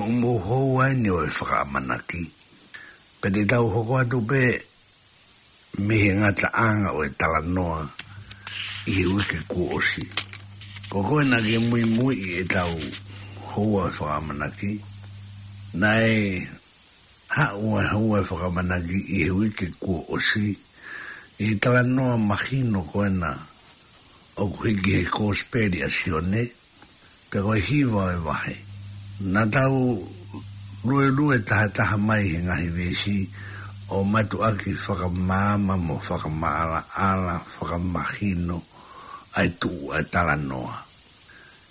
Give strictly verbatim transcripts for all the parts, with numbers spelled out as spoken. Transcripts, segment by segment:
Mou houa eni ʻo e fakaʻamanaki. Pea te tau hoko atu pē mei he ngataʻanga ʻo e talanoa ʻi he uike kuo ʻosi. Ko koe naʻa ke muimui ʻi heʻetau houa ʻo e fakaʻamanaki, naʻe haʻu ʻa e houa ʻo e fakaʻamanaki ʻi he uike kuo ʻosi, ʻi he talanoa mahino ko ena ʻoku hiki he Kosipeli ʻa Sione, pea ko e hiva ʻo e vahe. Naʻa tau luelue tahataha mai he ngaahi veesi ʻo mātuʻaki fakamaama mo fakamaʻalaʻala, fakamahino ʻa e tuʻu ʻa e talanoa.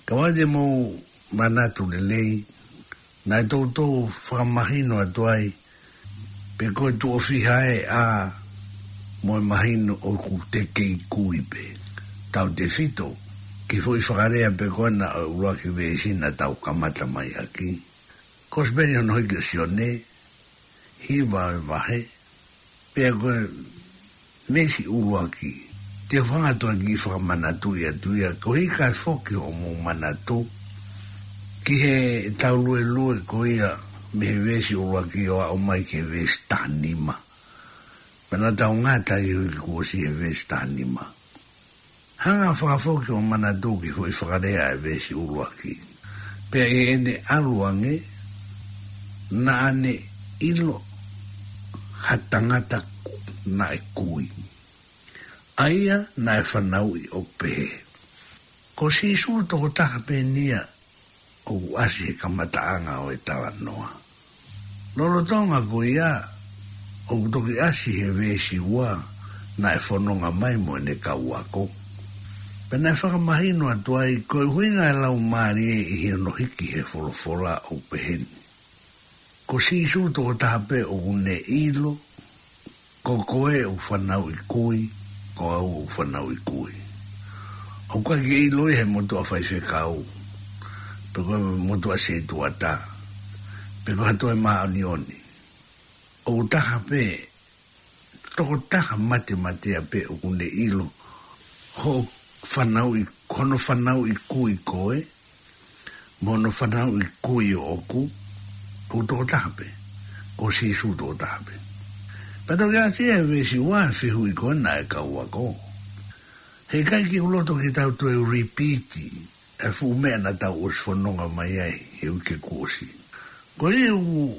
Ka ʻoua te mou manatu lelei, naʻe toutou fakamahino atu ai, pe ko e tuʻo fiha ʻe ʻā mo e mahino ʻoku te kei kui pē. Tautefito ki he foʻi fakalea pē ko ena ʻo e ʻuluaki veesi naʻa tau kamata mai ʻaki. Kosipeli hono hiki ʻa Sione, hiva ʻo e vahe, pea ko e veesi ʻuluaki. Te u hanga atu ʻo kiʻi fakamanatuʻi atu ia, koeʻuhi kae foki hoʻomou manatu ki heʻetau luelue ko ia mei he veesi ʻuluaki ʻo aʻu mai ki he veesi tahanima. Pea naʻa tau ngata ʻi he uike kuo ʻosi he veesi tahanima. Hanga ʻo fakafoki hoʻo manatu ki he foʻi fakalea ʻo e veesi ʻuluaki. Pea ʻi heʻene ʻalu ange, naʻa ne ʻilo ha tangata naʻe kui, ʻa ia naʻe fanauʻi ʻo pehē. Ko Sīsū tokotaha pē eni ia ʻoku ʻasi he kamataʻanga ʻo e talanoa. Lolotonga ko ia, ʻoku toki ʻasi he veesi ua, naʻe fononga mai mo ʻene kau ako. Pea naʻe fakamahino atu ai, ko e ʻuhinga ʻa e Laumālie ʻi hono hiki he folofola ʻoku pehē ni. Ko Sīsū tokotaha pē ʻoku ne ʻilo, ko koe ʻoku fanauʻi kui, ko au ʻoku fanauʻi kui. ʻOku ʻikai ke ʻilo ia he motuʻa faifekau, pe ko e motuʻa setuata, pe ko ha toe māʻoniʻoni. ʻOku taha pē, tokotaha matematea pē ʻoku ne ʻilo hoʻo fanauʻi, hono fanauʻi kui koe, mo hono fanauʻi kui ʻoʻoku, ʻoku tokotaha pē, ko Sīsū tokotaha pē. Pea toki ʻasi ia he veesi ua, fehuʻi ko ena ʻa e kau ako. Heʻikai ke u loto ke tau toe repeat ʻa e fuʻu meʻa naʻa tau ʻosi fononga mai ai he uike kuo ʻosi. Ko ia ʻoku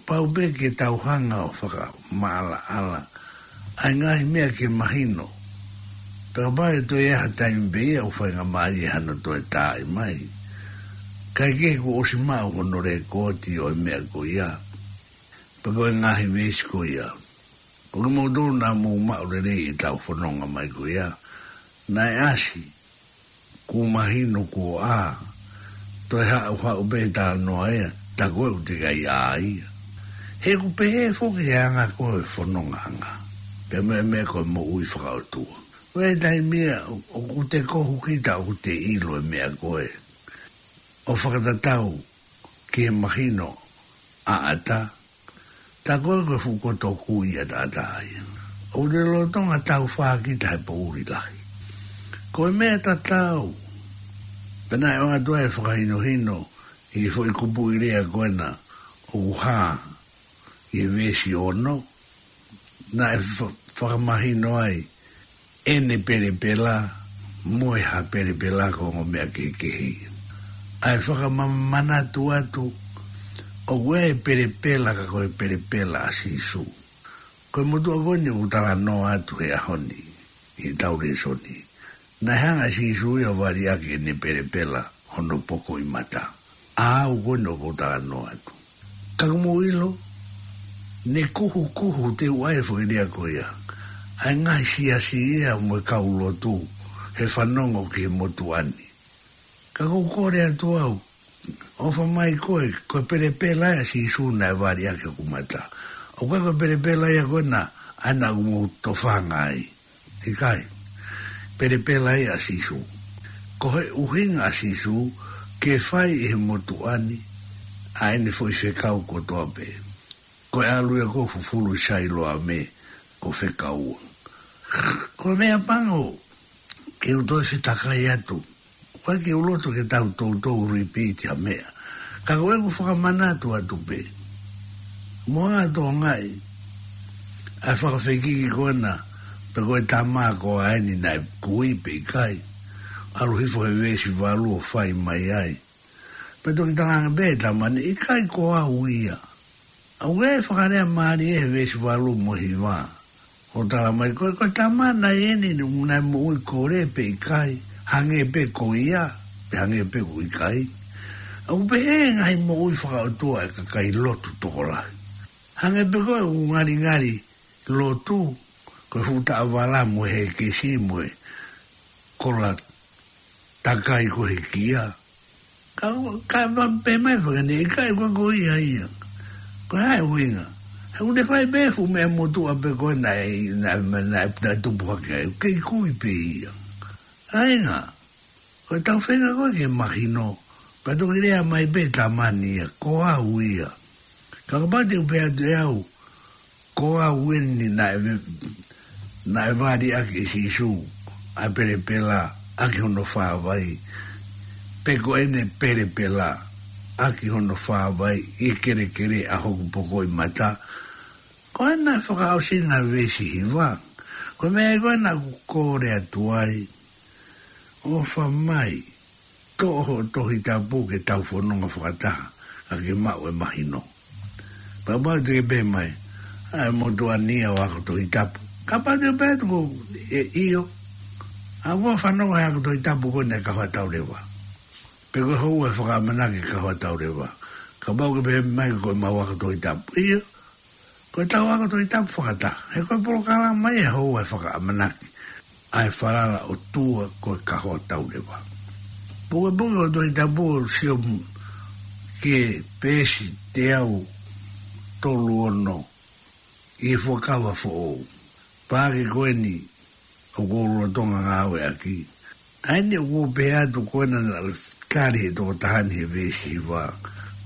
pau pē ke tau hanga ʻo fakamaʻalaʻala ʻa e ngaahi meʻa ke mahino. Pea kapau ʻe toe ʻi ai ha taimi pē ia ʻoku faingamālie hano toe taaʻi mai, kae kehe kuo ʻosi maʻu hono lēkooti ʻo e meʻa ko ia, pe ko e ngaahi veesi ko ia. Ko kimoutolu naʻa mou maʻu lelei ʻetau fononga mai ko ia, naʻe ʻasi, kuo mahino kuo ʻā, toe haʻuhaʻu pē talanoa ia, tā ko ē ʻoku teʻeki ai ʻā ia. He ʻoku pehē foki he anga ko ē fonongaʻanga, pea mo e meʻa ko e moʻui fakaʻotua. Ko e taimi ia ʻoku te kohu kita ʻoku te ʻilo e meʻa ko ē, ʻo fakatatau ki he mahino ʻaʻata, tā ko ē ko e fuʻu koto kui ʻataʻatā ia. ʻOku te lolotonga taufā kita he poʻuli lahi. Ko e meʻa tatau, pea naʻe ʻoatu ai e fakahinohino ʻi he foʻi kupuʻi lea ko ena ʻoku hā ʻi he veesi ono, naʻe fa-, fakamahino ai ʻene pelepela mo e hā pelepela ko e ongo meʻa kehekehe ia. ʻA e fakamamanatu atu, ʻoku ʻi ai e pelepela ka ko e pelepela ʻa Sīsū. Ko e motuʻa ko eni ʻoku talanoa atu he ʻaho ni, ʻi heʻetau lēsoni, naʻe hanga ʻe Sīsū ia ʻo vali ʻaki ʻene pelepela hono poko ʻi mata. ʻA au ko eni ʻoku ou talanoa atu. Ka ʻoku mou ʻilo, ne kuhukuhu, te u ʻai e foʻi lea ko ia, ʻa e ngaahi siasi ia mo e kau lotu he fanongo ki he motuʻa ni. Ka ʻoku ou kole atu au, ʻofa mai koe, ko e pelepela ia ʻa Sīsū naʻe vali ʻaki hoku mata. ʻOku ʻikai ko e pelepela ia ko ena ʻa ena ʻoku mou tofanga ai. ʻIkai. Pelepela ia ʻa Sīsū. Ko e ʻuhinga ʻa Sīsū ke fai ʻe he motuʻa ni ʻa ʻene foʻi fekau kotoa pē. Ko e ʻalu ia ko ē ʻo fufulu ʻi Sailoame ko e fekau. Ko e meʻapango ke u toe fetakai atu. ʻOku ʻikai ke u loto ke tau toutou repeat ha meʻa. Ka ko ʻeku fakamanatu atu pē, mo ʻene tokangaʻi ʻa e fakafekiki ko ena, pe ko e tama ko eni naʻe kui pe ʻikai. ʻAlu hifo he veesi valu ʻo fai mai ai. Pea toki talaange pē ʻe he tama ni, ʻikai ko au ia. ʻA ia ʻoku fakalea mālie he veesi valu mo e hiva. ʻO tala mai ko e, ko e tama naʻe eni naʻe moʻui kole pe ʻikai, hangē pē ko ia, pe hangē pē ko ʻikai. ʻOku pehē ngaahi moʻui fakaʻotua ʻa e kakai lotu tokolahi. Hangē pē ko e ʻū ngalingali lotu, ko e fuʻu taʻavala mo e hekesi mo e kola takai ko e kia. Ka, ka ma pē mai fakane, ʻikai ko, ko ia ia. Ko e hā e ʻuhinga? He ʻoku ne fai pē fuʻu meʻa motuʻa pē ko ē naʻe, naʻe, naʻe, naʻe tupu hake ai. Kei kui pē ia. ʻA ia, ko e tau feinga ko ē ke mahino. Pea toki lea mai pē tama ni ia, ko au ia. Ka kapau te u pehē atu ʻe au, ko au eni naʻe, naʻe vali ʻaki ʻe Sīsū ʻa e pelepela ʻaki hono fāvai, pe ko ʻene pelepela ʻaki hono fāvai ʻi he kelekele ʻa hoku pokoʻi mata. Ko ena fakaʻosinga veesi hiva. Ko e meʻa ko ena ʻoku kole atu ai, ʻofa mai, toʻo hoʻo Tohi Tapu ke tau fononga fakataha, ka ke maʻu e mahino. Pea mau te ke pehē mai, ʻa e motuʻa ni ia ʻoku ako Tohi Tapu. Kapau te ke pehē atu ko e ʻio, ʻa ʻoku fanongo he ako Tohi Tapu ko eni ʻa e Kahoa Tauleva. Pe ko e houa e fakaʻamanaki Kahoa Tauleva. Kapau ke pehē mai ko ʻemau ako Tohi Tapu. ʻIo, ko e tau ako Tohi Tapu fakataha. He ko e polokalama ia houa e fakaʻamanaki ʻa e falala ʻOtua ko e Kahoa Tauleva. Pukepuke ʻo Tohi Tapu ʻo sio ki he peesi teau tolu ono ʻi he Fuakava Foʻou. Paaki ko eni ʻoku ou lolotonga ngāueʻaki. ʻA eni ʻoku ou pehē atu ko ena naʻe tali ʻe he tokotaha ni he veesi hiva,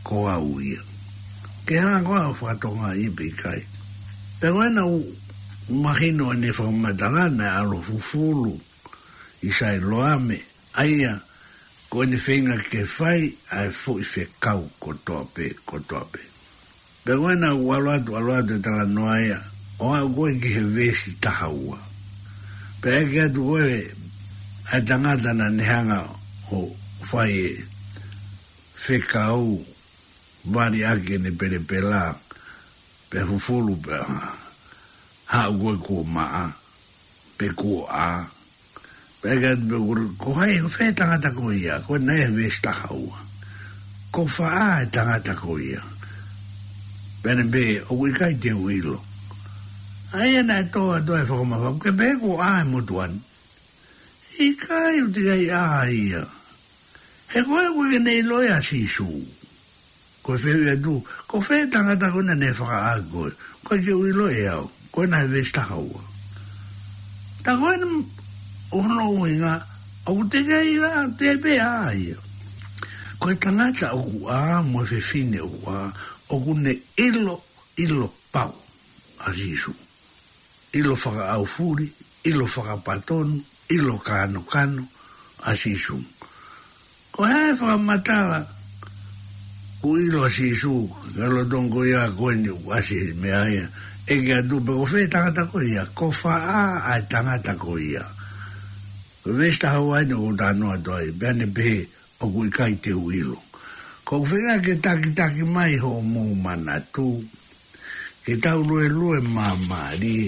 ko au ia. Ke hanga ko ā ʻo fakatokangaʻi pe ʻikai. Pea ko ena ʻoku mahino ʻene fakamatala naʻe ʻalu ʻo fufulu ʻi Sailoame, ʻa ia ko ʻene feinga ke fai ʻa e foʻi fekau kotoa pē, kotoa pē. Pea ko ena ʻoku ʻalu atu, ʻalu atu e talanoa ia, ʻo aʻu ko ē ki he veesi taha ua. Pea ʻeke atu ko ē ʻa e tangata naʻa ne hanga ʻo fai e fekau, vali ʻaki ʻene pelepela, pea fufulu pea haʻu ko ē kuo maʻa, pe kuo ʻā. Pea ʻeke atu pē ko, ko hai, ko fē tangata ko ia, ko ena ia he veesi taha ua. Ko fē ʻa e tangata ko ia? Pea ne pehē, ʻoku ʻikai te u ʻilo. ʻA ia naʻe tō atu ai e fakamafaʻu, ke pehē kuo ʻā e motuʻa ni. ʻIkai, ʻoku teʻeki ai ʻā ia. He ko e ʻoku ʻikai ke ne ʻilo ia ʻa Sīsū. Ko e fehuʻi atu, ko fē tangata ko ena naʻe fakaʻā koe? ʻOku ʻikai ke u ʻilo ʻe au. Ko ena he veesi taha ua. Tā ko ena ʻoku hono ʻuhinga, ʻoku teʻeki ai ʻā, teʻeki pē ʻā ia. Ko e tangata ʻoku ʻā, mo e fefine ʻoku ʻā, ʻoku ne ʻilo, ʻilo pau ʻa Sīsū. ʻIlo fakaʻaufuli, ʻilo fakapatonu, ʻilo kānokano ʻa Sīsū. Ko e hā e fakamatala, ʻoku ʻilo ʻa Sīsū, ka lolotonga ko ia ko eni ʻoku ʻasi he meʻa ia, ʻeke atu pē ko fē tangata ko ia, ko fē ʻa e tangata ko ia? Ko e veesi taha ua eni ʻoku ou talanoa atu ai, pea ne pehē, ʻoku ʻikai te u ʻilo. ʻOku ou feinga ke takitaki mai hoʻomou manatu, ke tau luelue māmālie,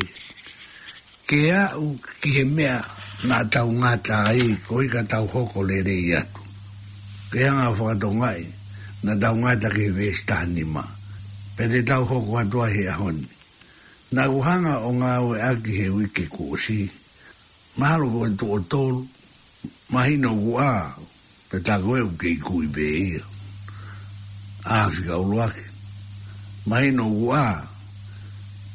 ke aʻu ki he meʻa naʻa tau ngata ai, koeʻuhi ka tau hoko lelei atu. Ke hanga ʻo fakatokangaʻi, naʻa tau ngata ki he veesi taha nima. Pea te tau hoko atu ai he ʻaho ni. Naʻa ku hanga ʻo ngāueʻaki he uike kuo ʻosi. Mahalo ko e tuʻo tolu, mahino ʻoku ʻā, pea tā ko ē ʻoku kei kui pē ia. ʻĀ fika ʻuluaki. Mahino ʻoku ʻā,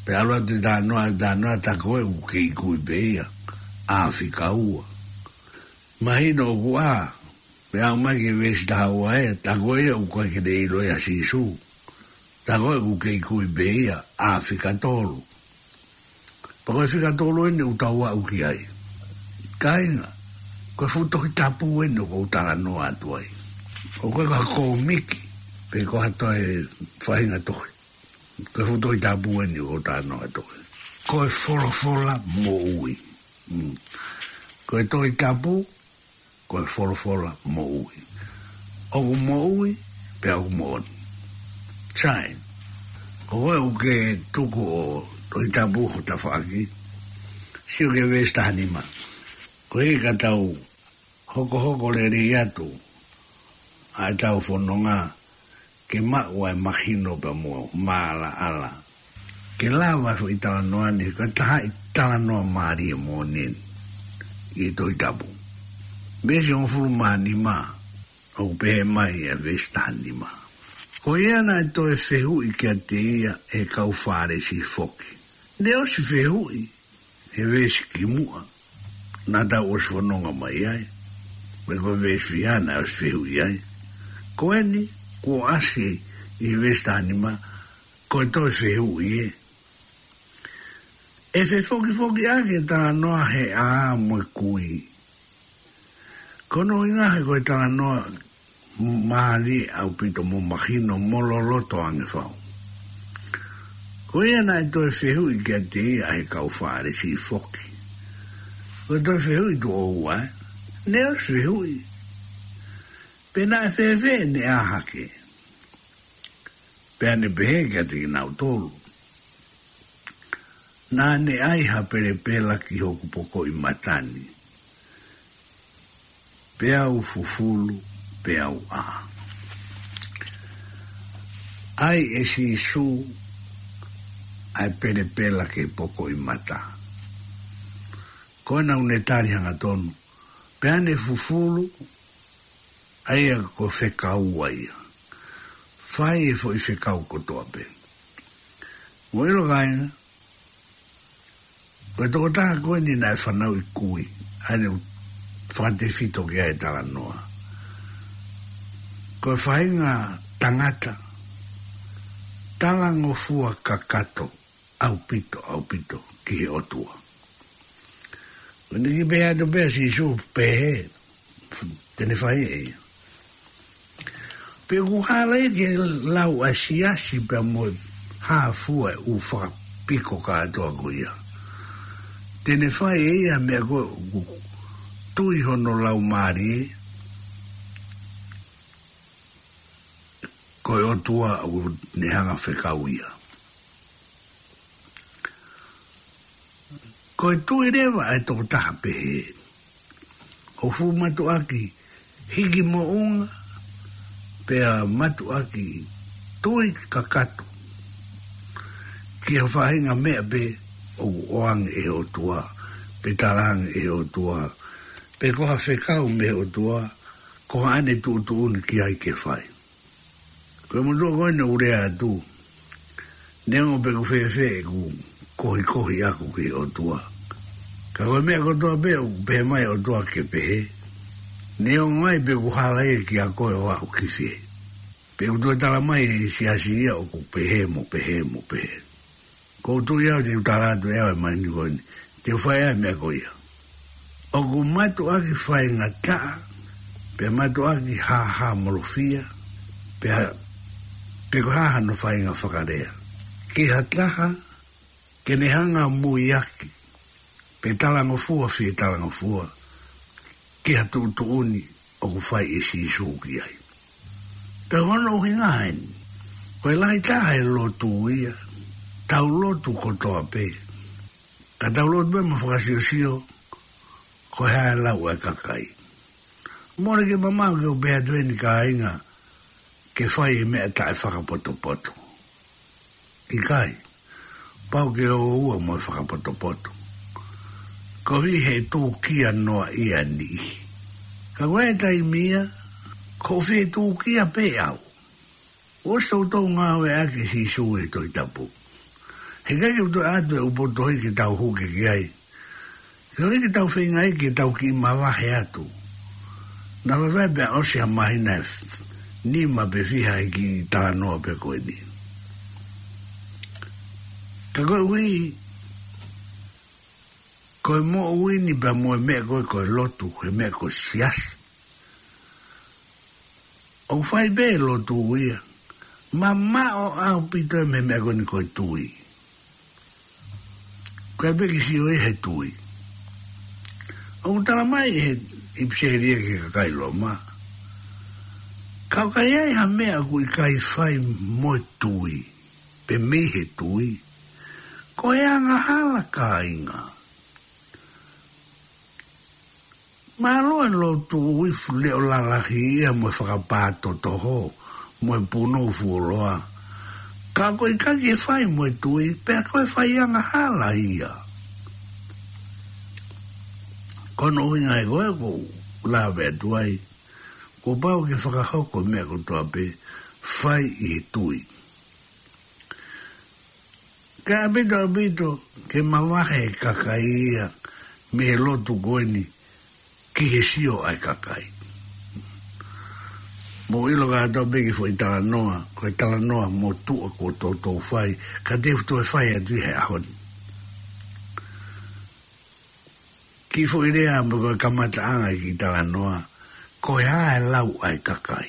pea ʻalu atu e talanoa, talanoa tā ko ē ʻoku kei kui pē ia. ʻĀ fika ua. Mahino ʻoku ʻā, pea aʻu mai ki he veesi taha ua ē, tā ko ē ʻoku ʻikai ke ne ʻilo ia ʻa Sīsū. Tā ko ē ʻoku kei kui pē ia, ʻā fika tolu. Pea ko e fika tolu eni ʻoku tau aʻu ki ai. Kāinga, ko e fuʻu Tohi Tapu eni ʻoku ou talanoa atu ai. ʻOku ʻikai ko ha kōmiki. pe ko ha toe faʻahinga tohi. Ko e fuʻu Tohi Tapu eni ʻoku ou talanoa ki ai. Ko e folofola moʻui. Mm. Ko e Tohi Tapu, ko e folofola moʻui. ʻOku moʻui, pea ʻoku moʻoni. Sai. Ko koe ʻoku ke tuku ʻa e Tohi Tapu ho tafaʻaki, sio ki he veesi taha nima. Koeʻuhi ka tau hokohoko lelei atu ʻa ʻetau fononga ke maʻu ʻa e mahino pea mo e maʻalaʻala. Ke lava e foʻi talanoa ni, ko e taha e talanoa mālie moʻoni ʻi he Tohi Tapu. Veesi hongofulu mā nima, ʻoku pehē mai ʻa e veesi taha nima. Ko ia naʻe toe fehuʻi kiate ia ʻe he kau Fālesi foki. Naʻe ʻosi fehuʻi he veesi kimuʻa naʻa tau ʻosi fononga mai ai. Pea ko e veesi fiha naʻe ʻosi fehuʻi ai. Ko eni, kuo ʻasi ʻi he veesi taha nima, ko e toe fehuʻi ē. ʻE fefokifoki ʻaki e talanoa he ʻā mo e kui. Ko hono ʻuhinga he ko e talanoa mālie ʻaupito mo mahino mo loloto ange fau. Ko ia naʻe toe fehuʻi kiate ia ʻe he kau Fālesi foki. Ko e toe fehuʻi tuʻo ua ē. Naʻe ʻosi fehuʻi. Pe naʻe fēfē ʻene ʻā hake. Pea ne pehē kiate kinautolu, naʻa ne ʻai ha pelepela ki hoku pokoʻi mata ni, peau fufulu, peau ʻā. ʻAi ʻe Sīsū ʻa e pelepela ki he pokoʻi mata. Ko ena ʻoku ne tali hangatonu, pea ne fufulu, ʻa ia ko e fekau ia. Fai e foʻi fekau kotoa pē. Mou ʻilo kāinga, ko e tokotaha ko eni naʻe fanauʻi kui, ʻa eni ʻoku fakatefito ki ai e talanoa. Ko e faʻahinga tangata talangofua kakato ʻaupito, ʻaupito ki he ʻOtua. Ko eni ki pehē atu pē ʻa Sīsū pehē, te ne fai ʻe ia. Pea ʻoku hala ia ke lau ʻa e siasi pea mo e hā fua e ʻū fakapiko kātoa ko ia. Te ne fai ʻe ia meʻa ko ē ʻoku tui hono laumālie, ko e ʻOtua ʻoku ne hanga fekau ia. Ko e tui leva ʻa e tokotaha pehē, ʻoku fuʻu mātuʻaki hiki moʻunga, pea mātuʻaki tui kakato ki ha faʻahinga meʻa pē ʻoku ʻoange ʻe he ʻOtua, pe talaange ʻe he ʻOtua, pe ko ha fekau mei he ʻOtua, ko haʻane tuʻutuʻuni ki ai ke fai. Ko e motuʻa ko eni ʻoku lea atu, neongo pe ʻoku fēfē ʻeku kohikohi ʻaku ki he ʻOtua, ka ko e meʻa kotoa pē ʻoku pehē mai ʻOtua ke pehē, neongo ai pe ʻoku hala ia kiate koe ʻo aʻu ki fē. Pe ʻoku toe tala mai ʻe he siasi ia ʻoku pehē mo pehē mo pehē. ʻOku ou tui au te u tala atu ʻe au e mahino ko eni, te u fai ʻa e meʻa ko ia. ʻOku mātuʻaki faingataʻa, pea mātuʻaki hāhāmolofia, pea, pe ko e hā hano faʻahinga fakalea. Ki ha taha, ke ne hanga muiaki, pe talangofua fie talangofua, ki ha tuʻutuʻuni ʻoku fai ʻe Sīsū ki ai. Pea ko hono ʻuhinga eni, ko e lahi taha e lotu ia, tau lotu kotoa pē. Ka tau lotu pē mo fakasiosio, ko e hā e lau ʻa e kakai. Mole ke mamaʻo ke u pehē atu eni kāinga, ke fai e meʻa taʻefakapotopoto. ʻIkai, pau ke ʻoua mo e fakapotopoto. Koeʻuhi he tūkia noa ia niʻihi. Ka ko e taimi ia, ʻoku ou fie tūkia pē au. ʻOsi toutou ngāueʻaki ʻe Sīsū e Tohi Tapu. Heʻikai ke u toe ʻoatu e ʻū potu tohi ke tau huke ki ai. Ke ʻoua ke tau feinga ai ke tau kiʻi mavahe atu. Naʻa faifai pea ʻosi ha māhina ʻe f-, nima pe fiha ʻi he kiʻi talanoa pē ko eni. Ka koeʻuhi, ko e moʻui ni pea mo e meʻa ko ē ko e lotu, he meʻa ko e siasi. ʻOku fai pē lotu ia. Mamaʻo ʻaupito e meʻa ko eni ko e tui. Ko e pē ke sio ia he tui. ʻOku tala mai he ʻipiseli ki he kakai Loma, ka ʻoku ʻi ai ha meʻa ʻoku ʻikai fai mo e tui, pe mei he tui, ko e angahala, kāinga. Mālō e lotu ʻi he fuʻu leʻo lalahi ia mo e fakapātotoho, mo e punou fuoloa. Ka ʻoku ʻikai ke fai mo e tui, pea ko e fai angahala ia. Ko hono ʻuhinga ia ko ē ʻoku ou lave atu ai, kuo pau ke fakahoko e meʻa kotoa pē, fai ʻi he tui. Ka ʻaupito ʻaupito ke mavahe e kakai ia mei he lotu ko eni ki he sio ʻa e kakai. Mou ʻilo kātoa pē ki he foʻi talanoa, ko e talanoa motuʻa kuo toutou fai, ka te u toe fai atu ia he ʻaho ni. Kiʻi foʻi lea mo e kamataʻanga e kiʻi talanoa, ko e hā e lau ʻa e kakai.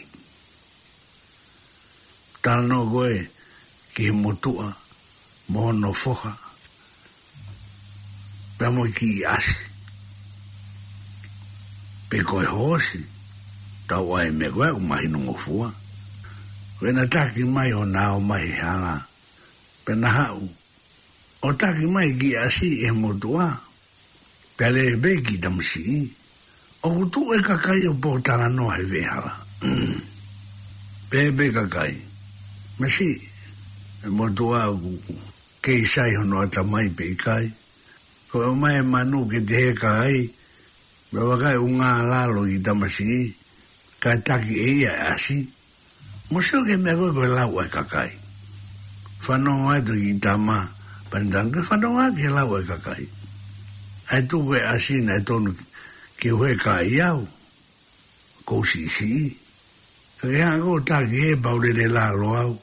Talanoa ko ē ki he motuʻa mo hono foha, pea mo e kiʻi ʻasi, pe ko e hoosi, tau ʻai e meʻa ko ē ʻoku mahinongofua. Ko ʻena taki mai ʻo na ō mai he hala, pea na haʻu ʻo taki mai e kiʻi ʻasi ʻe he motuʻa, pea lele pē e kiʻi tamasiʻi. ʻOku tuʻu e kakai ʻo pōtalanoa he veʻehala. Pehē pē e kakai, masiʻi, e motuʻa ʻoku kei sai hono ʻatamai pe ʻikai. Ko e ʻomai e manu ke te heka ai, pea vakai ʻoku ngālalo e kiʻi tamasiʻi, kae taki ʻe ia e ʻasi. Mou sio ki he meʻa ko ē ko e lau ʻa e kakai. Fanongo atu e kiʻi tama, pea ne talaange, fanongo ki he lau ʻa e kakai. ʻAi tuku e ʻasi naʻe tonu ke u heka ai au, ʻoku ou siʻisiʻi. Ka ke hanga ʻo taki hē pea u lele lalo au.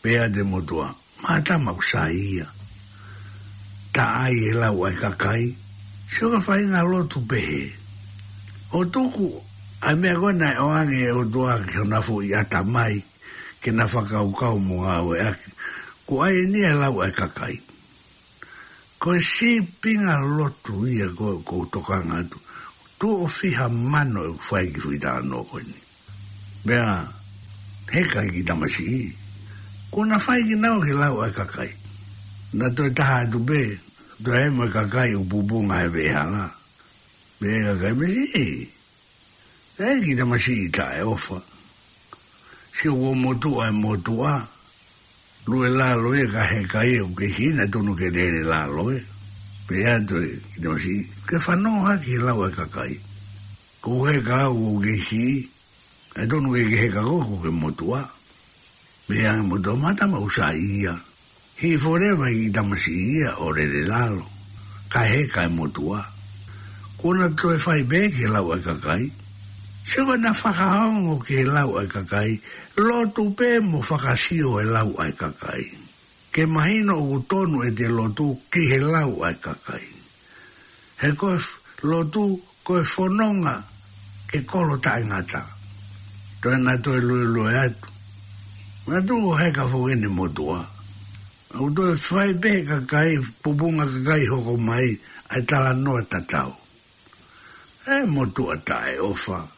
Pehē atu e motuʻa, mātama ʻoku sai ia. Taʻai e lau ʻa e kakai. Sio ki he faʻahinga lotu pehē. ʻO tuku ʻa e meʻa ko ē naʻe ʻoange ʻe he ʻOtua ki hona foʻi ʻatamai, ke na fakakaukau mo ngāueʻaki. Kuo ʻai eni e lau ʻa e kakai. Ko e sīpinga lotu ia ko ē ʻoku ou tokanga atu. Tuʻo fiha mano ʻeku fai ki he foʻi talanoa ko eni. Pea heka e kiʻi tamasiʻi. Kuo na fai kinaua ki he lau ʻa e kakai. Na toe taha atu pē, toe ʻai mo e kakai ʻoku pupunga he veʻehala. Pehē e kakai, masiʻi, ʻe kiʻi tamasiʻi taʻeʻofa. Sio kuo motuʻa e motuʻa. Lue lalo ia kae heka ia ʻoku kei siʻi, naʻe tonu ke lele lalo ē. Pehē atu e kiʻi tamasiʻi, ke fanongo hake ki he lau ʻa e kakai. Ko e heka au ʻoku kei siʻi, naʻe tonu ke ke heka koe, ko e motuʻa. Pehē ange e motuʻa, mātama ʻoku sai ia. Hiki forever e kiʻi tamasiʻi ia ʻo lele lalo, kae heka e motuʻa. Kuo na toe fai pē ki he lau ʻa e kakai. Sio ko ʻena fakaongo ki he lau ʻa e kakai, lotu pē mo fakasio e lau ʻa e kakai. Ke mahino ʻoku tonu ʻete lotu ki he lau ʻa e kakai. He ko e f-, lotu ko e fononga ke kolo taʻengata. Toe na toe luelue atu. Na tuku ʻo heka foki ʻene motuʻa. ʻOku toe fai pē he kakai, pupunga kakai hoko mai, ʻa e talanoa tatau. E motuʻa taʻeʻofa.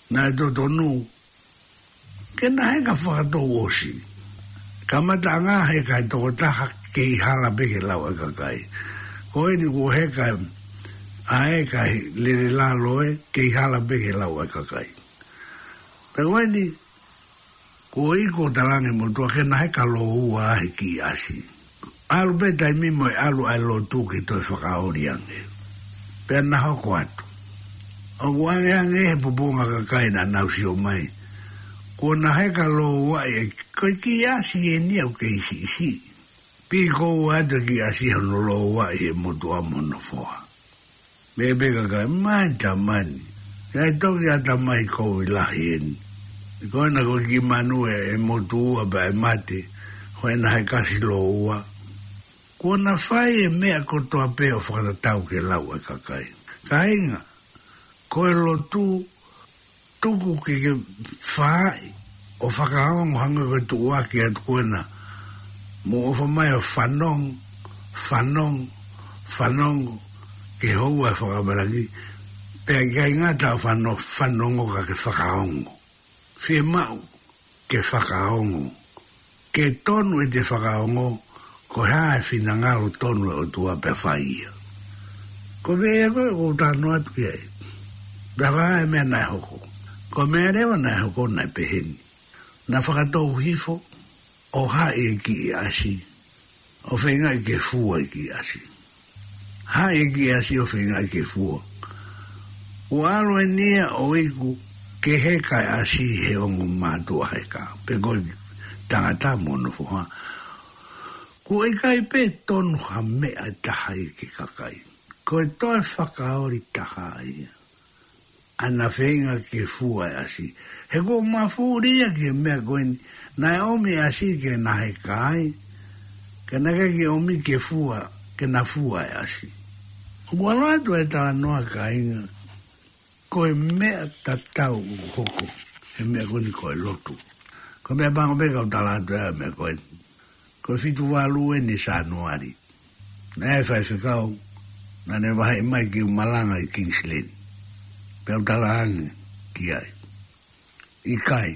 Naʻe totonu ke na heka fakatouʻosi. Kamataʻanga heka e tokotaha, kei hala pē ki he lau ʻa e kakai. Ko eni kuo heka ʻa e kakai, lele lalo ē, kei hala pē ki he lau ʻa e kakai. Pea ko eni, kuo ʻi ai, kuo talaange e motuʻa ke na heka lōua he kiʻi ʻasi. ʻAlu pē taimi mo e ʻalu ʻa e lotu ke toe fakaoli ange. Pea na hoko atu. ʻOku angeange he pupunga kakai naʻa nau sio mai. Kuo na heka lōuaʻi e, ko e kiʻi ʻasi eni ia ʻoku kei siʻisiʻi. Pikoua atu e kiʻi ʻasi hono lōuaʻi ʻe he motuʻa mo hono foha. Pehē pē e kakai, mātama ni. ʻE toki ʻatamai kovi lahi eni. Ko ena ko e kiʻi manu ʻe, ʻe motuʻa pea ʻe mate, ko ena he kasi lōua. Kuo na fai e meʻa kotoa pē ʻo fakatatau ki he lau ʻa e kakai. Kāinga, ko e lotu tuku ke ke fai, ʻo fakaongo hangē ko e tuʻuaki atu ko ena. Mou ʻofa mai ʻo fanongo, fanongo, fanongo, ke houa e fakamalanga. Pea ʻikai ngata ʻo fano-, fanongo ka ke fakaongo. Fiemaʻu ke fakaongo. Ke tonu ʻete fakaongo, ko e hā e finangalo tonu ʻo e ʻOtua pea fai ia. Ko e meʻa ko ē ʻoku ou talanoa atu ki ai. Pea ko e hā e meʻa naʻe hoko. Ko e meʻa leva naʻe hoko naʻe pehē ni. Naʻe fakatou hifo, ʻo haʻi e kiʻi ʻasi, ʻo feingaʻi ke fua e kiʻi ʻasi. Haʻi e kiʻi ʻasi ʻo feingaʻi ke fua. Kuo ʻalu eni ia ʻo iku ke heka e ʻasi he ongo mātuʻa heka. Pe ko e tangata mo hono foha. Kuo ʻikai pē tonu ha meʻa ʻe taha ia ki he kakai. Ko e toe fakaoli taha ia. ʻA ʻena feinga ke fua e ʻasi. He kuo mafuli ia ki he meʻa ko eni, naʻe ʻomi e ʻasi ke na heka ai, ka naʻe ʻikai ke ʻomi ke fua, ke na fua e ʻasi. ʻOku ʻalu atu e talanoa kāinga, ko e meʻa tatau ʻoku hoko he meʻa ko eni ko e lotu. Ko e meʻa pango pē kau tala atu e meʻa ko eni. Ko e fitu valu eni Sānuali. Naʻe faifekau, naʻa ne vaheʻi mai ke u malanga ʻi Kingsland. Pea u talaange ki ai. ʻIkai.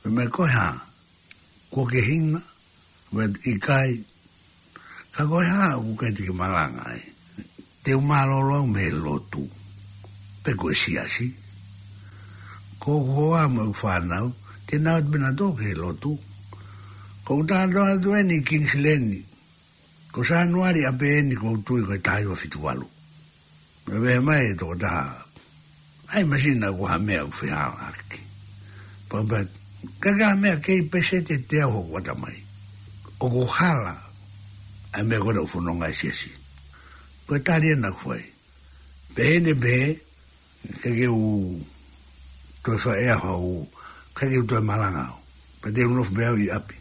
Pea meʻa ko e hā, kuo ke hinga, pea ʻikai, ka ko e hā ʻoku ʻikai te ke malanga ai. Te u mālōlō au mei he lotu. Pe ko e siasi. Ko hoku hoa mo ʻeku fānau, te nau ʻalu pē nautolu ki he lotu. Ko ʻeku talanoa atu eni Kingsland, ko Sānuali ʻapē eni ʻoku ou tui ko e taha hiva fitu valu. Pea pehē mai e tokotaha, ʻai masina ko ha meʻa ʻoku fehālaaki. Pea pehē, ka ko ha meʻa kei peseti ʻe teau hoku ʻatamai. ʻOku hala, ʻa e meʻa ko ena ʻoku fononga e siasi. Ko e tali ena ʻoku fai. Pehē ni pē, ʻikai ke u toe fai ʻe au, ʻikai ke u toe malanga au. Pea te u nofo pē au ʻi ʻapi.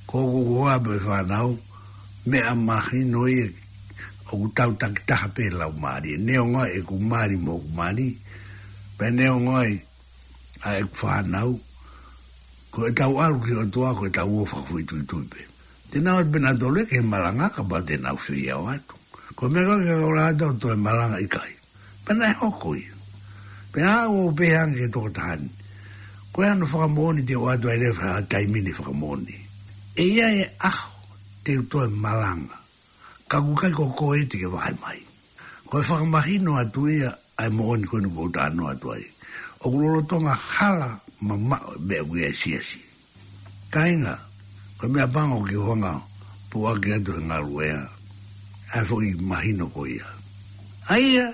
Ko hoku hoa mo e fānau, meʻa mahino ia ʻoku tau takitaha pē laumālie. Neongo ʻeku mali mo hoku mali, pea neongo ʻa ʻeku fānau, ko ʻetau ʻalu ki he ʻOtua, ko ʻetau ō fakafoʻituitui pē. Te nau ʻalu pē nautolu ki he malanga kapau te nau fie ō atu. Ko e meʻa ko ē ke kau lata ʻo toe malanga ʻikai. Pea naʻe hoko ia. Pea u pehē ange ki he tokotaha ni. Ko e hā hono fakamoʻoni te u ʻoatu ai leva ha taimi ni fakamoʻoni. ʻE ʻi ai e ʻaho te u toe malanga. Ka ʻoku ʻikai ko koe te ke vahe mai. Ko e fakamahino atu ia ʻa e moʻoni ko eni ʻoku ou talanoa atu ai. ʻOku lolotonga hala mamaʻo e meʻa ʻoku ʻi ai e siasi. Kāinga, ko e meʻa pango ke u hanga ʻo puʻaki atu he ngaluʻea ʻa e foʻi mahino ko ia. ʻA ia,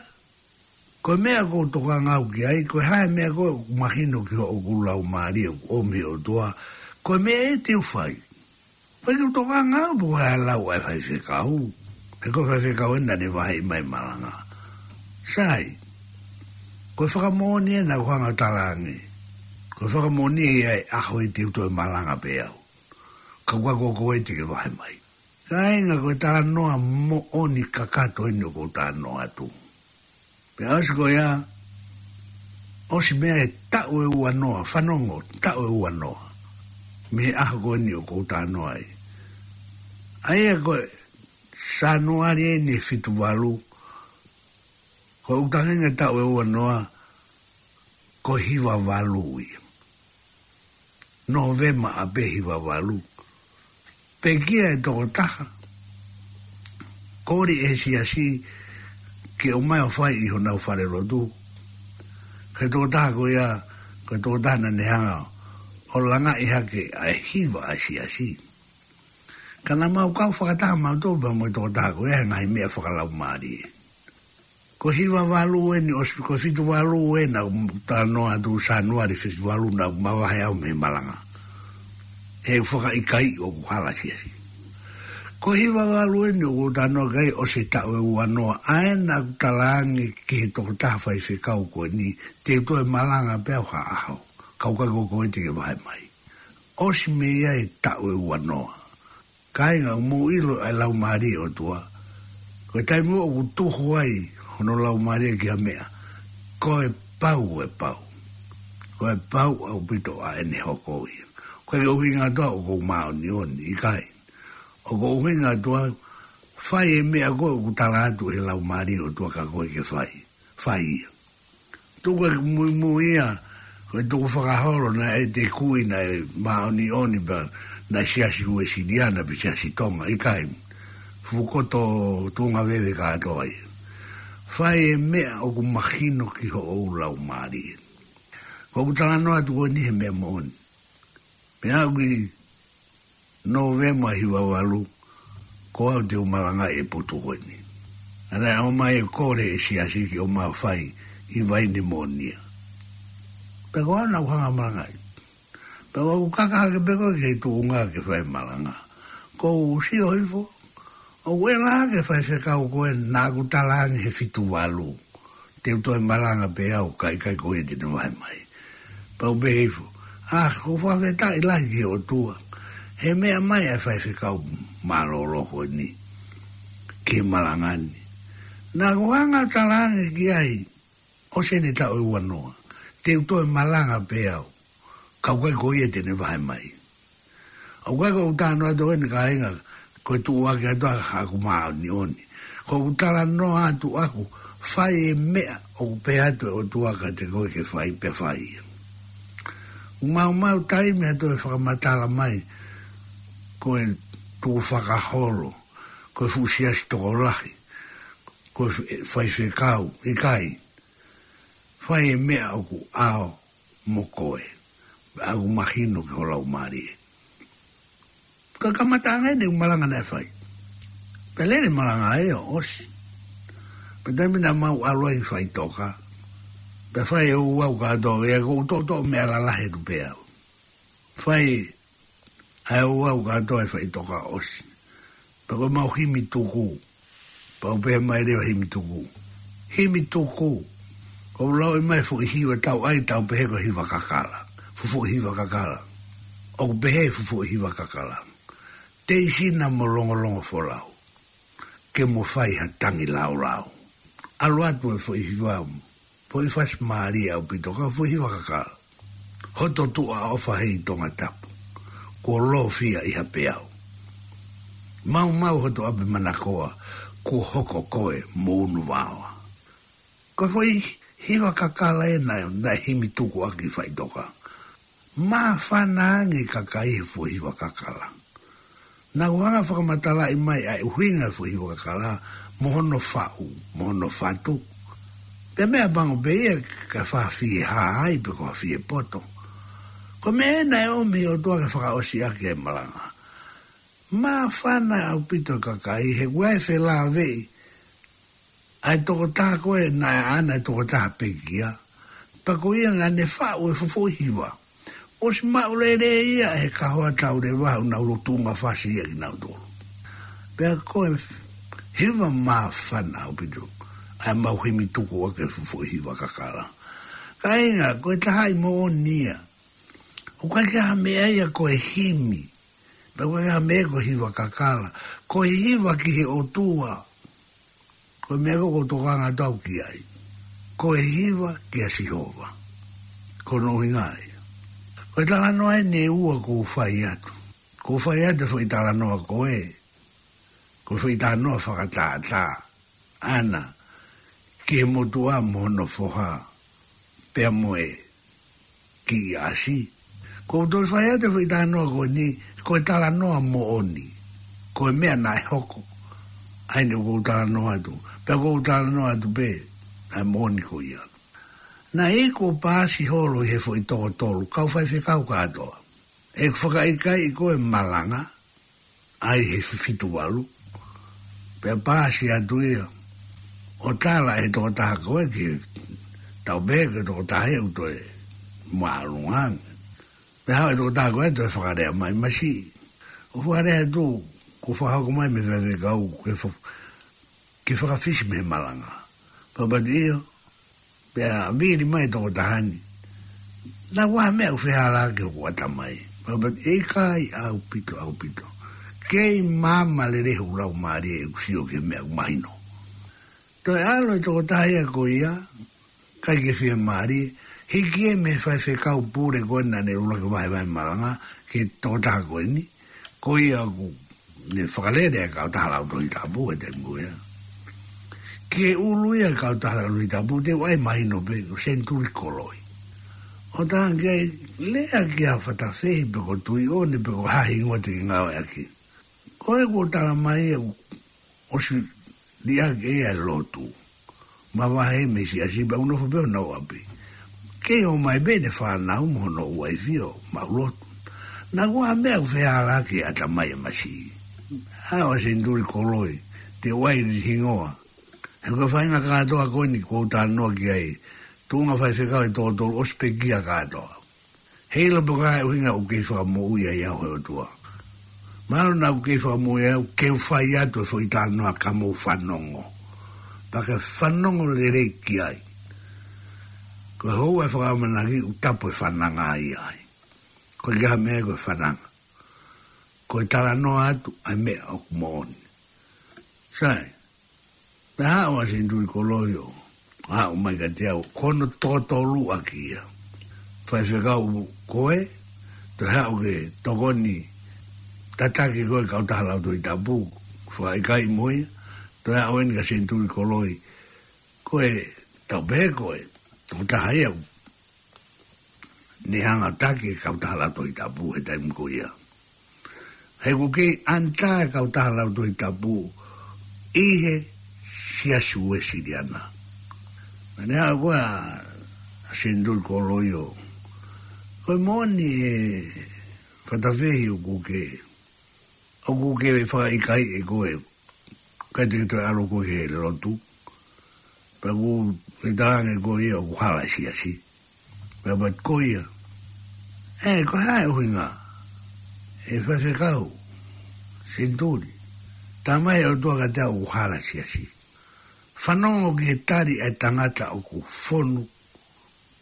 ko e meʻa ʻoku ou tokanga au ki ai, ko e hā e meʻa ko ē ʻoku mahino ki hoku laumālie ʻoku ʻomi ʻe he ʻOtua, ko e meʻa ia te u fai. Pea ʻikai ke u tokanga au pe ko e hā e lau ʻa e faifekau. He ko e faifekau ena naʻa ne vaheʻi mai e malanga. Sai, ko e fakamoʻoni ena ʻoku ou hanga ʻo talaange. Ko e fakamoʻoni ia ʻe ʻaho ia te u toe malanga pē au. Ka ʻoku ʻikai ko koe te ke vahe mai. Kāinga, ko e talanoa moʻoni kakato eni ʻoku ou talanoa atu. Pea ʻosi ko ia, ʻosi meʻa e taʻu ʻe uanoa, fanongo, taʻu ʻe uanoa. Mei he ʻaho ko eni ʻoku ou talanoa ai. ʻA ia ko e Sānuali eni fitu valu, ko ʻeku tangi ange taʻu ʻe uanoa, ko e hiva valu ia. Nōvema ʻapē hiva valu. Pekia e tokotaha. Kole ʻe he siasi ke ʻomai ʻo fai ʻi honau falelotu. Ko e tokotaha ko ia, ko e tokotaha naʻa ne hanga ʻo langaʻi hake ʻa e hiva ʻa e siasi. Ka naʻa mau kau fakataha mautolu pea mo e tokotaha ko ia he ngaahi meʻa fakalaumālie. Ko e hiva valu eni ʻosi, ko e fitu valu ena ʻoku talanoa atu Sānuali fitu valu naʻa ku mavahe au mei he malanga. He fakaʻikaiʻi ʻoku hala e siasi. Ko e hiva valu eni ʻoku talanoa ki ai ʻosi e taʻu ʻe uanoa, ʻa ena ʻoku talaange ki he tokotaha faifekau ko eni, te u toe malanga pē au ha ʻaho. Ka ʻoku ʻikai ko koe te ke vahe mai. ʻOsi mei ai e taʻu ʻe uanoa. Kāinga, ʻoku mou ʻilo ʻa e Laumālie ʻo e ʻOtua. Ko e taimi ʻoku tuhu ai hono Laumālie ki ha meʻa, ko e pau e pau. Ko e pau ʻaupito ʻa ʻene hoko ia. Ko e ʻuhinga atu ʻoku ou māʻoniʻoni, ʻikai. ʻOku ou ʻuhinga atu ʻa fai e meʻa ko ē ʻoku tala atu ʻe he Laumālie ʻo e ʻOtua kia koe ke fai. Fai ia. Tuku e muimui ia, ko e tukufakaholo naʻe ʻi ai e kui naʻe māʻoniʻoni pea naʻe Siasi Uēsiliana pe Siasi Tonga, ʻikai. Fuʻu koto tuʻunga veve kātoa ia. Fai e meʻa ʻoku mahino ki hoʻo laumālie. Ko ʻeku talanoa atu ko eni he meʻa moʻoni. Pea ʻi Nōvema hiva valu, ko au te u malangaʻi e potu ko eni. ʻAna ʻomai e kole ʻe he siasi ke ʻomai ʻo fai ʻi Vaine Moʻonia. Pea ko au naʻa ku hanga ʻo malangaʻi. Pea ʻoku kaka hake pē koe ki he tuʻunga ke fai malanga. Ko u sio hifo, ʻoku ʻi ai e faifekau ko ē naʻa ku talaange he fitu valu, te u toe malanga pē au, ka ʻikai ko ia te ne vahe mai. Pea u pehē hifo, ʻa, ʻoku ou fakafetaʻi lahi ki he ʻOtua he meʻa mai ʻa e faifekau mālōlō ko eni ki he malanga ni. Naʻa ku hanga ʻo talaange ki ai, ʻosi eni e taʻu ʻe uanoa, te u toe malanga pē au, ka ʻoku ʻikai ko ia te ne vahe mai. ʻOku ʻikai ko ʻeku talanoa atu eni kāinga, ko e tuʻuaki atu ʻa ʻeku māʻoniʻoni. Ko ʻeku talanoa atu ʻaku, fai e meʻa ʻoku pehē atu e ʻOtua kiate koe ke fai, pea fai ia. ʻOku maumau taimi ha toe fakamatala mai, ko e tukufakaholo, ko e fuʻu siasi tokolahi, ko e f-, faifekau, ʻikai. Fai e meʻa ʻoku ʻao mo koe, ʻoku mahino ki ho laumālie. Ko e kamataʻanga eni ʻeku malanga naʻe fai. Pea lele malanga ē ʻo ʻosi. Pea taimi naʻa mau ʻalu ai ki faʻitoka, pea fai e ouau kātoa, ʻa ia ko u toʻotoʻo meʻa lalahi atu pē au. Fai ʻa e ouau kātoa ʻi faʻitoka ʻosi. Pea ko ʻemau himi tuku. Pea u pehē mai leva himi tuku. Himi tuku. Ko u lau ʻi mai fuʻu hiva tau ʻai tau pehē ko e hiva kakala. Fuʻu fuʻu hiva kakala. ʻOku pehē fuʻu fuʻu hiva kakala. Teisina mo longolongo folau. Ke mo fai ha tangi laulau. ʻAlu atu e fuʻu hiva mo foʻi fasi mālie ʻaupito ka fuʻu hiva kakala. Hoto tuʻa ʻofa hei Tongatapu. Kuo lōfia ʻi ha peau. Maumau hoto ʻapi manakoa. Kuo hoko koe mo unu vaoa. Ko e foʻi hiva kakala ē naʻe, naʻe himi tuku ʻaki faʻitoka. Māfana ange kakai he foʻi hiva kakala. Naʻa ku hanga fakamatalaʻi mai ʻa e ʻuhinga foʻi hiva kakala, mo hono faʻu, mo hono fatu. Pea meʻapango pē ia ka fafie hā ai pe ko ha fie poto. Ko e meʻa ē naʻe ʻomi ʻe he ʻOtua ke fakaʻosi ʻaki e malanga. Māfana ʻaupito kakai he kuo ʻi ai e felāveʻi ʻa e tokotaha ko ē naʻe ʻaʻana e tokotaha pekia. Pea ko ia naʻa ne faʻu e fuʻu foʻi hiva. ʻOsi maʻu lelei ia he kahoa tauleva ʻo nau lotu mafasi ia kinautolu. Pea ko e hiva māfana ʻaupito ʻa e mau himi tuku ʻaki e fuʻu foʻi hiva kakala. Kāinga, ko e taha ʻi moʻoni ia. ʻOku ʻikai ke ha meʻa ia ko e himi. Pea ʻoku ʻikai ha meʻa ko e hiva kakala. Ko e hiva ki he ʻOtua. Ko e meʻa ko ē ʻoku ou tokanga atu au ki ai. Ko e hiva kia Sihova. Ko hono ʻuhinga ia. Ko e talanoa eni ʻe ua ʻoku ou fai atu. ʻOku ou fai atu e foʻi talanoa ko ē. Ko e foʻi talanoa fakatātā. ʻAna, ki he motuʻa mo hono foha. Pea mo e kiʻi ʻasi. ʻOku ou toe fai atu e foʻi talanoa ko eni, ko e talanoa moʻoni. Ko e meʻa naʻe hoko. ʻA ia ʻoku ou talanoa atu. Pea ʻoku ou talanoa atu pē, ʻa e moʻoni ko ia. Naʻe iku ʻo paasi holo ʻi he foʻi toko tolu, kau faifekau kātoa. ʻE fakaʻikaiʻi ko e malanga, ʻa ia he fitu valu. Pea paasi atu ia. ʻO tala ʻe he tokotaha ko ē ki he tau pehē ko e tokotaha ʻe ʻuto e māʻolunga. Pea haʻu e tokotaha ko ē toe fakalea mai masi. ʻO fakalea atu, kuo fakahoko mai mei he faifekau, ke fa-, ke fakafisi mei he malanga. Pea pehē ʻio, pea vili mai e tokotaha ni. Naʻa ku ʻai ha meʻa ʻoku fehālaaki hoku ʻatamai. Pea pehē ʻikai ʻaupito, ʻaupito. Kei maama lelei hoku laumālie ʻeku sio ki he meʻa ʻoku mahino. Toe ʻalu e tokotaha ia ko ia, ʻikai ke fiemālie, Hiki ia mei he faifekau pule ko ē naʻa ne ʻuluaki vahevahe malanga ki he tokotaha ko eni, ko ia ʻoku ne fakalele ʻa e kautaha Lautohi Tapu he taimi ko ia. Ki he ʻulu ia ʻo e kautaha Lautohi Tapu, te u ʻai mahino pē ko Senituli Koloi. ʻO tā ki ai, lea ki ai Fatafehi pe ko Tuʻiʻone pe ko ha hingoa te ke ngāueʻaki. Ko e kuo tala mai ia ʻosi liʻaki ʻe ia e lotu. Mavahe mei he siasi pea ʻoku nofo pē ʻo nau ʻapi. Kei ʻomai pē ʻene fānau mo hono uaifi ʻo maʻu lotu. Naʻa ʻoku ʻi ai ha meʻa ʻoku fehālaaki he ʻatamai ʻa e masiʻi. ʻA ʻo Senituli Koloi, te u ʻai hingoa. He ko e faʻahinga kātoa ko eni ʻoku ou talanoa ki ai. Tuʻunga faifekau ʻe toko tolu ʻosi pekia kātoa. Heiʻilo pe ko e hā e ʻuhinga ʻoku kei fakamoʻui ai au ʻe he ʻOtua. Mahalo naʻa ku kei fakamoʻui au ke u fai atu e foʻi talanoa ka mou fanongo. Pea ke fanongo lelei ki ai. Ko e houa ʻe fakaʻamanaki ʻoku tapu e fananga ia ai. Ko e ʻikai ha meʻa ko e fananga. Ko e talanoa atu ʻa e meʻa ʻoku moʻoni. Sai. Pea haʻu ʻa Senituli Koloi ʻo haʻu mai kiate au, ko hono toko tolu ʻaki ia. Faifekau ko ē, toe haʻu ke tokoni tataki ko ē kautaha Lautohi Tapu, fakaʻikaiʻi mo ia, toe haʻu eni kia Senituli Koloi, ko e tau pehē ko e tokotaha ia ne hanga ʻo taki e kautaha Lautohi Tapu he taimi ko ia. He ʻoku kei ʻanitā e kautaha Lautohi Tapu ʻi he Siasi Uēsiliana. Naʻa ne haʻu ko ē ʻa Senituli Koloi ʻo, ko e moʻoni ē Fatafehi ʻoku ke, ʻoku ke fakaʻikaiʻi ʻe koe, ʻikai te ke toe ʻalu koe ki he lotu. Pea ʻoku ke talaange ko ia ʻoku hala e siasi. Pea pehē ko ia, ē, ko e hā e ʻuhinga, ʻe faifekau, Senituli, tā mai e ʻOtua kiate au ʻoku hala e siasi. Fanongo ki he tali ʻa e tangata ʻoku fonu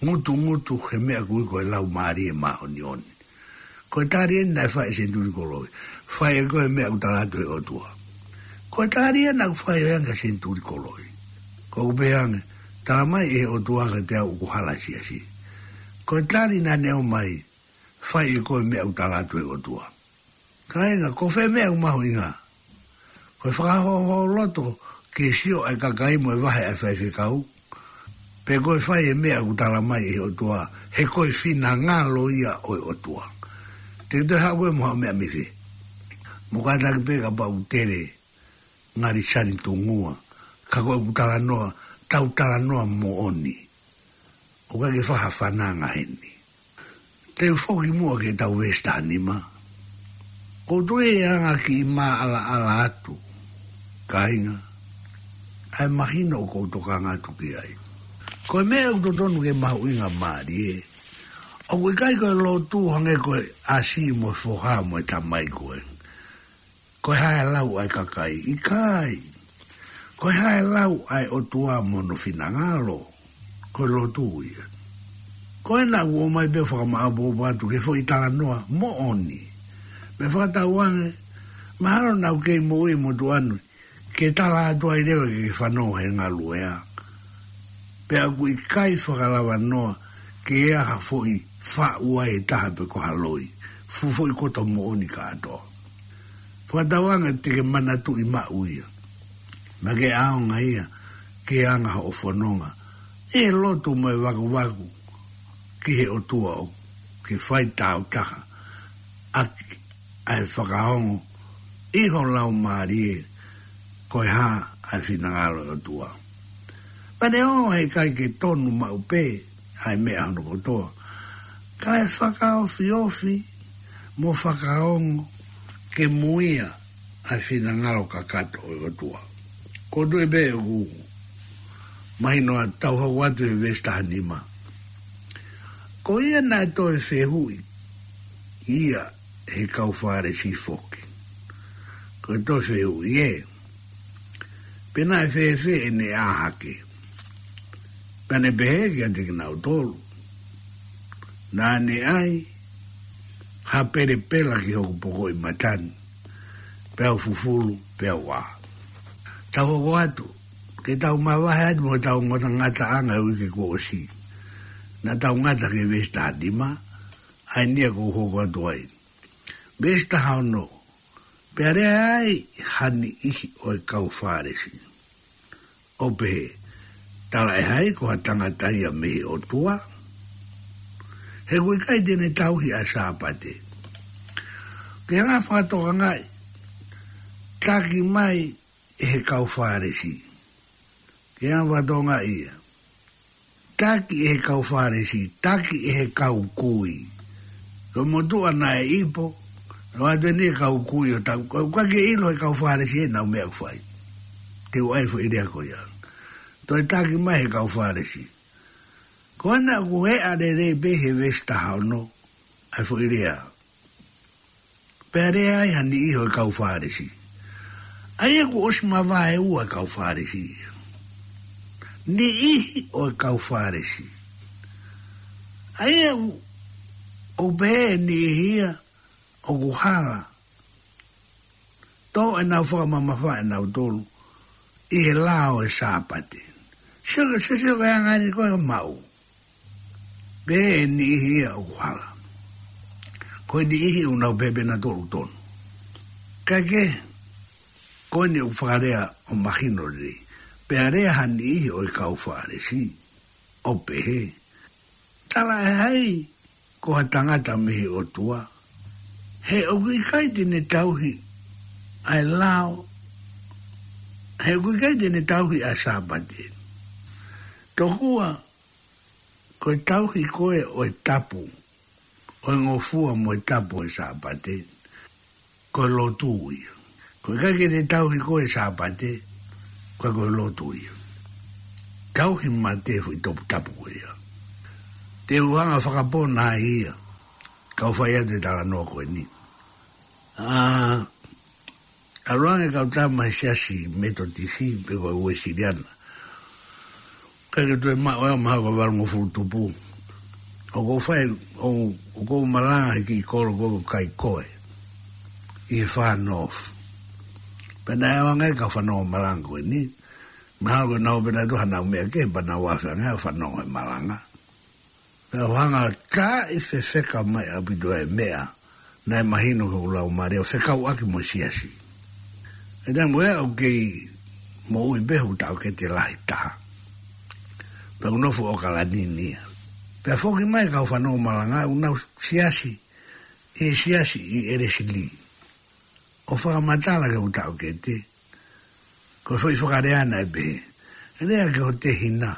ngutungutu he meʻa ʻoku ui ko e Laumālie Māʻoniʻoni. Ko e tali eni naʻe fai ʻe Senituli Koloi. Fai ʻe koe e meʻa ʻoku tala atu ʻe he ʻOtua. Ko e tali ia naʻa ku fai ange kia Senituli Koloi. Ko ʻeku pehē ange, tala mai ʻe he ʻOtua kiate au ʻoku hala e siasi. Ko e tali naʻa ne ʻomai, fai ʻe koe e meʻa ʻoku tala atu ʻe he ʻOtua. Kāinga, ko fē meʻa ʻoku mahuʻinga? Ko e fakahōhōloto ke sio ʻa e kakai mo e vahe ʻa e faifekau, pe ko e fai e meʻa ʻoku tala mai ʻe he ʻOtua, he ko e finangalo ia ʻo e ʻOtua. Te ke toe haʻu koe mo haʻo meʻa mei fē? Mo kātaki pē kapau ʻoku tele ngali sani tungua, ka ko ʻeku talanoa, tau talanoa moʻoni. ʻOku ʻikai ke fai ha fananga heni. Te u foki muʻa ki heʻetau veesi taha nima. ʻOku ou tui ʻe anga kiʻi maʻalaʻala atu, kāinga, ʻa e mahino ʻoku ou tokanga atu ki ai. Ko e meʻa ʻoku totonu ke mahuʻingamālie, ʻoku ʻikai ko e lotu hangē ko e ʻasi mo e foha mo e tamai ko ē. Ko e hā e lau ʻa e kakai? ʻIkai. Ko e hā e lau ʻa e ʻOtua mo hono finangalo? Ko e lotu ia. Ko ena ʻoku ʻomai pē ʻo fakamaʻopoʻopo atu ki he foʻi talanoa moʻoni. Pea fakatauange, mahalo naʻa ku kei moʻui mo tuʻa ni, ke tala atu ai leva ke ke fanongo he ngaluʻea. Pea ʻoku ʻikai fakalava noa ke ʻi ai ha foʻi faʻu ai ʻe taha pe ko ha loi. Fuʻu foʻi koto moʻoni kātoa. Fakatauange te ke manatuʻi maʻu ia. Naʻa ke ʻaonga ia, ke anga hoʻo fononga ʻi he lotu mo e vakuvaku ki he ʻOtua ʻoku ke fai tāutaha ʻaki ʻa e fakaongo ʻi ho laumālie ko e hā ʻa e finangalo ʻo e ʻOtua. Pea neongo he ʻikai ke tonu maʻu pē ʻa e meʻa hono kotoa, kae fakaofiofi mo fakaongo ke muia ʻa e finangalo kakato ʻo e ʻOtua. Ko e tui pē ʻoku mahino ʻa e tau hoko atu he veesi taha nima. Ko ia naʻe toe fehuʻi ia ʻe he kau Fālesi foki. Ko e toe fehuʻi ē, pe naʻe fēfē ʻene ʻā hake? Pea ne pehē kiate kinautolu, naʻa ne ʻai ha pelepela ki hoku pokoʻi mata ni, peau fufulu, peau ʻā. Tau hoko atu, ke tau mavahe atu mo ʻetau ngata, ngataʻanga ʻo e uike kuo ʻosi. Naʻa tau ngata ki he veesi taha nima, ʻa eni ia ʻoku ou hoko atu ai. Veesi taha ono, pea lea ai ha niʻihi ʻo e kau Fālesi, ʻo pehē, talaʻehai ko ha tangata ia mei he ʻOtua, he ʻoku ʻikai te ne tauhi ʻa e Sāpate. Ke hanga fakatokangaʻi, taki mai ʻe he kau Fālesi. Ke hanga fakatokangaʻi ia. Taki ʻe he kau Fālesi, taki ʻe he kau kui. Ko e motuʻa naʻe ipo, ʻo atu eni e kau kui ʻo tau, ko, ko ke ʻilo he kau Fālesi ʻenau meʻa ʻoku fai. Te u ʻai foʻi lea ko ia. Toe taki mai he kau Fālesi. Ko ena ʻoku heʻa lelei pē he veesi taha ono, ʻa e foʻi lea. Pea lea ai ha niʻihi ʻo e kau Fālesi. ʻA ia kuo ʻosi mavae ua e kau Fālesi. Niʻihi ʻo e kau Fālesi. ʻA ia ʻoku, ʻoku pehē ʻe niʻihi ia ʻoku hala. Tō ʻenau fakamamafa ʻenau tolu ʻi he lao ʻo e Sāpate. Sio, sio, sio ki he anga eni ko e maʻu. Pehē ʻe niʻihi ia ʻoku hala. Ko e niʻihi ʻoku nau pehē pē nautolu tonu. Kae kehe, ko eni ʻoku fakalea ʻo mahino lelei. Pea lea ha niʻihi ʻo e kau Fālesi, ʻo pehē, talaʻehai ko ha tangata mei he ʻOtua, he ʻoku ʻikai te ne tauhi ʻa e lao, he ʻoku ʻikai te ne tauhi ʻa e Sāpate. Tokua, ko e tauhi ko ē ʻo e tapu, ʻo e ngofua mo e tapu ʻo e Sāpate, ko e lotu ia. Ko e ʻikai ke te tauhi ko ē Sāpate, ko e, ko e lotu ia. Tauhi mate foʻi toputapu ko ia. Te u hanga fakapona ai ia, kau fai atu e talanoa ko eni. ʻA, ʻalu ange kau tama he siasi Metotisi pe ko e Uēsiliana. Kae ke toe maʻu ʻe au mahalo ko e valungofulu tupu. ʻOku ou fai, ʻo, ʻoku ou malanga he kiʻi kolo ko ē ʻoku kai koe. ʻI he Far North. Pea naʻe ʻalu ange kau fanongo malanga ko eni. Mahalo ko e nau pē naʻa tuha nau meʻa kehe pea nau afe ange ʻo fanongo he malanga. Pea u hanga ʻo taaʻi fefeka mai ʻaupito e meʻa naʻe mahino ki hoku laumālie ʻo fekauʻaki mo e siasi. ʻI he taimi ko ia ʻoku kei moʻui pē hoku taʻokete lahi taha. Pea u nofo ʻOkalani ni ia. Pea foki mai kau fanongo malanga ʻoku nau siasi, ʻi he siasi ʻi ʻElesili. ʻO fakamatala ki hoku taʻokete, ko e foʻi fakalea naʻe pehē, lea ki ho tehina.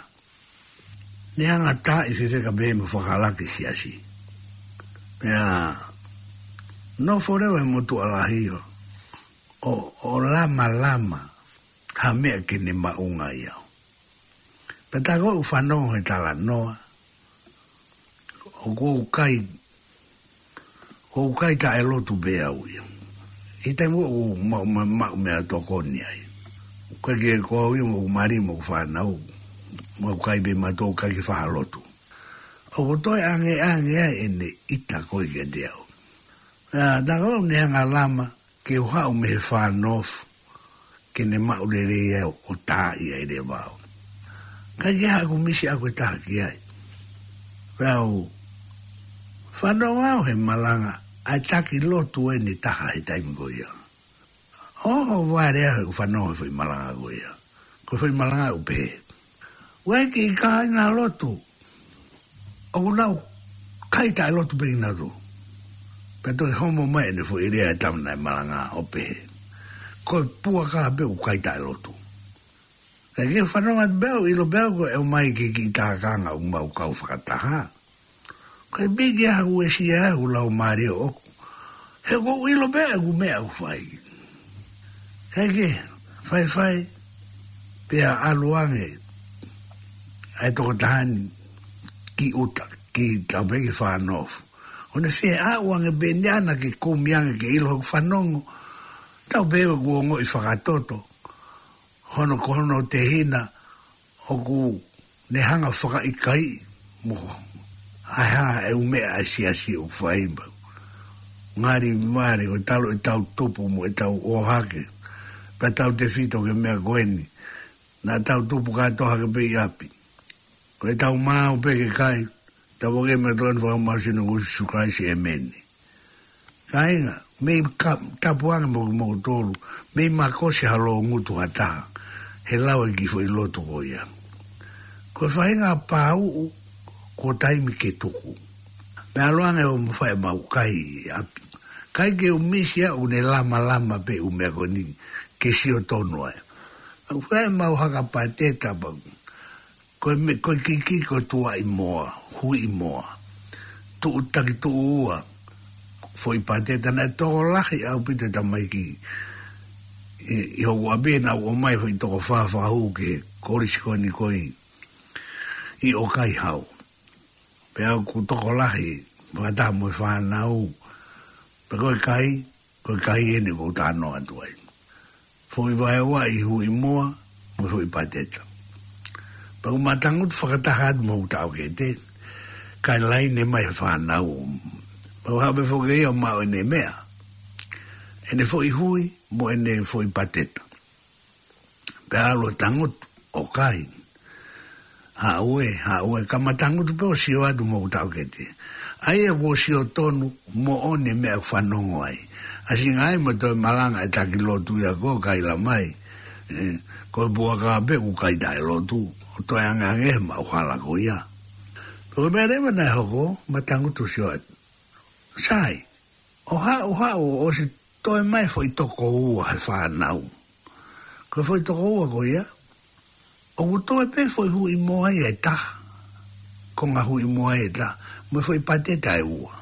Ne hanga ʻo taaʻi fefeka pē mo fakalaki siasi. Pea nofo leva he motuʻa lahi ʻo, ʻo, ʻo lamalama ha meʻa ke ne maʻu ai au. Pea tā ko ē ʻoku fanongo he talanoa, ʻoku ou kai, ʻoku ou kai taʻelotu pē au ia. ʻI he taimi ʻoku ou maʻu, maʻu, maʻu meʻatokoni ai. ʻOku ʻikai ke ko au ia mo hoku mali mo hoku fānau, mo hoku kai pē mautolu ʻikai ke faʻa lotu. ʻOku toe angeange ai ʻene ʻita ko ē kiate au. Pea tā ko ē ʻoku ne hanga ʻo lama, ke u haʻu mei he Far North, ke ne maʻu lelei au ʻo taaʻi ai leva au. Kae kehe, ʻoku misi ʻaku e taha ki ai. Pea u fanongo au he malanga ʻa e taki lotu ʻe taha he taimi ko ia. ʻOhovale au he ʻoku fanongo he foʻi malanga ko ia. Ko e foʻi malanga ʻoku pehē, ʻoku ʻi ai e kiʻi kāinga lotu ʻoku nau kai taʻelotu pē kinautolu. Pea toe homo mai ʻene foʻi lea e tama naʻe malanga ʻo pehē, ko e puaka pē ʻoku kai taʻelotu. Kae kehe, fanongo atu pē au, ʻilo pē au ko e ʻomai ki he kiʻi tākanga ʻoku mau kau fakataha. Ko e piki ʻa hoku uesia ʻa hoku laumālie ʻoʻoku. He ʻoku ou ʻilo pē ʻeku meʻa ʻoku fai. Kae kehe, faifai, pea ʻalu ange ʻa e tokotaha ni ki ʻuta, ki, tau pehē ki Far North. ʻO ne fie aʻu ange pē ʻe ia ʻana ke kumi ange ke ʻilo hoku fanongo. Tau pehē ʻoku ongoʻi fakatoto. Hono, ko hono tehina ʻoku ne hanga ʻo fakaʻikaiʻi mo ha, ha ʻū meʻa ʻa e siasi ʻoku fai pau. Ngali vale ko e talu ʻetau tupu mo ʻetau ō hake. Pea tautefito ki he meʻa ko eni. Naʻa tau tupu kātoa hake pē ʻi ʻapi. Ko ʻetau maau pē ke kai. Tapu ange mo e tokoni fakamaau ʻo Sīsū Kalaisi, ʻēmeni. Kāinga, mei ka, tapu ange mo, mo tolu, mei makosi ha loungutu ha taha, he lau e kiʻi foʻi lotu ko ia. Ko e faʻahinga pāuʻu, ko e taimi ke tuku. Meʻa loa ange ʻo mo fai mau kai ʻi ʻapi. ʻIkai ke u misi ʻa ʻene lamalama pē ʻū meʻa ko eni, ke sio tonu ai. Mau fai mau haka pāteta pau. Ko e me-, ko e kiki ko e tuaʻi moa, huʻi moa. Tuʻu taki tuʻu ua, foʻi pāteta naʻe tokolahi ʻaupito e tamaiki. ʻI, ʻi hoku ʻapi naʻa ku ʻomai foʻi toko fā fakahū ki he kolisi ko eni ko ē ʻi ʻOkaihau. Pea ʻoku tokolahi, fakataha mo e fānau. Pea ko e kai, ko e kai eni ʻoku ou talanoa atu ai. Foʻi vaeua ʻi huʻi moa, mo e foʻi pāteta. Pea ʻoku ma tangutu fakataha atu mo hoku taʻokete, kae laine mai e fānau. Pea u haʻu pē foki ia ʻo maʻu ʻene meʻa. ʻEne foʻi hui, mo ʻene foʻi pāteta. Pea ʻalu ʻo tangutu, ʻo kai. Haʻu ē, haʻu ē, ka ma tangutu pē ʻo sio atu mo hoku taʻokete. ʻA ia kuo sio tonu, moʻoni e meʻa ʻoku fanongo ai. ʻAsi ngaahi mo toe malanga e taki lotu ia ko e kai la mai. ʻE, ko e puaka pē ʻoku kai taʻelotu, ʻo toe angeange he maʻu hala ko ia. Pea ko e meʻa leva naʻe hoko, ma tangutu sio atu. Sai, ʻo haʻu, haʻu, ʻosi toe mai foʻi toko ua he fānau. Ko e foʻi toko ua ko ia, ʻoku toe pē foʻi huʻi moa ia ʻe taha. Konga huʻi moa ia ʻe taha, mo e foʻi pāteta ʻe ua.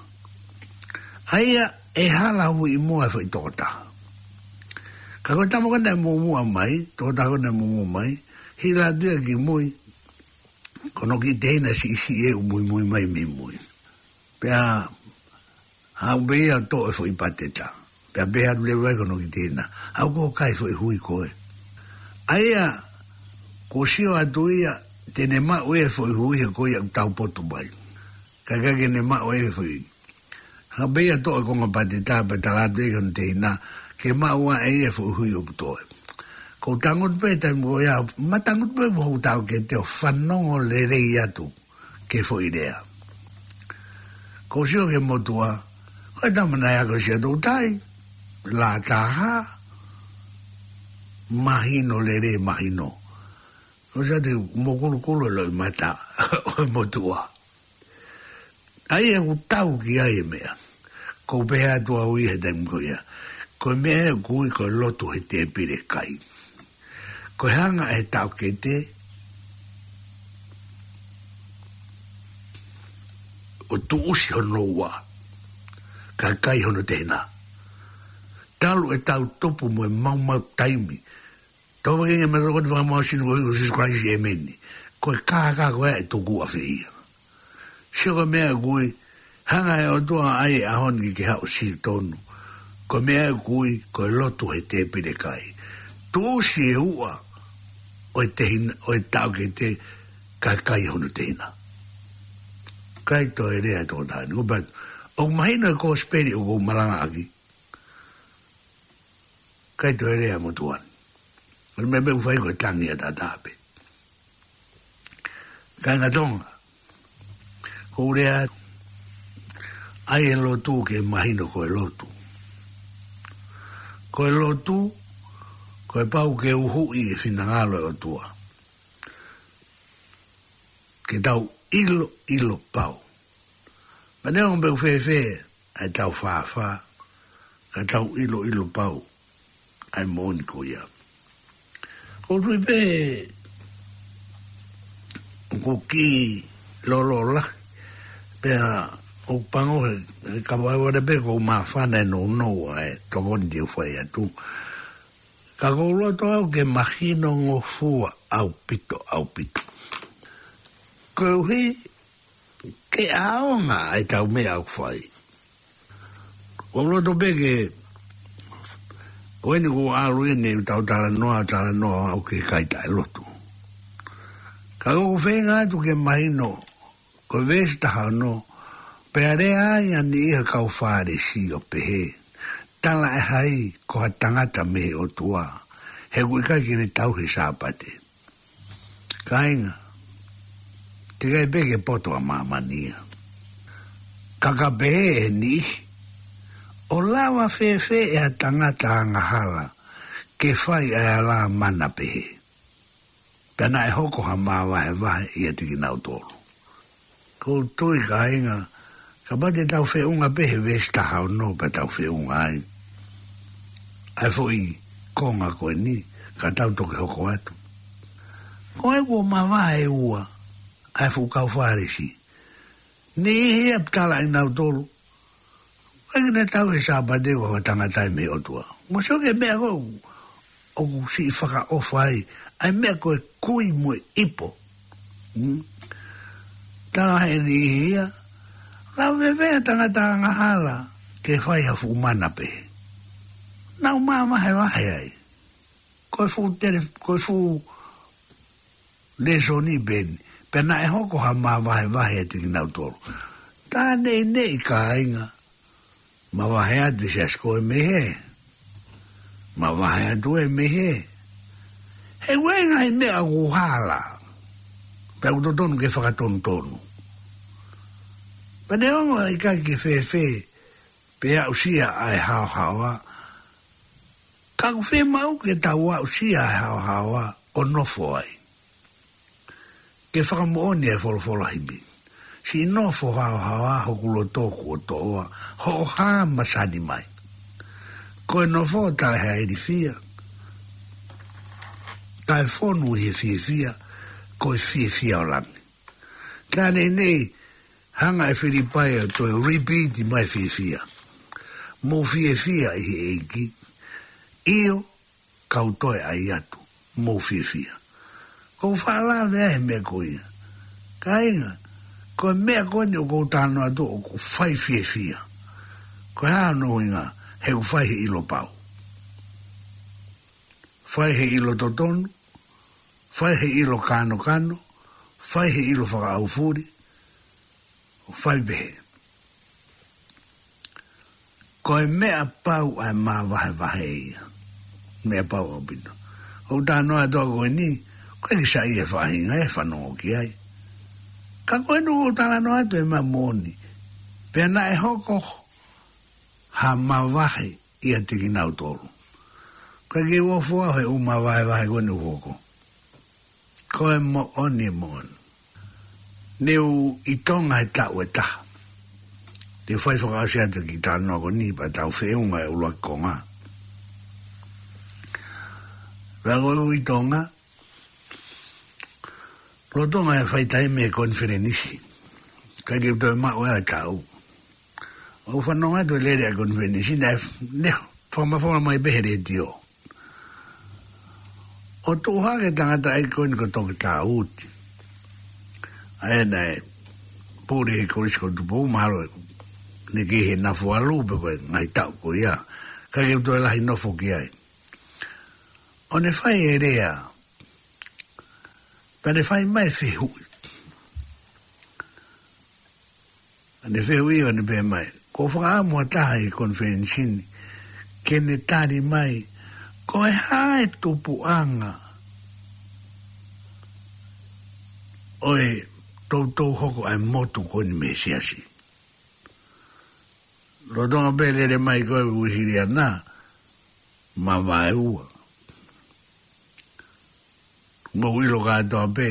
ʻA ia ʻe hala huʻi moa e foʻi toko taha. Ka ko e tama ko ē naʻe muʻomuʻa mai, toko taha ko ē naʻe muʻomuʻa mai, hila atu ia ki mui, ko hono kiʻi teina siʻisiʻi ʻoku muimui mai mei mui. Pea haʻu pē ia ʻo toʻo e foʻi pāteta. Pea pehē atu leva ai ki hono kiʻi teina, ʻoku ke kai foʻi hui koe. ʻA ia, kuo sio atu ia, te ne maʻu e foʻi hui he ko ia ʻoku taupotu mai. Ka ʻikai ke ne maʻu e foʻi. Haʻu pē ia ʻo toʻo e konga pāteta pea tala atu ia ki hono teina, ke maʻu ʻe ia e foʻi hui ʻoku toe. ʻOku ou tangutu pē taimi ko ia, ma tangutu pē mo hoku taʻokete ʻo fanongo lelei atu ki he foʻi lea. ʻOku ou sio ki he motuʻa, ko e tama naʻe ako ʻi Siaʻatoutai, lā taha, mahino lelei mahino. ʻOku ou sio atu mo kulukulu e loʻimata ʻo e motuʻa. ʻA ia ʻoku tau ki ai e meʻa. ʻOku ou pehē atu au ia he taimi ko ia. Ko e meʻa ē ʻoku ui ko e lotu he tēpile kai. Ko e hanga ʻe he taʻokete ʻo tuʻusi hono ua, kae kai hono teina. Talu e tau tupu mo e maumau taimi. Tau vake nge ma tokoni fakamaau ʻo Sīsū ko Sīsū Kalaisi, ʻēmeni. Ko e kākā ko ē ʻe tuku ʻafē ia. Sio ko e meʻa ʻoku ui, hanga ʻe he ʻOtua ʻo ʻai e ʻaho ni ke haʻu ʻo sio tonu. Ko e meʻa ʻoku ui, ko e lotu he tēpile kai. Tuʻusi e ua ʻo e teina, ʻo e taʻokete kae kai hono teina. ʻIkai toe lea e tokotaha ni. ʻOku pehē, ʻoku mahino e kosipeli ʻoku ou malangaʻaki. ʻIkai toe lea e motuʻa ni. ʻOku meʻa pē ʻoku fai ko e tangi ʻataʻatā pē. Kāinga Tonga, ʻoku ou lea, ʻai e lotu ke mahino ko e lotu. Ko e lotu, ko e pau ke uhuʻi e finangalo ʻo e ʻOtua. Ke tau ʻilo, ʻilo pau. Ma neongo pe ʻoku fēfē ʻa e tau fāfā, ka tau ʻilo, ʻilo pau ʻa e moʻoni ko ia. ʻOku ou tui pē ʻoku kiʻi lōloa, pea ʻoku pango he, he kavai vale pē ʻoku ou māfana e nounou ʻa e tokoni te u fai atu. Ka ʻoku ou loto au ke mahinongofua ʻaupito, ʻaupito. Koeʻuhi ke ʻaonga ʻa e tau meʻa ʻoku fai. ʻOku ou loto pē ke, ko eni ʻoku ʻalu eni ʻetau talanoa, talanoa ʻoku ke kai taʻelotu. Ka ʻoku ou feinga atu ke mahino, ko e veesi taha ono, pea lea ai ʻa e niʻihi ʻo e kau Fālesi ʻo pehē, tala ʻe hai ko ha tangata mei he ʻOtua, he ʻoku ʻikai ke ne tauhi e Sāpate. Kāinga, teʻeki ai pē ke poto ʻa māmani ia. Ka ka pehē ʻe he niʻihi, ʻo lava fēfē ʻe ha tangata angahala ke fai ʻa e ala mana pehē, pea naʻe hoko ha māvahevahe ʻiate kinautolu? ʻOku ou tui, kāinga, kapau te tau feʻunga pē he veesi taha ono pea tau feʻunga ai ʻa e foʻi konga ko eni, ka tau toki hoko atu. Ko e kuo mavahe ʻe ua ʻa e fuʻu kau Fālesi. Niʻihi ia pea talaʻi nautolu, ʻoku ʻikai ke ne tauhi e Sāpate, ko e tangata ia mei he ʻOtua. Mou sio ki he meʻa ko ē ʻoku siʻi fakaʻofa ai ʻa e meʻa ko e kui mo e ipo. Hmm? Tala he niʻihi ia, lava fēfē ʻe ha tangata angahala ke fai ha fuʻu mana pehē? Naʻa nau māvahevahe ai. Ko e fuʻu tele, ko e fuʻu lēsoni pē eni. Pea naʻe hoko ha māvahevahe ʻiate kinautolu. Tā neʻineʻi, kāinga, mavahe atu e siasi ko ē mei hē. Mavahe atu ē mei hē. He ʻoku ʻi ai e ngaahi meʻa ʻoku hala, pea ʻoku totonu ke fakatonutonu. Pea neongo ʻikai ke fēfē pe aʻusia ʻa e haohaoa, ka ʻoku fiemaʻu ke tau aʻusia ʻa e haohaoa ʻo nofo ai. Ke fakamoʻoni e folofola hipi: Siʻi nofo haohaoa hoku loto kuo toʻoa, hoʻo hā masani mai. Ko e nofo taʻe ha ilifia, taʻe fonu ʻi he fiefia, ko e fiefia ʻo langi. Tā neʻineʻi, hanga ʻe Filipai ʻo toe repeat mai e fiefia. Mou fiefia ʻi he ʻEiki. ʻIo, kau toe ʻai atu, mou fiefia. ʻOku ou faʻa lave ai he meʻa ko ia. Kāinga, ko e meʻa ko eni ʻoku ou talanoa atu ʻoku fai fiefia. Ko e hā hono ʻuhinga? He ʻoku fai he ʻilo pau. Fai he ʻilo totonu, fai he ʻilo kanokano, fai he ʻilo fakaʻaufuli, ʻo fai pehē. Ko e meʻa pau ʻa e māvahevahe ia. Meʻa pau ʻaupito. ʻOku ou talanoa atu ko eni, ko e kiʻi saiʻia e faʻahinga ʻe fanongo ki ai. Ka ko eni ʻoku ou talanoa atu e meʻa moʻoni. Pea naʻe hoko ha māvahe ʻiate kinautolu. Ko e ke uofua he ʻū māvahevahe ko eni ʻoku hoko. Ko e moʻoni, moʻoni. Ne u ʻi Tonga he taʻu ʻe taha. Te u fai fakaʻosi atu e kiʻi talanoa ko eni pea tau feʻunga e ʻuluaki konga. Pea ko e u ʻi Tonga, lolotonga e fai taimi e konifelenisi. ʻIkai ke toe maʻu e taʻu. ʻOku ou fanongo atu e lele ʻa e konifelenisi, naʻe f-, ne fakamafola mai pē he letiō. ʻO tuʻu hake e tangataʻeiki ko eni ko Toketā Uti. ʻA ia naʻe pule he Kolisi ko Tupou, mahalo ʻene kei he Nafualu pe ko e ngaahi taʻu ko ia. ʻIkai ke toe lahi nofo ki ai. ʻO ne fai e lea. Pea ne fai mai e fehuʻi. ʻA ne fehuʻi ʻo ne pehē mai, ko e fakaʻamu ʻa ha taha ʻi he konifelenisi ni ke ne tali mai, ko e hā e tupuʻanga ʻo e toutou hoko ʻa e motu ko eni mei he siasi. Lolotonga pē e lele mai ko e Uēsiliana, māvae ua. Mou ʻilo kātoa pē.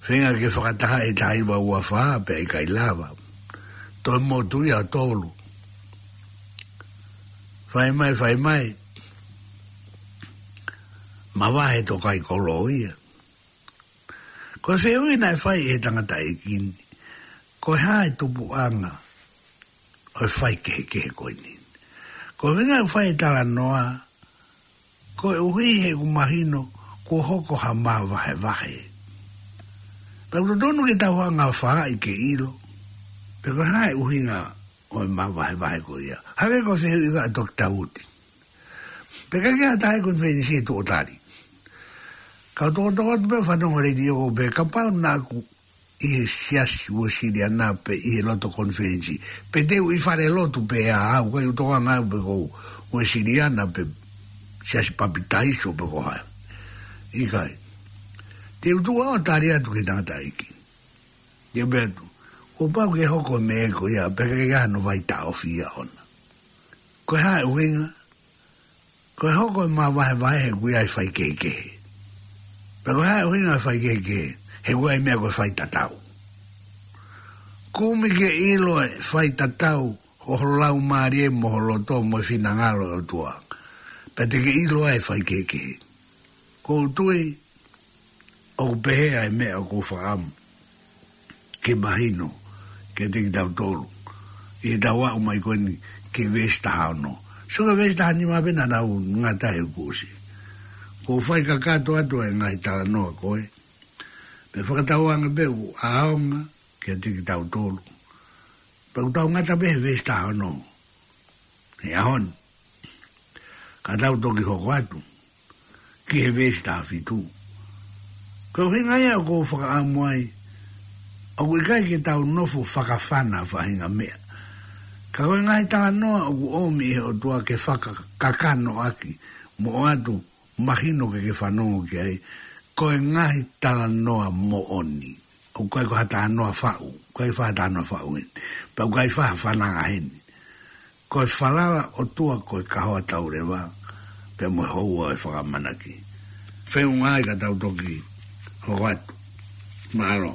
Feinga ke fakataha e taha hiva ua fā pea ʻikai lava. Toe motu ia ʻo tolu. Fai mai, fai mai. Māvahe tokaikolō ia. Ko e fehuʻi naʻe fai ʻe he tangataʻeiki ni, ko e hā e tupuʻanga ʻo e faikehekehe ko eni. Ko e ʻuhinga ʻoku fai e talanoa, koeʻuhi he ʻoku mahino kuo hoko ha māvahevahe. Pea ʻoku totonu ke tau hanga ʻo fai ke ʻilo pe ko e hā e ʻuhinga ʻo e māvahevahe ko ia. Hangē ko e fehuʻi ʻa Toketā Uti. Pea ʻikai ke ʻi ai ha taha ʻi he konifelenisi ʻe tuʻu ʻo tali. Kau tokotoko atu pē ʻo fanongo he letiō ko ē pē kapau naʻa ku ʻi he siasi Uēsiliana pe ʻi he lotu konifelenisi. Pe te u ʻi falelotu pē ʻaʻau, ʻikai ke u tokanga au pe ko e Uēsiliana pe siasi Papitaiso pe ko hai. ʻIkai. Te u tuʻu ʻo tali atu ki he tangataʻeiki. Te u pehē atu, Kuo pau ke hoko e meʻa ko ia, pea ke ʻi ai hano vaitaʻofi ʻaʻana. Ko e hā e ʻuhinga? Ko e hoko e mavahevahe he ʻoku ʻi ai e faikehekehe. Pea ko e hā e ʻuhinga e faikehekehe? He ʻoku ʻi ai e meʻa ko e faitatau. Kumi ke ʻilo e faitatau ʻo ho laumālie mo ho loto mo e finangalo ʻo e ʻOtua, pea te ke ʻilo ai e faikehekehe. ʻOku ou tui ʻoku pehē ʻa e meʻa ʻoku ou fakaʻamu ke mahino kiate kitautolu ʻi heʻetau aʻu mai ko eni ki he veesi taha ono. Sio ki he veesi taha nima pea naʻa nau ngata he kusi. ʻOku ou fai kakato atu ʻa e ngaahi talanoa ko ē, pea fakatauange pē ʻoku ʻaonga kiate kitautolu. Pea ʻoku tau ngata pē he veesi taha ono he ʻaho ni. Ka tau toki hoko atu ki he veesi taha fitu. Ko e ʻuhinga ia ʻoku ou fakaʻamu ai ʻoku ʻikai ke tau nofo fakafana faʻahinga meʻa. Ka ko e ngaahi talanoa ʻoku ʻomi ʻe he ʻOtua ke fakakakanoʻaki mo ʻoatu mahino ke ke fanongo ki ai, ko e ngaahi talanoa moʻoni. ʻOku ʻikai ko ha talanoa faʻu, ʻikai ko ha talanoa faʻu eni. Pea ʻoku ʻikai ko ha fananga heni. Ko e falala ʻOtua ko e kahoa tauleva, pea mo e houa ʻo e fakamanaki. Feʻunga ai ka tau toki hoko atu. Mālō.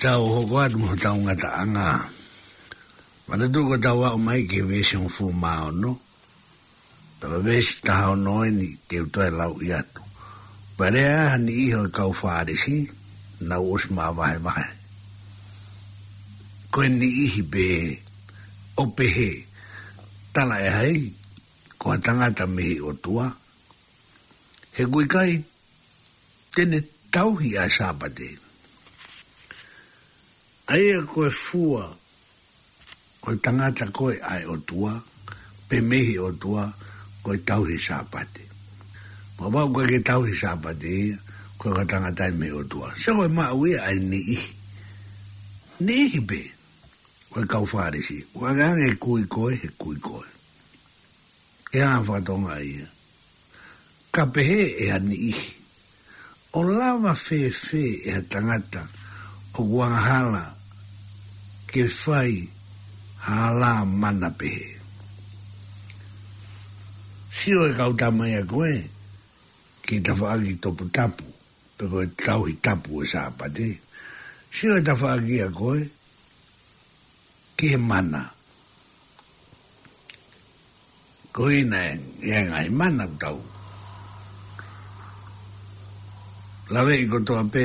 Tau hoko atu mo hotau ngataʻanga. Manatuʻi ko ʻetau aʻu mai ki he veesi hongofulu mā ono. Pea ko e veesi taha ono eni te u toe lauʻi atu. Pea lea ha niʻihi ʻo e kau Fālesi, naʻa nau ʻosi māvahevahe. Ko e niʻihi pehē, ʻo pehē, tala ʻe hai, ko ha tangata mei he ʻOtua. He ʻoku ʻikai te ne tauhi ʻa e Sāpate. ʻA ia ko e fua, ko e tangata ko ē ʻa e ʻOtua, pe mei he ʻOtua, ko e tauhi Sāpate. Kapau ʻoku ʻikai ke tauhi Sāpate ia, ko e tangata ia mei he ʻOtua. Sio ko e maʻu ia ʻa e niʻihi. Niʻihi pē, ko e kau Fālesi, ʻoku ʻangeʻange e kui ko ē, he kui ko ē. ʻE anga fakatonga ia. Ka pehē ʻe ha niʻihi, ʻo lava fēfē ʻe ha tangata ʻoku angahala ke fai ha hala mana pehē. Sio e kau tama ia ko ē, ki he tafaʻaki toputapu, pe ko e tauhi tapu ʻo e Sāpate. Sio e tafaʻaki ia ko ē, ki he mana. Ko ia naʻe, ʻi ai e ngaahi mana ʻoku tau laveʻi kotoa pē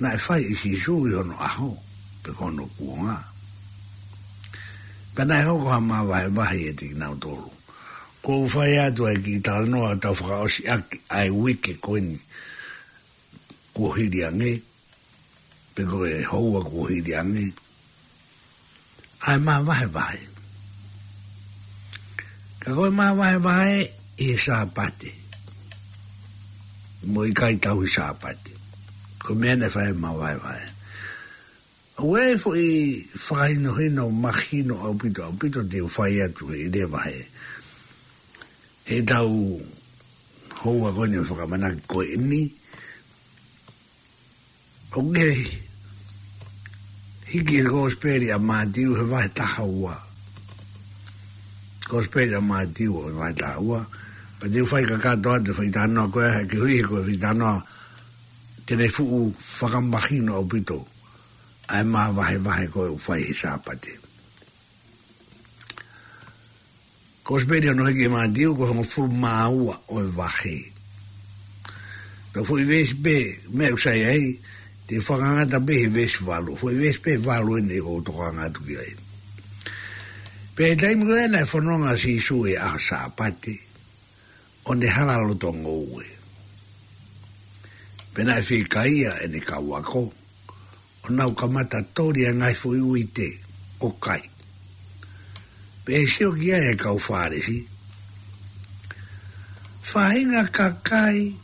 naʻe fai ʻe Sīsū ʻi hono ʻaho, pe ko hono kuonga. Pea naʻe hoko ha māvahevahe ʻiate kinautolu. ʻOku ou fai atu ʻa e kiʻi talanoa ʻo tau fakaʻosi ʻaki ʻa e uike ko eni kuo hili ange, pe ko e houa kuo hili ange, ʻa e māvahevahe. Ka ko e māvahevahe ʻi he Sāpate. Mo e ʻikai tauhi Sāpate. Ko e meʻa naʻe fai e māvahevahe. ʻOku ʻi ai e foʻi fakahinohino mahino ʻaupito, ʻaupito te u fai atu he leva he, heʻetau houa ko eni ʻo e fakamanaki ko eni. ʻOku hiki he Kosipeli ʻa Mātiu he vahe taha ua. Kosipeli ʻa Mātiu he vahe taha ua. Pea te u fai kakato atu e foʻi talanoa ko ē, he koeʻuhi he ko e foʻi talanoa te ne fuʻu fakamahino ʻaupito ʻa e māvahevahe ko ē ʻoku fai he Sāpate. Kosipeli ʻa Mātiu ko e hongofulu mā ua ʻo e vahe. Pea foʻi veesi pē, meʻa ʻoku sai ai, te u fakangata pē he veesi valu. Foʻi veesi pē valu eni ʻoku ou tokanga atu ki ai. Pea ʻi he taimi ko ē naʻe fononga ʻa Sīsū he ʻaho Sāpate, ʻo ne hala loto ngoue. Pea naʻe fiekaia ʻene kau ako, ʻo nau kamata toli ʻa e ngaahi foʻi uite ʻo kai. Pea sio ki ai e kau Fālesi, faʻahinga kakai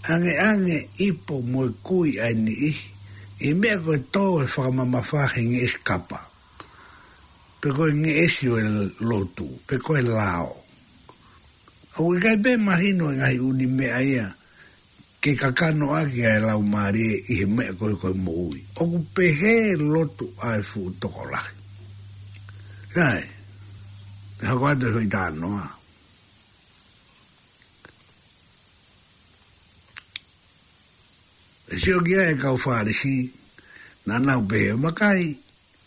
angeange ipo mo e kui ʻa e niʻihi, ʻi he meʻa ko e tō e fakamamafa he ngeʻesi kapa, pe ko e ngeʻesi ʻo e lotu, pe ko e lao. ʻOku ʻikai pē mahino e ngaahi ʻū meʻa ia ke kakano ʻaki ʻa e laumālie ʻi he meʻa ko ē ko e moʻui. ʻOku pehē lotu ʻa e fuʻu tokolahi. Sai, te u hoko atu e foʻi talanoa. Pea sio ki ai e kau Fālesi, naʻa nau pehē, vakai,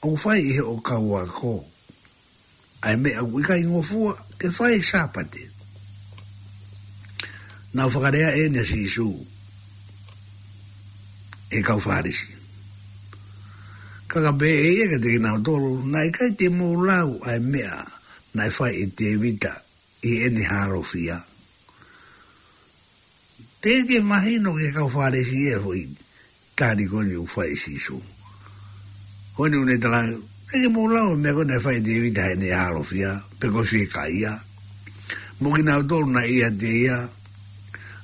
ʻoku fai ʻe hoʻo kau ako ʻa e meʻa ʻoku ʻikai ngofua ke fai he Sāpate. Naʻe fakalea eni ʻa Sīsū ki he kau Fālesi. Ka ka pehē ʻe ia kiate kinautolu, naʻe ʻikai te mou lau ʻa e meʻa naʻe fai ʻe Tēvita ʻi heʻene halofia. Teʻeki mahino ki he kau Fālesi e foʻi tali ko eni ʻoku fai ʻe Sīsū. Ko eni ʻoku ne tala, teʻeki mou lau e meʻa ko ē naʻe fai ʻe Tēvita heʻene halofia, pe ko e fiekaia. Mo kinautolu naʻe ʻiate ia,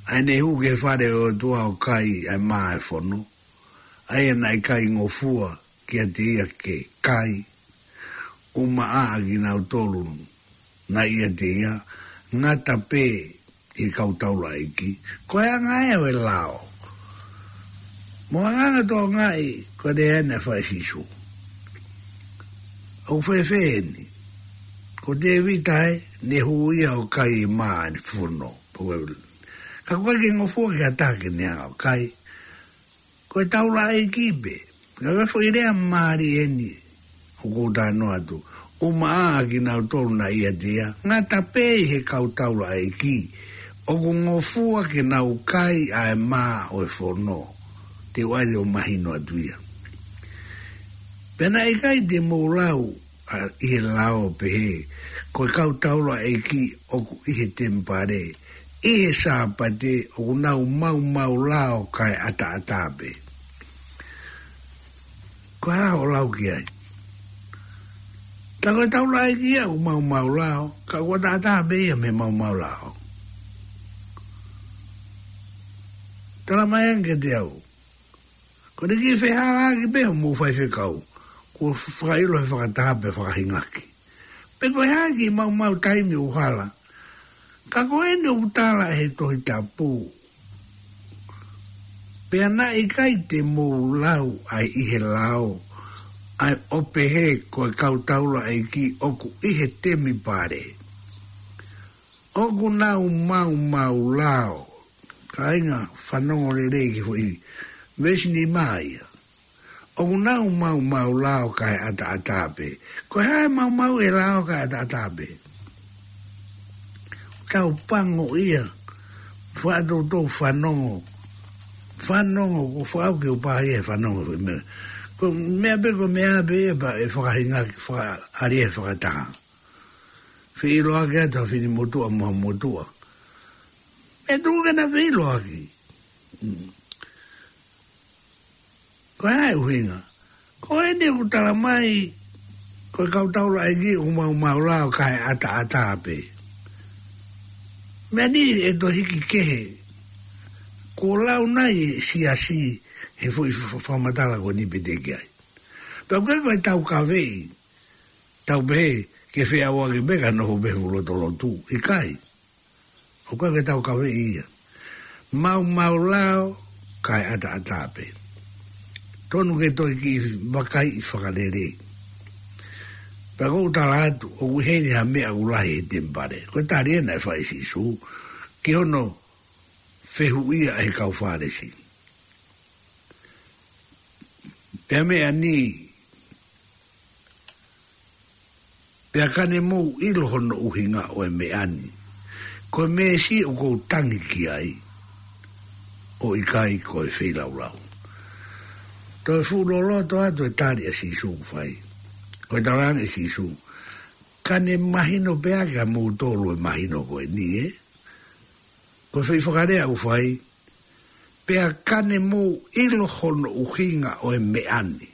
ʻa ʻene hū ki he fale ʻo e ʻOtua ʻo kai ʻa e mā ʻo e fono. ʻA ia naʻe ʻikai ngofua kiate ia ke kai, ʻumaʻā ʻa kinautolu naʻe ʻiate ia, ngata pē ʻi he kau taulaʻeiki. Ko e anga ē ʻo e lao. Mo e anga ʻoku tokangaʻi, ko e lea naʻe fai ʻe Sīsū. ʻOku fēfē eni. Ko Tēvita ē, ne hū ia ʻo kai e mā ʻo e fono. Ka ʻoku ʻikai ke ngofua ki ha taha ke ne hanga ʻo kai. Ko e taulaʻeiki pē. Ka ko e foʻi lea mālie eni ʻoku ou talanoa atu. ʻUmaʻā ʻa kinautolu naʻe ʻiate ia, ngata pē ʻi he kau taulaʻeiki ʻoku ngofua ke nau kai ʻa e mā ʻo e fono. Te u ʻai ʻo mahino atu ia. Pea naʻe ʻikai te mou lau ʻa, ʻi he lao pehē, ko e kau taulaʻeiki ʻoku ʻi he temipale ʻi he Sāpate ʻoku nau maumau lao kae ʻataʻatā pē. Ko e hā hoʻo lau ki ai? Tā ko e taulaʻeiki ia ʻoku maumau lao, ka ʻoku ʻataʻatā pē ia mei he maumau lao. Tala mai ange kiate au. Ko e kiʻi fehālaaki pē hoʻomou faifekau, kuo fakaʻilo he fakataha pea fakahingaki. Pe ko e hā e kiʻi maumau taimi ʻoku hala? Ka ko eni ʻoku tala ʻe he Tohi Tapu. Pea naʻe ʻikai te mou lau ʻa e ʻi he lao, ʻa e ʻo pehē ko e kau taulaʻeiki ʻoku ʻi he temipale ʻoku nau maumau lao. Kāinga, fanongo lelei ki he foʻi veesi nima ia. ʻOku nau maumau lao kae ʻataʻatā pē. Ko e hā e maumau e lao kae ʻataʻatā pē? Tau pango ia. Faʻa toutou fanongo. Fanongo, ko faʻa ke u pā ia he fanongo foʻi meʻa. Ko e meʻa pē, ko e meʻa pē ia pea ʻe fakahingaki, fakaʻali he fakataha. Feʻiloaki atu ha fini motuʻa mo ha motuʻa. Pea tuku ke na feʻiloaki. Mm. Ko e hā e ʻuhinga? Ko eni ʻoku tala mai, ko e kau taulaʻeiki ʻoku maumau lao kae ʻataʻatā pē. Meʻa ni ʻe toe hiki kehe. Kuo lau nai e siasi he foʻi fa-, fa-, fakamatala ko eni pē te ke ʻai. Pea ko e, ko e taukaveʻi. Tau pehē, ke feʻauaki pē ka nofo pē he fuʻu lotolotu. ʻIkai. ʻOku ʻikai ke taukaveʻi ia. Maumau lao, kae ʻataʻatā pē. Tonu ke toe kiʻi vakaiʻi fakalelei. Pea ʻoku ou tala atu, ʻoku ʻi heni ha meʻa ʻoku lahi he temipale. Ko e tali ena ʻe fai ʻe Sīsū, ki hono fehuʻia ʻe he kau Fālesi. Pea meʻa ni, pea ka ne mou ʻilo hono ʻuhinga ʻo e meʻa ni. Ko e meesi ʻoku ou tangi ki ai, ʻo ʻikai ko e feilaulau. Toe fuʻu loloto atu e tali ʻa Sīsū ʻoku fai. Ko e talaange ʻe Sīsū, ka ne mahino pē ʻa kimoutolu e mahino ko eni, ē? Ko e foʻi fakalea ʻoku fai, pea ka ne mou ʻilo hono ʻuhinga ʻo e meʻa ni.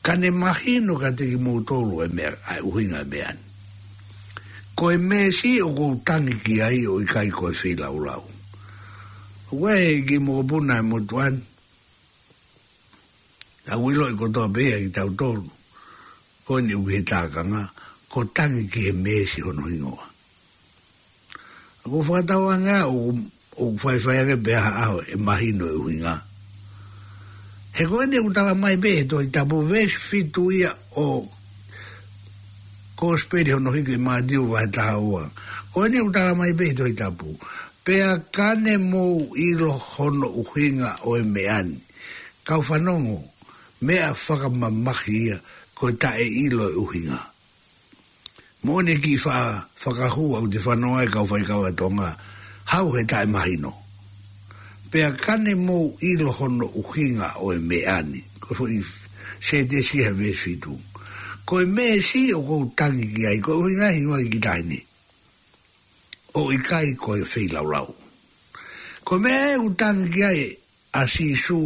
Ka ne mahino kiate kimoutolu e meʻa, ʻa e ʻuhinga e meʻa ni. Ko e meesi ʻoku ou tangi ki ai ʻo ʻikai ko e feilaulau. ʻOku ʻi ai e kiʻi mokopuna ʻi he motuʻa ni. ʻOku ʻiloʻi kotoa pē ia ʻe kitautolu. Ko eni ʻoku ʻi he tākanga, ko e tangi ki he meesi hono hingoa. ʻOku ou fakatauange ʻoku, ʻoku faifai ange pē ha ʻaho ʻe mahino e ʻuhinga. He ko eni ʻoku tala mai pē he Tohi Tapu, veesi fitu ia ʻo e Kosipeli hono hiki ʻe Mātiu vahe taha ua. Ko eni ʻoku tala mai pē he Tohi Tapu, pea ka ne mou ʻilo hono ʻuhinga ʻo e meʻa ni. Kau fanongo, meʻa fakamamahi ia, ko e taʻeʻilo e ʻuhinga. Moʻoni e kiʻi fa-, fakahua ʻoku te fanongo ai kau faikava Tonga, hau he taʻemahino. Pea ka ne mou ʻilo hono ʻuhinga ʻo e meʻa ni. Ko e foʻi sētesi he veesi fitu. Ko e meesi ʻoku ou tangi ki ai, ko e ʻuhinga hingoa ki tahi ni. ʻO ʻikai ko e feilaulau. Ko e meʻa ʻoku tangi ki ai ʻa Sīsū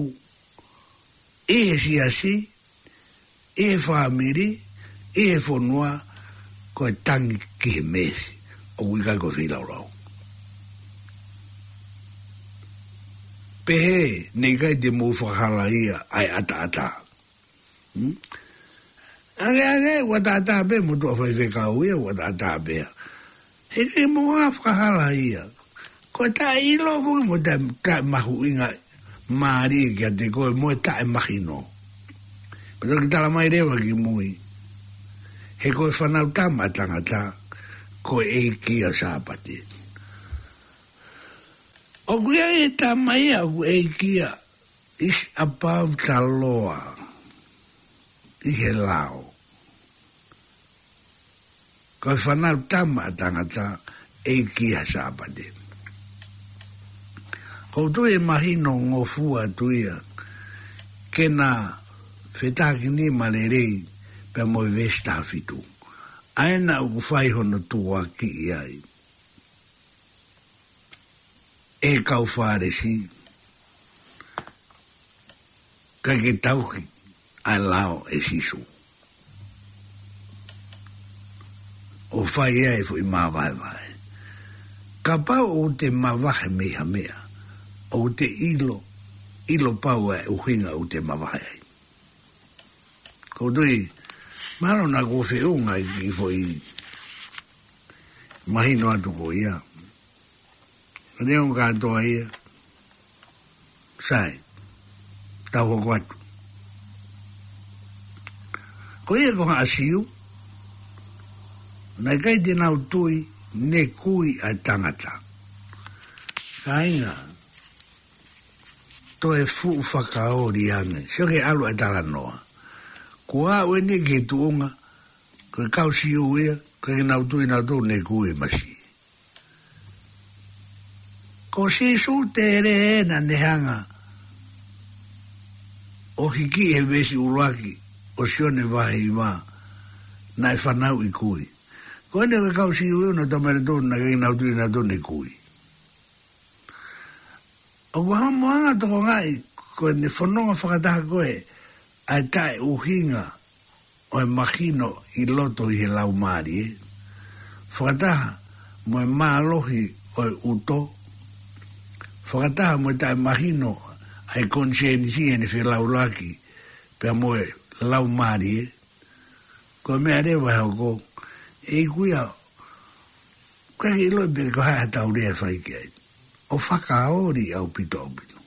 ʻi he siasi, ʻi he fāmili, ʻi he fonua, ko e tangi ki he meesi, ʻoku ʻikai ko e feilaulau. Pehē, ne ʻikai te mou fakahalaia ʻa e ʻataʻatā. Hmm? Ange, ange, ʻoku ʻataʻatā pē, motuʻa faifekau ia, ʻoku ʻataʻatā pē. He ʻikai ke mou fakahalaia. Ko e taʻeʻilo foki mo e taʻe, taʻemahuʻinga mālie kiate koe mo e taʻemahino. Pea toki tala mai leva ki mui. He ko e Fanautama ʻa Tangata, ko e ʻEiki ʻo e Sāpate. ʻOku ʻi ai e Tama ia, ʻoku ʻEiki ia, is above the law. ʻi he lao. Ko e Fānautama ʻa Tangata ʻEiki ʻa Sāpate. ʻOku ou tui ʻe mahino ngofua atu ia ke na fetākinima lelei pea mo e veesi taha fitu. ʻA ena ʻoku fai hono tukuakiʻi ai ʻe he kau Fālesi, ʻikai ke tauhi ʻa e lao ʻe Sīsū. ʻO fai ai e foʻi māvaevae. Kapau ʻoku te mavahe mei ha meʻa, ʻoku te ʻilo, ʻilo pau ʻa e ʻuhinga ʻoku te mavahe ai. ʻOku ou tui, mahalo naʻa kuo feʻunga ʻa e kiʻi foʻi mahino atu ko ia. Ka neongo kātoa ia, sai, tau hoko atu. Ko ia ko Haʻa Siu, naʻe ʻikai te nau tui ne kui ʻa e tangata. Kāinga, toe fuʻu fakaoli ange. Sio ki he ʻalu ʻa e talanoa. Kuo aʻu eni ki he tuʻunga, ko e kau Siu ia, ʻikai ke nau tui nautolu ne kui e masi. Ko Sīsū tele ena ne hanga ʻo hiki he veesi ʻuluaki ʻo Sione vahe hiva, naʻe fanauʻi kui. Ko eni ko e kau Siu ia naʻa nau tui nautolu naʻe ʻikai ke nau tui nautolu ne kui. ʻOku hamo anga tokongaʻi ko ʻene fononga fakataha ko ē ʻa e taʻeʻuhinga ʻo e mahino ʻi loto ʻi he laumālie, fakataha mo e mālohi ʻo e ʻuto, fakataha mo e taʻemahino ʻa e konisēnisi ʻene felaulaki pea mo e laumālie. Ko e meʻa leva ʻe hoko, ʻe ʻiku ia, ʻikai ke ʻiloʻi pe ko e hā ʻetau lea ʻe fai ki ai. ʻO fakaoli ʻaupito ʻaupito.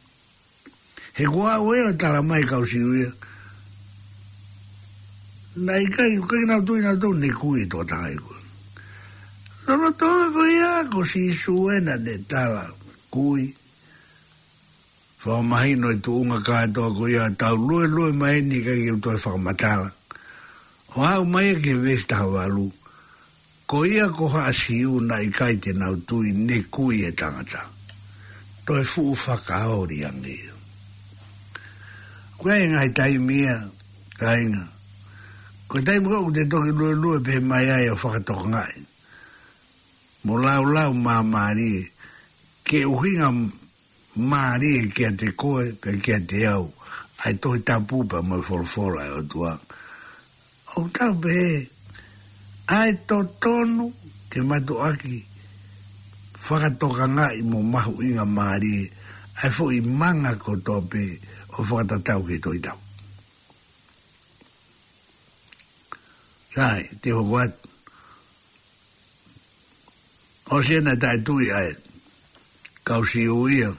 He kuo aʻu ē ʻo tala mai kau Siu ia, naʻe ʻikai, ʻikai ke nau tui nautolu ne kui e tokotaha ia ko ē. Lolotonga ko ia ko Sīsū ena ne tala kui. Fakamahino e tuʻunga kātoa ko ia, tau luelue mai eni, ʻikai ke u toe fakamatala. ʻO aʻu mai ki he veesi taha valu, ko ia ko Haʻa Siu naʻe ʻikai te nau tui ne kui e tangata. Toe fuʻu fakaoli ange ia. Ko e ngaahi taimi ia, kāinga, ko e taimi ko ē ʻoku te toki luelue pē mai ai ʻo fakatokangaʻi mo laulau māmālie, ke ʻuhinga mālie kiate koe pea kiate au ʻa e Tohi Tapu pea mo e folofola ʻa e ʻOtua. ʻOku tau pehē, ʻa e totonu ke mātuʻaki fakatokangaʻi mo mahuʻinga mālie ʻa e foʻi manga kotoa pē ʻo fakatatau ki he Tohi Tapu. Sai, te u hoko atu. ʻOsi ena taʻetui ʻa e kau Siu ia,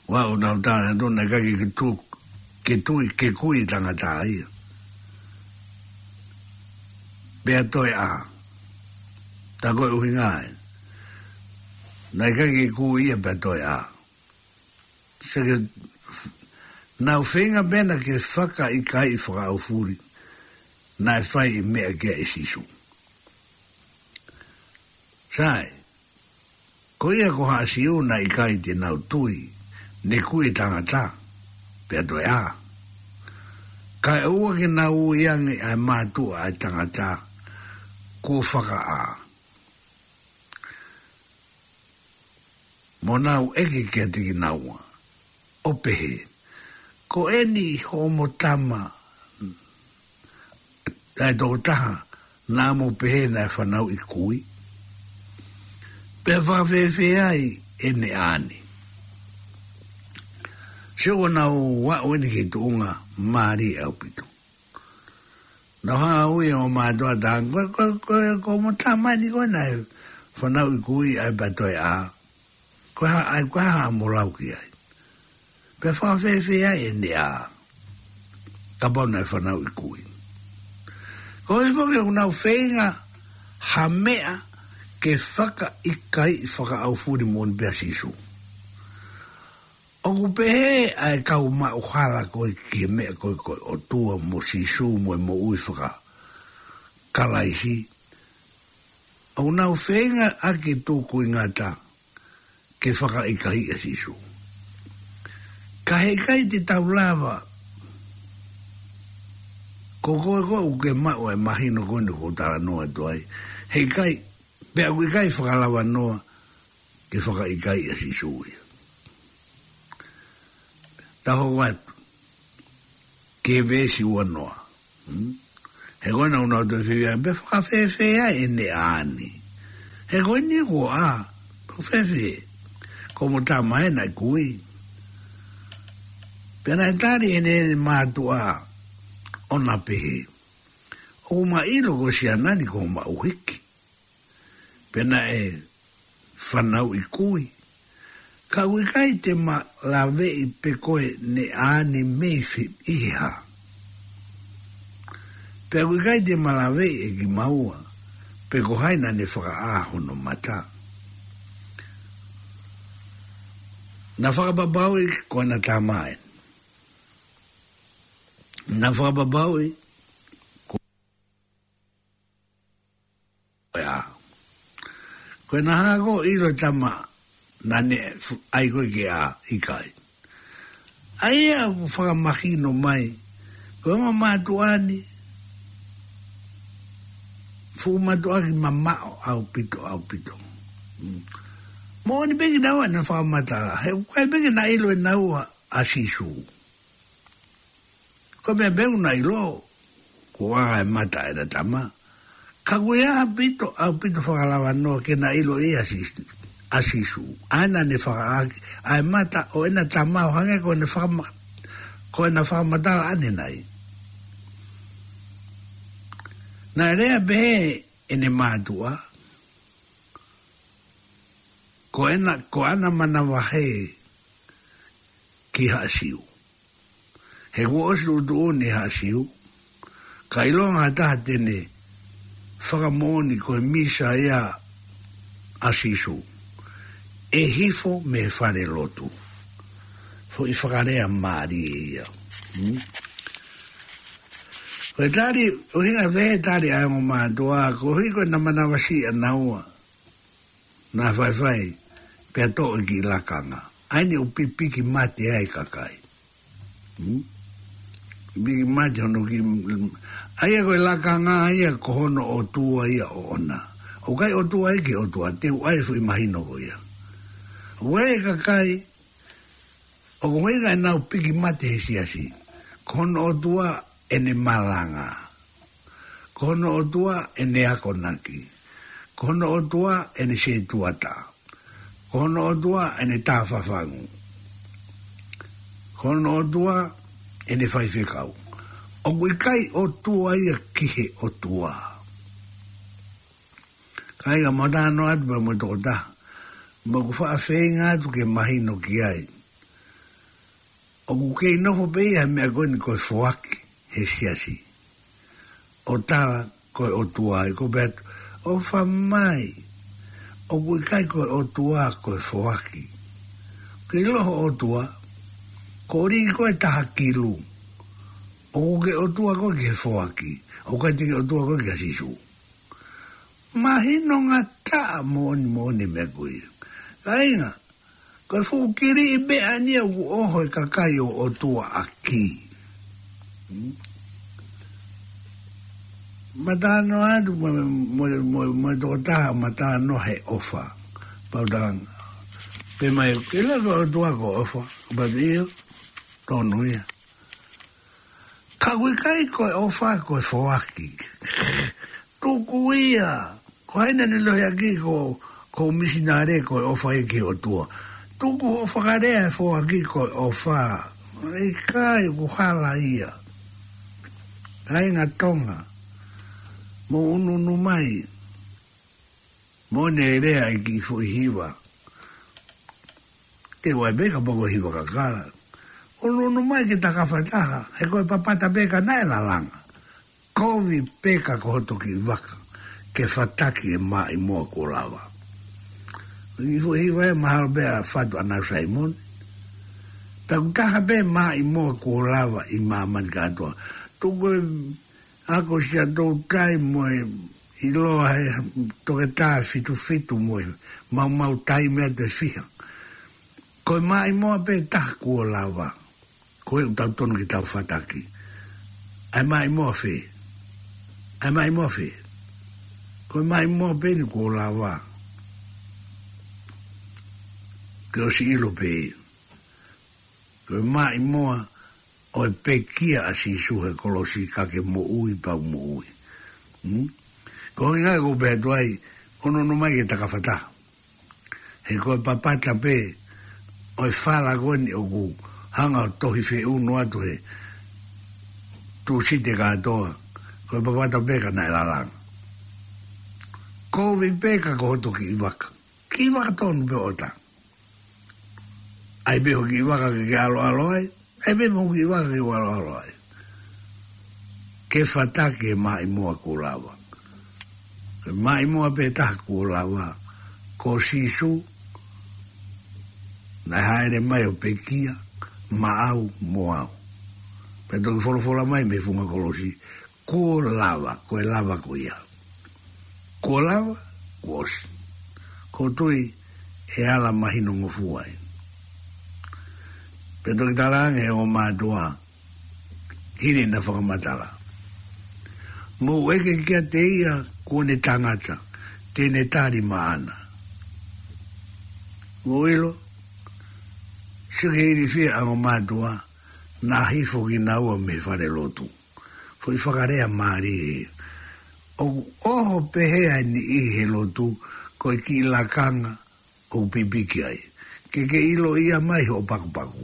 ʻo aʻu ʻo nau tala nautolu naʻe ʻikai ke tu-, ke tui, ke kui tangata ia. Pea toe ʻā. Tā ko e ʻuhinga ē, naʻe ʻikai ke kui ia pea toe ʻā. Seke, nau feinga pē ena ke fakaʻikaiʻi fakaʻaufuli naʻe fai ʻi he meʻa ko ē ʻe Sīsū. Sai, ko ia ko Haʻa Siu naʻe ʻikai te nau tui ne kui e tangata, pea toe ʻā. Kae ʻoua ke nau ui ange ʻa e mātuʻa ʻa e tangata kuo fakaʻā. Mo nau ʻeke kiate kinaua, ʻo pehē, ko eni hoʻomo tama, ʻa e tokotaha naʻa mo pehē naʻe fanauʻi kui? Pea fakafēfē ai ʻene ʻā ni? Sio, kuo nau aʻu eni ki he tuʻunga mālie ʻaupito. Nau hanga ʻo ui ʻo mātuʻa, tā ko, ko, ko, ko hoʻomo tama eni ko ē naʻe fanauʻi kui ʻa e pea toe ʻā. Ko e hā, ʻa e, ko e hā hoʻomo lau ki ai? Pea fakafēfē ai ʻene ʻā, kapau naʻe fanauʻi kui? Ko e foki ʻoku nau feinga ha meʻa ke fakaʻikaiʻi fakaʻaufuli moʻoni pē ʻa Sīsū. ʻOku pehē ʻa e kau maʻu hala ko ē ki he meʻa ko ē ko e ʻOtua mo Sīsū mo e moʻui fakakalaisi, ʻoku nau feinga ʻaki tukuingata ke fakaʻikaiʻi ʻa Sīsū. Ka heʻikai te tau lava, ko koe ko ē ʻoku ke maʻu e mahino ko eni ʻoku ou talanoa atu ai. Heʻikai, pea ʻoku ʻikai fakalava noa ke fakaʻikaiʻi ʻa Sīsū ia. Tau hoko atu ki he veesi ua noa. Hmm? He ko ena ʻoku nau toe fie pehē, pe fakafēfē ai ʻene ʻā ni. He ko eni kuo ʻā, pe fakafēfē. Ko homo tama ē naʻe kui. Pea naʻe tali ʻe heʻene mātuʻa ʻo na pehē, ʻoku ma ʻilo ko e siana ni ko hoʻoma ʻuhiki. Pea naʻe fanauʻi kui. Ka ʻoku ʻikai te ma laveʻi pe ko ʻene ʻā ni mei fē, ʻi he hā. Pea ʻoku ʻikai te ma laveʻi ʻe kimaua pe ko hai naʻa ne fakaʻā hono mata. Na fakapapauʻi ko ʻena tama ē. Na fakapapauʻi ko e ʻā. Ko e naʻa hā ko ē ʻilo e tama naʻa ne fu-, ʻai ko ē ke ʻā, ʻikai. ʻA ia ʻoku fakamahino mai, ko e ongo mātuʻa ni, fuʻu mātuʻa ki mamaʻo ʻaupito, ʻaupito. Mm. Moʻoni pē kinaua ʻena fakamatala, he ʻoku ʻikai pē ke na ʻilo ʻe naua ʻa Sīsū. Ko e meʻa pē ʻoku na ʻilo, ko e ʻā e mata ʻena tama. Ka ʻoku ʻi ai ʻaupito, ʻaupito fakalava noa ke na ʻilo ʻe ia ʻa Sī-, ʻa Sīsū. ʻA ē naʻa ne fakaʻā ʻaki ʻa e mata ʻo ʻena tama ʻo hangē ko ʻena fakama-, ko ʻena fakamatala ʻanenai. Naʻe lea pehē ʻene mātuʻa, ko ʻena, ko ʻena manavahē ki Haʻa Siu. He kuo ʻosi tuʻutuʻuni ʻe Haʻa Siu, ka ʻilonga ha taha te ne fakamoʻoni ko e Mīsaia ʻa Sīsū, ʻe hifo mei he fale lotu. Foʻi fakalea mālie ia. Hmm? Ko e tali, ʻuhinga pē he tali ʻa e ongo mātuʻa, koeʻuhi ko ʻena manavasiʻi ʻanaua. Na faifai, pea toʻo e kiʻi lakanga. ʻA eni ʻoku pipiki mate ai e kakai. Hmm? Pipiki mate hono kiʻi, ʻa ia ko e lakanga, ʻa ia ko hono ʻotua ia ʻoʻona. ʻOku ʻikai ʻotua ia ki he ʻOtua, te u ʻai e foʻi mahino ko ia. ʻOku ʻi ai e kakai, ʻoku ʻuhinga ʻenau piki mate he siasi. Ko hono ʻotua ʻene malanga. Ko hono ʻotua ʻene akonaki. Ko hono ʻotua ʻene setuata. Ko hono ʻotua ʻene tāfafangu. Ko hono ʻotua ʻene faifekau. ʻOku ʻikai ʻotua ia ki he ʻOtua. Kāinga, mou talanoa atu pē mo e tokotaha. Mo ʻeku faʻa feinga atu ke mahino ki ai. ʻOku kei nofo pē ia he meʻa ko eni ko e foaki he siasi. ʻO tala ko e ʻotua ia, ko e pehē atu, ʻofa mai. ʻOku ʻikai ko e ʻotua ko e foaki. Ke ʻilo ho ʻotua, ko ʻeni ko e taha kilu. ʻOku ke ʻotua koe ki he foaki. ʻOku ʻikai te ke ʻotua koe kia Sīsū. Mahino ngataʻa moʻoni moʻoni e meʻa ko ia. Kāinga, ko e fuʻu kiliʻi meʻa ni ia ʻoku ʻoho e kakai ʻo ʻotua ʻaki. Hmm? Mou talanoa atu mo, mo, mo, mo e tokotaha, mou talanoa he ʻofa. Pau talanga. Pehē mai, ke ʻilo ko e ʻotua ko e ʻofa. Pau ʻio, tonu ia. Ka ʻoku ʻikai ko e ʻofa ko e foaki. Tuku ia. Ko hai naʻa ne lohiakiʻi ko, ko e misinale ko e ʻofa ia ki he ʻOtua. Tuku hoʻo fakalea e foaki ko e ʻofa. ʻIkai, ʻoku hala ia. Kāinga Tonga, mou ʻunuʻunu mai. Moʻoni e lea ʻa e kiʻi foʻi hiva. Te u ʻai pē kapau ko e hiva kakala. ʻUnuʻunu mai ke takafa taha, he ko e papata pē ka naʻe lalanga. Kovi pē ka ko hoto kiʻi vaka, ke fataki e maʻimoa kuo lava. Kiʻi foʻi hiva ē, mahalo pē ʻa Fatu ʻAnau Saimoni. Pea ʻoku taha pē Maʻimoa kuo lava ʻi māmani kātoa. Tuku e ako Siaʻatoutai mo e ʻiloa he toketā Fitufitu mo e maumau taimi atu e fiha. Ko e Maʻimoa pē taha kuo lava. Ko e ʻoku tau tonu ke tau fataki. ʻA e Maʻimoa fē? ʻA e Maʻimoa fē? Ko e Maʻimoa pē eni kuo lava. Ke ʻosi ʻilo pē. Ko e Maʻimoa ʻo e pekia ʻa Sīsū he kolosi ka ke moʻui pau moʻui. Hmm? Ko e ʻuhinga ia ʻoku ou pehē atu ai, ʻonoʻono mai ke takafata. He ko e papata pē ʻo e fala ko eni ʻoku hanga ʻo tohi feʻunu atu he Tūsite kātoa. Ko e papata pē ka naʻe lalanga. Kovi pē ka ko hoto kiʻi vaka. Kiʻi vaka tonu pē ʻota. ʻAi pē ho kiʻi vaka ke ke ʻaloʻalo ai. ʻAi pē mo ho kiʻi vaka ke ke ʻaloʻalo ai. Ke fataki e Maʻimoa kuo lava. Ko e Maʻimoa pē taha kuo lava. Ko Sīsū, naʻe hāʻele mai ʻo pekia, maʻau mo au. Pea toki folofola mai mei he funga kolosi, kuo lava, ko e lava ko ia. Kuo lava, kuo ʻosi. Ko e tui ʻe ala mahino ngofua ai. Pea toki talaange ʻe he ongo mātuʻa, hili ʻena fakamatala. Mou ʻeke kiate ia kuo ne tangata, te ne tali maʻana. Mou ʻilo, sio ki he ilifia ʻa e ongo mātuʻa, naʻa hifo kinaua mei he fale lotu. Foʻi fakalea mālie. ʻOku ʻoho pehē ai niʻihi he lotu, ko e kiʻi lakanga ʻoku pipiki ai. Ke ke ʻilo ia mai hoʻo pakupaku.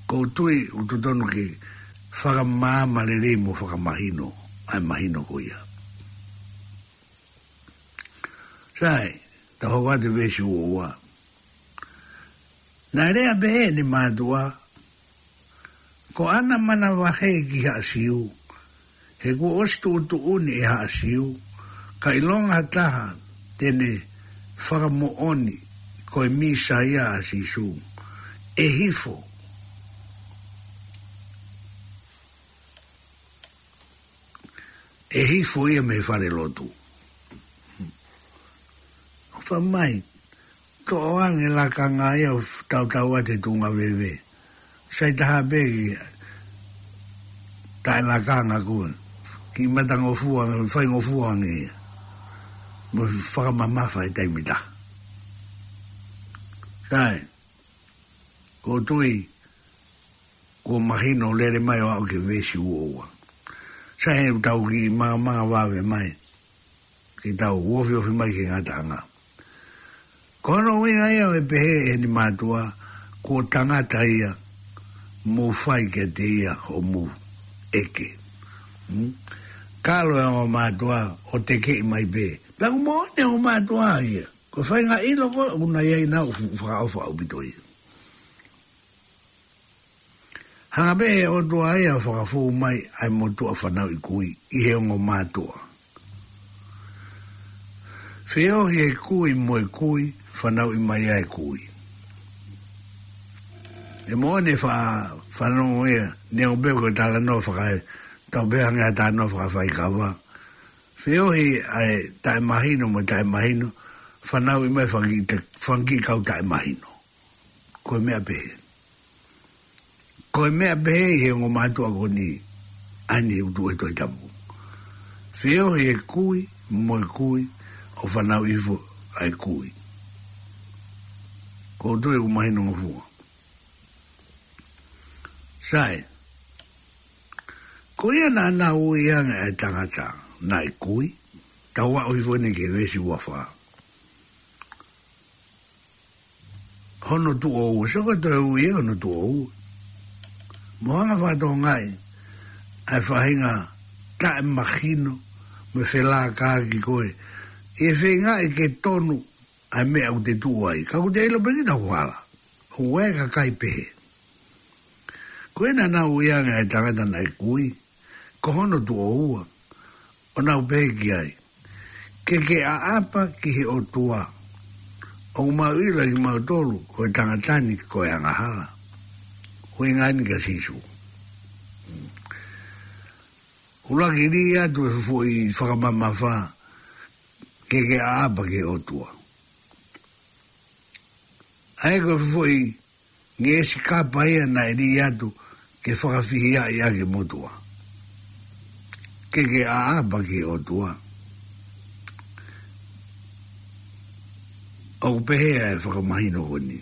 Ko e tui ʻoku totonu ke fakamaama lelei mo fakamahino, ʻa e mahino ko ia. Sai, tau hoko atu veesi ua ua. Naʻe lea pehē ʻene mātuʻa, ko ʻana manavahē ki Haʻa Siu, he kuo ʻosi tuʻutuʻuni ʻe Haʻa Siu, ka ʻilonga ha taha te ne fakamoʻoni ko e Mīsaia ʻa Sīsū, ʻe hifo. ʻE hifo ia mei he fale lotu. ʻOfa mai, toʻo ange lakanga ia ʻo tautau atu he tuʻunga veve. Sai taha pē ki taʻe lakanga ko ē. Kiʻi matangofua, faingofua ange ia. Mo fakamamafa he taimi taha. Sai, ko e tui, kuo mahino lele mai ʻo aʻu ki he veesi ua ua. Sai, he ʻoku tau kiʻi mangamanga vave mai. Ke tau ofiofi mai ki he ngataʻanga. Ko hono ʻuhinga ia ʻo e pehē ʻe heʻene mātuʻa, kuo tangata ia, mou fai kiate ia hoʻomou ʻeke. Hmm? Kalo e ongo mātuʻa ʻo tekeʻi mai pē. Pea ʻoku moʻoni e ongo mātuʻa ia. Ko e faʻahinga ʻilo ko ē ʻoku na ʻi ai, naʻa ku fu-, fakaʻofa ʻaupito ia. Hanga pē ʻe he ʻOtua ia ʻo fakafou mai ʻa e motuʻa fanauʻi kui ʻi he ongo mātuʻa. Feohi e kui mo e kui, fanauʻi mai ʻa e kui. ʻE moʻoni e fa-, fanongo ia, neongo pē ko e talanoa faka-, tau pehē ange ʻa e talanoa fakafaikava. Feohi ʻa e taʻemahino mo e taʻemahino, fanauʻi mai fanga kiʻi ta-, fanga kiʻi kau taʻemahino. Ko e meʻa pehē. Ko e meʻa pehē ʻi he ongo mātuʻa ko eni, ʻa eni ʻoku tuʻu he Tohi Tapu. Feohi e kui mo e kui, ʻo fanauʻi hifo ʻa e kui. Ko e tui ʻoku mahino ngofua. Sai, ko ia naʻa na ui ange ʻa e tangata naʻe kui, tau aʻu hifo eni ki he veesi ua fā. Hono tuʻo ua, sio ko e toe ui ia hono tuʻo ua. Mo hanga fakatokangaʻi ʻa e faʻahinga taʻemahino mo e felākaaki ko ē. ʻE feingaʻi ke tonu ʻa e meʻa ʻoku te tuʻu ai. Ka ʻoku te ʻilo pē kita ʻoku hala. ʻOku ʻi ai e kakai pehē. Ko ia naʻa na ui ange ʻa e tangata naʻe kui, ko hono tuʻo ua, ʻo nau pehē ki ai, ke ke ʻaʻapa ki he ʻOtua, ʻoku mau ʻilo ʻe kimautolu ko e tangata ni ko e angahala. ʻUhinga eni kia Sīsū. ʻUluaki, lī atu e foʻi fakamamafa ke ke ʻaʻapa ki he ʻOtua. ʻA ia ko e foʻi ngeʻesi kapa ia naʻe lī atu ke fakafihiaʻi ʻaki e motuʻa. Ke ke ʻaʻapa ki he ʻOtua. ʻOku pehē ʻa e fakamahino ko eni.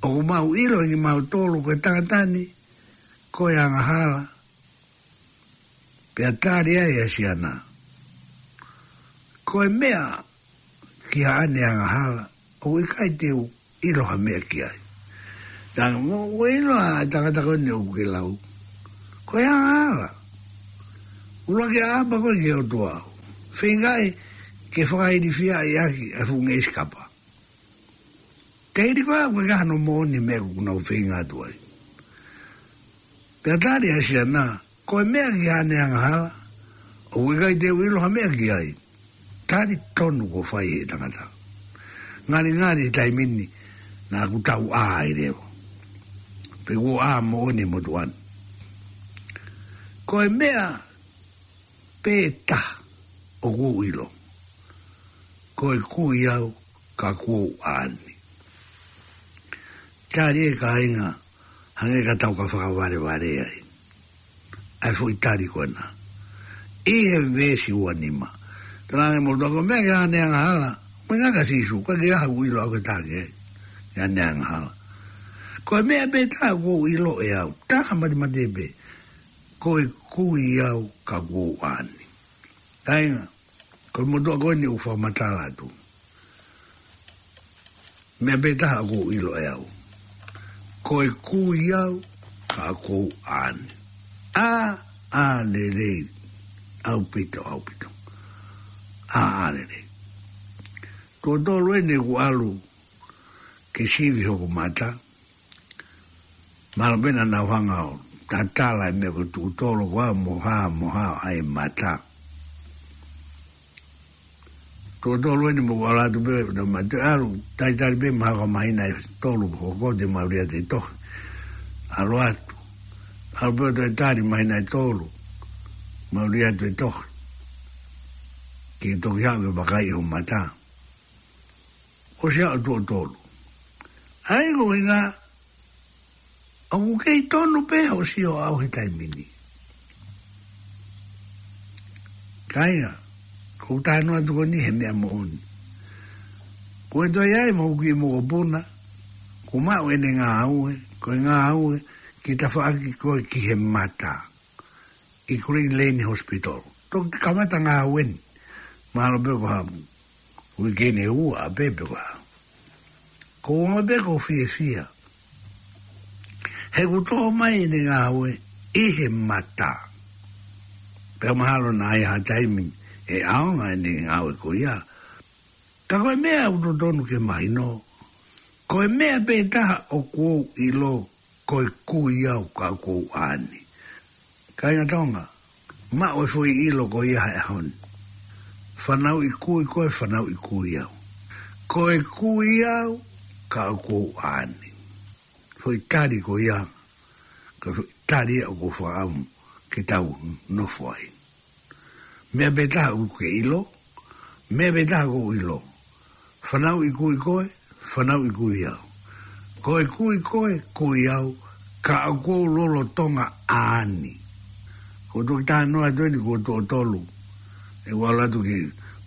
ʻOku mau ʻilo ʻe kimautolu ko e tangata ni ko e angahala. Pea tali ai ʻa Siana, ko e meʻa ki haʻane angahala, ʻoku ʻikai te u ʻilo ha meʻa ki ai. Tanga mo ʻoku ʻilo ʻa e tangata ko eni ʻoku ke lau, ko e angahala. ʻUluaki ʻaʻapa koe ki he ʻOtua. Feingaʻi ke fakailifiaʻi ʻaki ʻa e fuʻu ngeʻesi kapa. Ke hili koe ʻoku ʻikai hano moʻoni e meʻa ʻoku nau feinga atu ai. Pea tali ʻa Siana, ko e meʻa ki haʻane angahala, ʻoku ʻikai te u ʻilo ha meʻa ki ai. Tali tonu kuo fai ʻe he tangata. Ngalingali he taimi ni naʻa ku tau ʻā ai leva. Pe kuo ʻā moʻoni e motuʻa ni. Ko e meʻa pē taha ʻoku ou ʻilo. Ko e kui au ka kuo u ʻā ni. Tali ē kāinga, hangē ka tau ka fakavalevale ai. ʻA e foʻi tali ko ena. ʻI he veesi ua nima. Talaange mo toko meʻa ki haʻane angahala. Meʻa kia Sīsū, ka ke aha ʻoku ʻilo au ke taki ai. Ki haʻane angahala. Ko e meʻa pē taha ʻoku ou ʻilo ʻe au. Taha matemate pē. Ko e kui au ka kuo u ʻā ni. Kāinga, ko e motuʻa ko eni ʻoku fakamatala atu. Meʻa pē taha ʻoku ou ʻilo ʻe au. Ko e kui au ka kuo u ʻā ni. ʻĀ, ʻā lelei. ʻAupito, ʻaupito. ʻĀ, ʻā lelei. Tuʻo tolu eni ʻeku ʻalu ke sivi hoku mata. Mahalo pē naʻa nau hanga ʻo tatala e meʻa ko e tuʻu tolo ko ā mo hā, mo hā ʻa e mata. Tuʻo tolu eni mo ʻalu atu pē, naʻa ma te ʻalu, talitali pē mahalo ko e māhina ʻe tolu, hoko te mau lea te tohi. ʻAlu atu. ʻAlu pē ʻo toe tali māhina ʻe tolu, mau lea te tohi. Ke toki haʻu ke vakai ho mata. ʻOsi ʻalu tuʻo tolu. ʻA ia ko e ʻuhinga, ʻoku kei tonu pē hoʻo sio ʻaʻau he taimi ni. Kāinga, ko u tanu atu ko eni he meʻa moʻoni. Ko e toe ai mo ki mokopuna, ko maʻu ʻene ngāue, ko e ngāue, ke tafaʻaki koe ki he mata. ʻI Green Lane Hospital. Toki kamata ngāue ni. Mahalo pē ko ha uike ʻe ua pē pe ko ha. Ko u ongoʻi pē ko u fiefia. He kuo tō mai ʻene ngāue ʻi he mata. Pea mahalo naʻe ʻi ai ha taimi ʻe ʻaonga ʻene ngāue ko ia. Ka ko e meʻa ʻoku totonu ke mahino. Ko e meʻa pē taha ʻoku ou ʻilo, ko e kui au ka kuo u ʻā ni. Kāinga Tonga, maʻu e foʻi ʻilo ko ia he ʻaho ni. Fanauʻi kui koe, fanauʻi kui au. Ko e kui au ka kuo u ʻā ni. Foʻi tali ko ia, ka foʻi tali ia ʻoku ou fakaʻamu ke tau nofo ai. Meʻa pē taha ʻoku ke ʻilo, meʻa pē taha ʻoku ou ʻilo. Fanauʻi kui koe, fanauʻi kui au. Ko e kui koe, kui au, ka ʻoku ou lolotonga ʻā ni. Ko u toki talanoa atu eni ko u tuʻo tolu. ʻEku ʻalu atu ki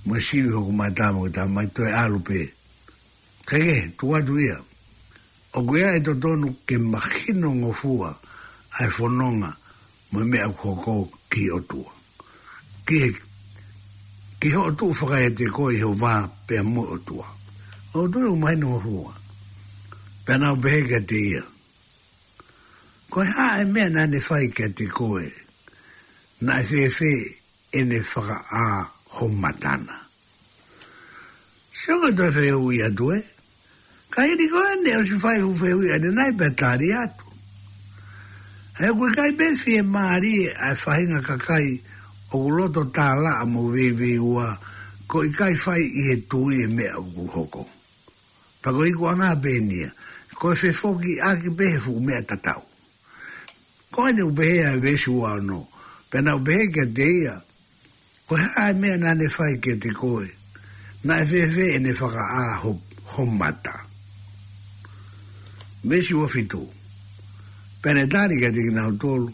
mo e sivi hoku mata mo e tamai toe ʻalu pē. Kae kehe, tuku atu ia. ʻOku ʻi ai e totonu ke mahinongofua ʻa e fononga mo e meʻa ʻoku hoko ki he ʻOtua. Ki he, ki hoʻo tuʻu fakaeʻete koe ʻi ho vā pea mo e ʻOtua. ʻOku ou tui ʻoku mahinongofua. Pea naʻa ku pehē kiate ia, ko e hā e meʻa naʻa ne fai kiate koe? Naʻe fēfē ʻene fakaʻā ho mata na? Sio ko e toe fehuʻi atu ē. Ka hili ko eni ʻosi fai hoʻo fehuʻi ʻanenai pea tali atu. He ʻoku ʻikai pē fiemālie ʻa e faʻahinga kakai ʻoku loto tālaʻa mo veiveiua, ko e ʻikai fai ʻi he tui e meʻa ʻoku hoko. Pea ko e ikuʻanga pē eni ia, ko e fefokiʻaki pē he fuʻu meʻa tatau. Ko eni ʻoku pehē ʻa e veesi ua ono, pea naʻa ku pehē kiate ia, ko e hā ʻa e meʻa naʻa ne fai kiate koe? Naʻe fēfē ʻene fakaʻā ho, ho mata? Veesi ua fitu. Pea ne tali kiate kinautolu,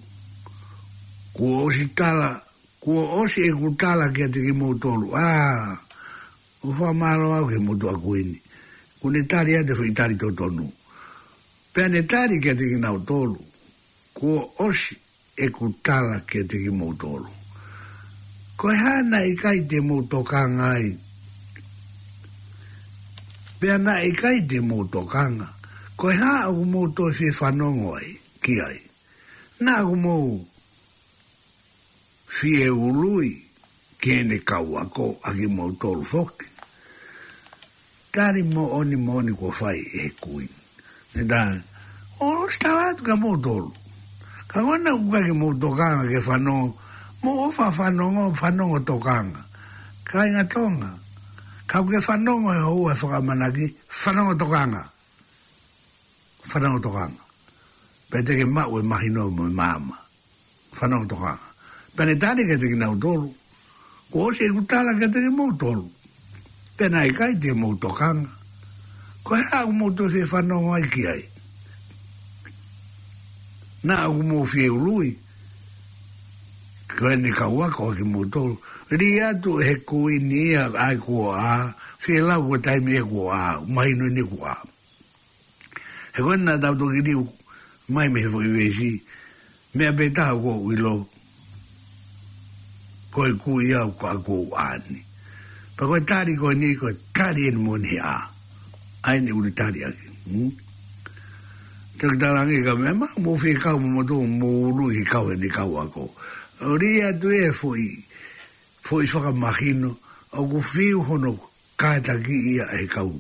kuo ʻosi tala, kuo ʻosi ʻeku tala kiate kimoutolu. ʻA, ʻoku fakamālō au ki he motuʻa kuini. Kuo ne tali atu e foʻi tali totonu. Pea ne tali kiate kinautolu, kuo ʻosi ʻeku tala kiate kimoutolu. Ko e hā naʻe ʻikai te mou tokanga ai? Pea naʻe ʻikai te mou tokanga. Ko e hā ʻoku mou toe fie fanongo ai, ki ai? Naʻa ʻoku mou fie ului ki heʻene kau ako ʻa kimoutolu foki? Tali moʻoni moʻoni kuo fai ʻe he kuini. Ne ta, ʻosi tala atu kia moutolu. Ka ko ena ʻoku ʻikai ke mou tokanga ke fanongo, mou ʻofa fanongo, fanongo tokanga. Kāinga Tonga, kapau ʻoku ke fanongo he houa ʻe fakaʻamanaki, fanongo tokanga. Fanongo tokanga. Pea te ke maʻu e mahino mo e maama. Fanongo tokanga. Pea ne tali kiate kinautolu, kuo ʻosi ʻeku tala kiate kimoutolu. Pea naʻe ʻikai te mou tokanga. Ko e hā ʻoku mou toe fie fanongo ai ki ai? Naʻa ʻoku mou fie ului ki heʻene kau ako ʻa kimoutolu? Lī atu ʻe he kuini ia ʻa e kuo ʻā, fie lau ko e taimi ʻe kuo ʻā, mahino eni kuo ʻā. He ko ena naʻa tau toki liliu mai mei he foʻi veesi, meʻa pē taha ʻoku ou ʻilo, ko e kui au ka ʻoku ou ʻā ni. Pea ko e tali ko eni, ko e tali eni moʻoni he ʻā. ʻA eni ʻoku ne tali ʻaki. Hmm? Te u talaange ka meʻa, mou fie kau mo moutolu, mou ului ki he kau ʻene kau ako. ʻO lī atu e foʻi, foʻi fakamahino, ʻoku fiu hono kātaki ia ʻe he kau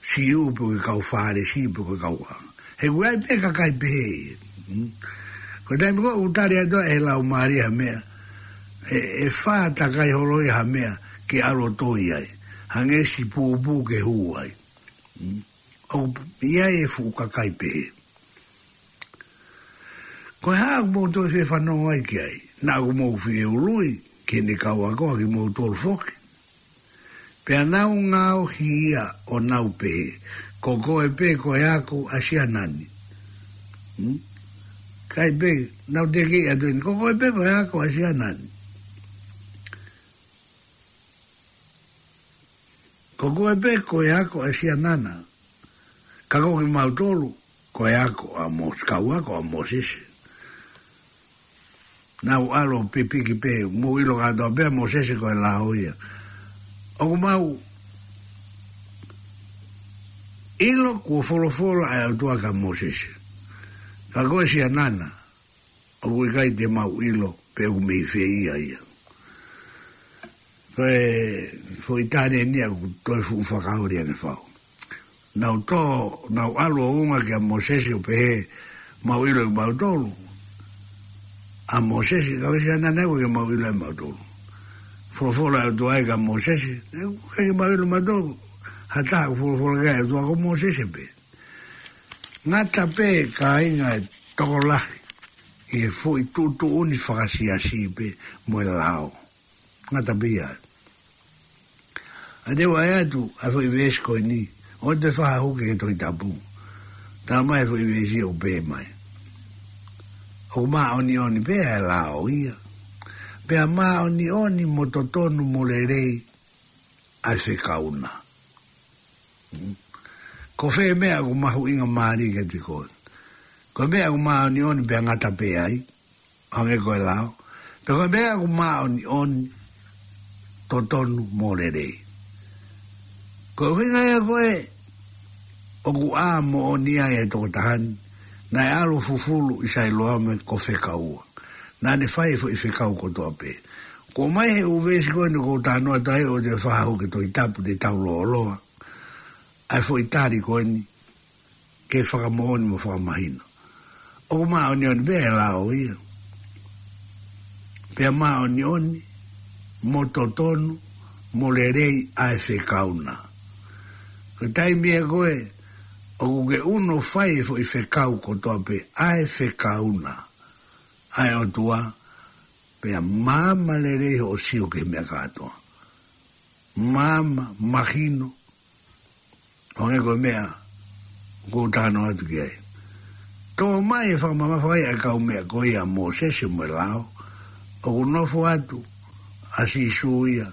Siu pe ko e kau Fālesi pe ko e kau ʻa. He ʻoku ʻi ai pē kakai pehē. Hmm? Ko e taimi ko ē ʻoku tali atu ai ʻe he Laumālie ha meʻa, ʻe, ʻe fātakai holo ia ha meʻa ke ʻalu ʻo toi ai. Hangē siʻi pūpū ke hū ai. Hmm? ʻOku ʻi ai e fuʻu kakai pehē. Ko e hā ʻoku mou toe fie fanongo ai ki ai? Naʻa ʻoku mou fie ului ki heʻene kau ako ʻa kimoutolu foki? Pea nau ngaohi ia ʻo nau pehē, ko koe pē ko e ako ʻa Siana ni. Hmm? Kai pē, nau tekeʻi atu eni, ko koe pē ko e ako ʻa Siana ni. Ko koe pē ko e ako ʻa Siana na. Ka ko kimautolu, ko e ako ʻa Mō-, kau ako ʻa Mōsese. Nau ʻalu ʻo pipiki pē, mou ʻilo kātoa pē ʻa Mōsese ko e lao ia. ʻOku mau ʻilo kuo folofola ʻa e ʻOtua kia Mōsese. Ka ko e Siana na, ʻoku ʻikai te mau ʻilo pe ʻoku mei fē ia ia. Ko e foʻi tali eni ia ʻoku toe fuʻu fakaoli ange fau. Nau tō, nau ʻalu ʻo unga kia Mōsese ʻo pehē, mau ʻilo ʻe mautolu ʻa Mōsese, ka ko e Siana na ʻoku ʻikai ke mau ʻilo ʻe mautolu. Folofola ʻa e ʻOtua ia kia Mōsese, ʻoku ʻikai ke mau ʻilo ʻe mautolu ha taha ʻoku folofola ki ai e ʻOtua, ko Mōsese pē. Ngata pē kāinga e tokolahi ʻi he foʻi tuʻutuʻuni fakasiasi pē mo e lao. Ngata pē ia. ʻA te u ʻai atu ʻa e foʻi veesi ko eni, ʻoua te fakahū ki he Tohi Tapu. Talamai ʻe he foʻi veesi ʻoku pehē mai, ʻoku māʻoniʻoni pē ʻa e lao ia. Pea māʻoniʻoni mo totonu mo lelei ʻa e fekau na. Hmm? Ko fē meʻa ʻoku mahuʻinga mālie kiate koe? Ko e meʻa ʻoku māʻoniʻoni pea ngata pē ai, hangē ko e lao, pe ko e meʻa ʻoku māʻoniʻoni, totonu mo lelei? Ko e ʻuhinga ia ko ē ʻoku ʻā moʻoni ai e tokotaha ni, naʻe ʻalu ʻo fufulu ʻi Sailoame ko Fekaua. Naʻa ne fai e foʻi fekau kotoa pē. Ko e ʻomai he ʻū veesi ko eni ʻoku ou talanoa atu ai, ʻoua te fakahū ki he Tohi Tapu, te tau lōloa ʻa e foʻi tali ko eni ke fakamoʻoni mo fakamahino. ʻOku māʻoniʻoni pē ʻa e lao ia. Pea māʻoniʻoni mo totonu mo lelei ʻa e fekau na. Ko e taimi ia ko ē ʻoku ke ʻunu ʻo fai e foʻi fekau kotoa pē, ʻa e fekau na ʻa e ʻOtua, pea maama lelei hoʻo sio ki he meʻa kātoa. Maama, mahino, ʻo hangē ko e meʻa ʻoku ou talanoa atu ki ai. Tō mai e fakamamafa ʻa e kau meʻa ko ia ʻa Mōsese mo e lao, ʻoku nofo atu ʻa Sīsū ia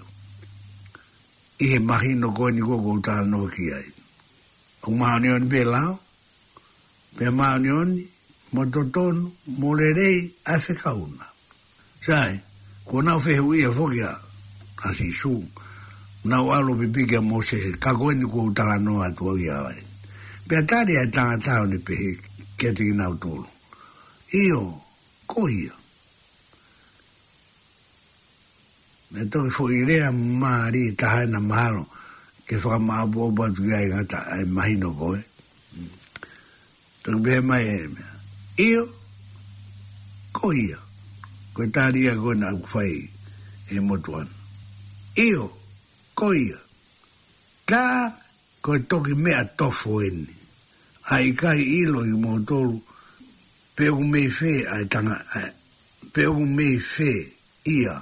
ʻi he mahino ko eni ʻoku ou talanoa ki ai. ʻOku māʻoniʻoni pē lao, pea māʻoniʻoni mo totonu mo lelei ʻa e fekau na. Sai, kuo nau fehuʻia foki ʻa, ʻa Sīsū, nau ʻalu ʻo pipiki ʻa Mōsese, ka ko eni ʻoku ou talanoa atu au ia ai. Pea tali ʻa e tangata ʻo ne pehē kiate kinautolu, ʻIo, ko ia. Naʻe toki foʻi lea mālie taha ena mahalo ke fakamāʻopoʻopo atu ki ai ngata ʻa e mahino ko ē. Toki pehē mai e meʻa, ʻIo, ko ia. Ko e tali ia ko ena ʻoku fai ʻe he motuʻa na. ʻIo, ko ia. Tā ko e toki meʻa tofo eni. ʻA e ʻikai ʻilo ʻe kimoutolu pe ʻoku mei fē ʻa e tanga, ʻa e, pe ʻoku mei fē ia,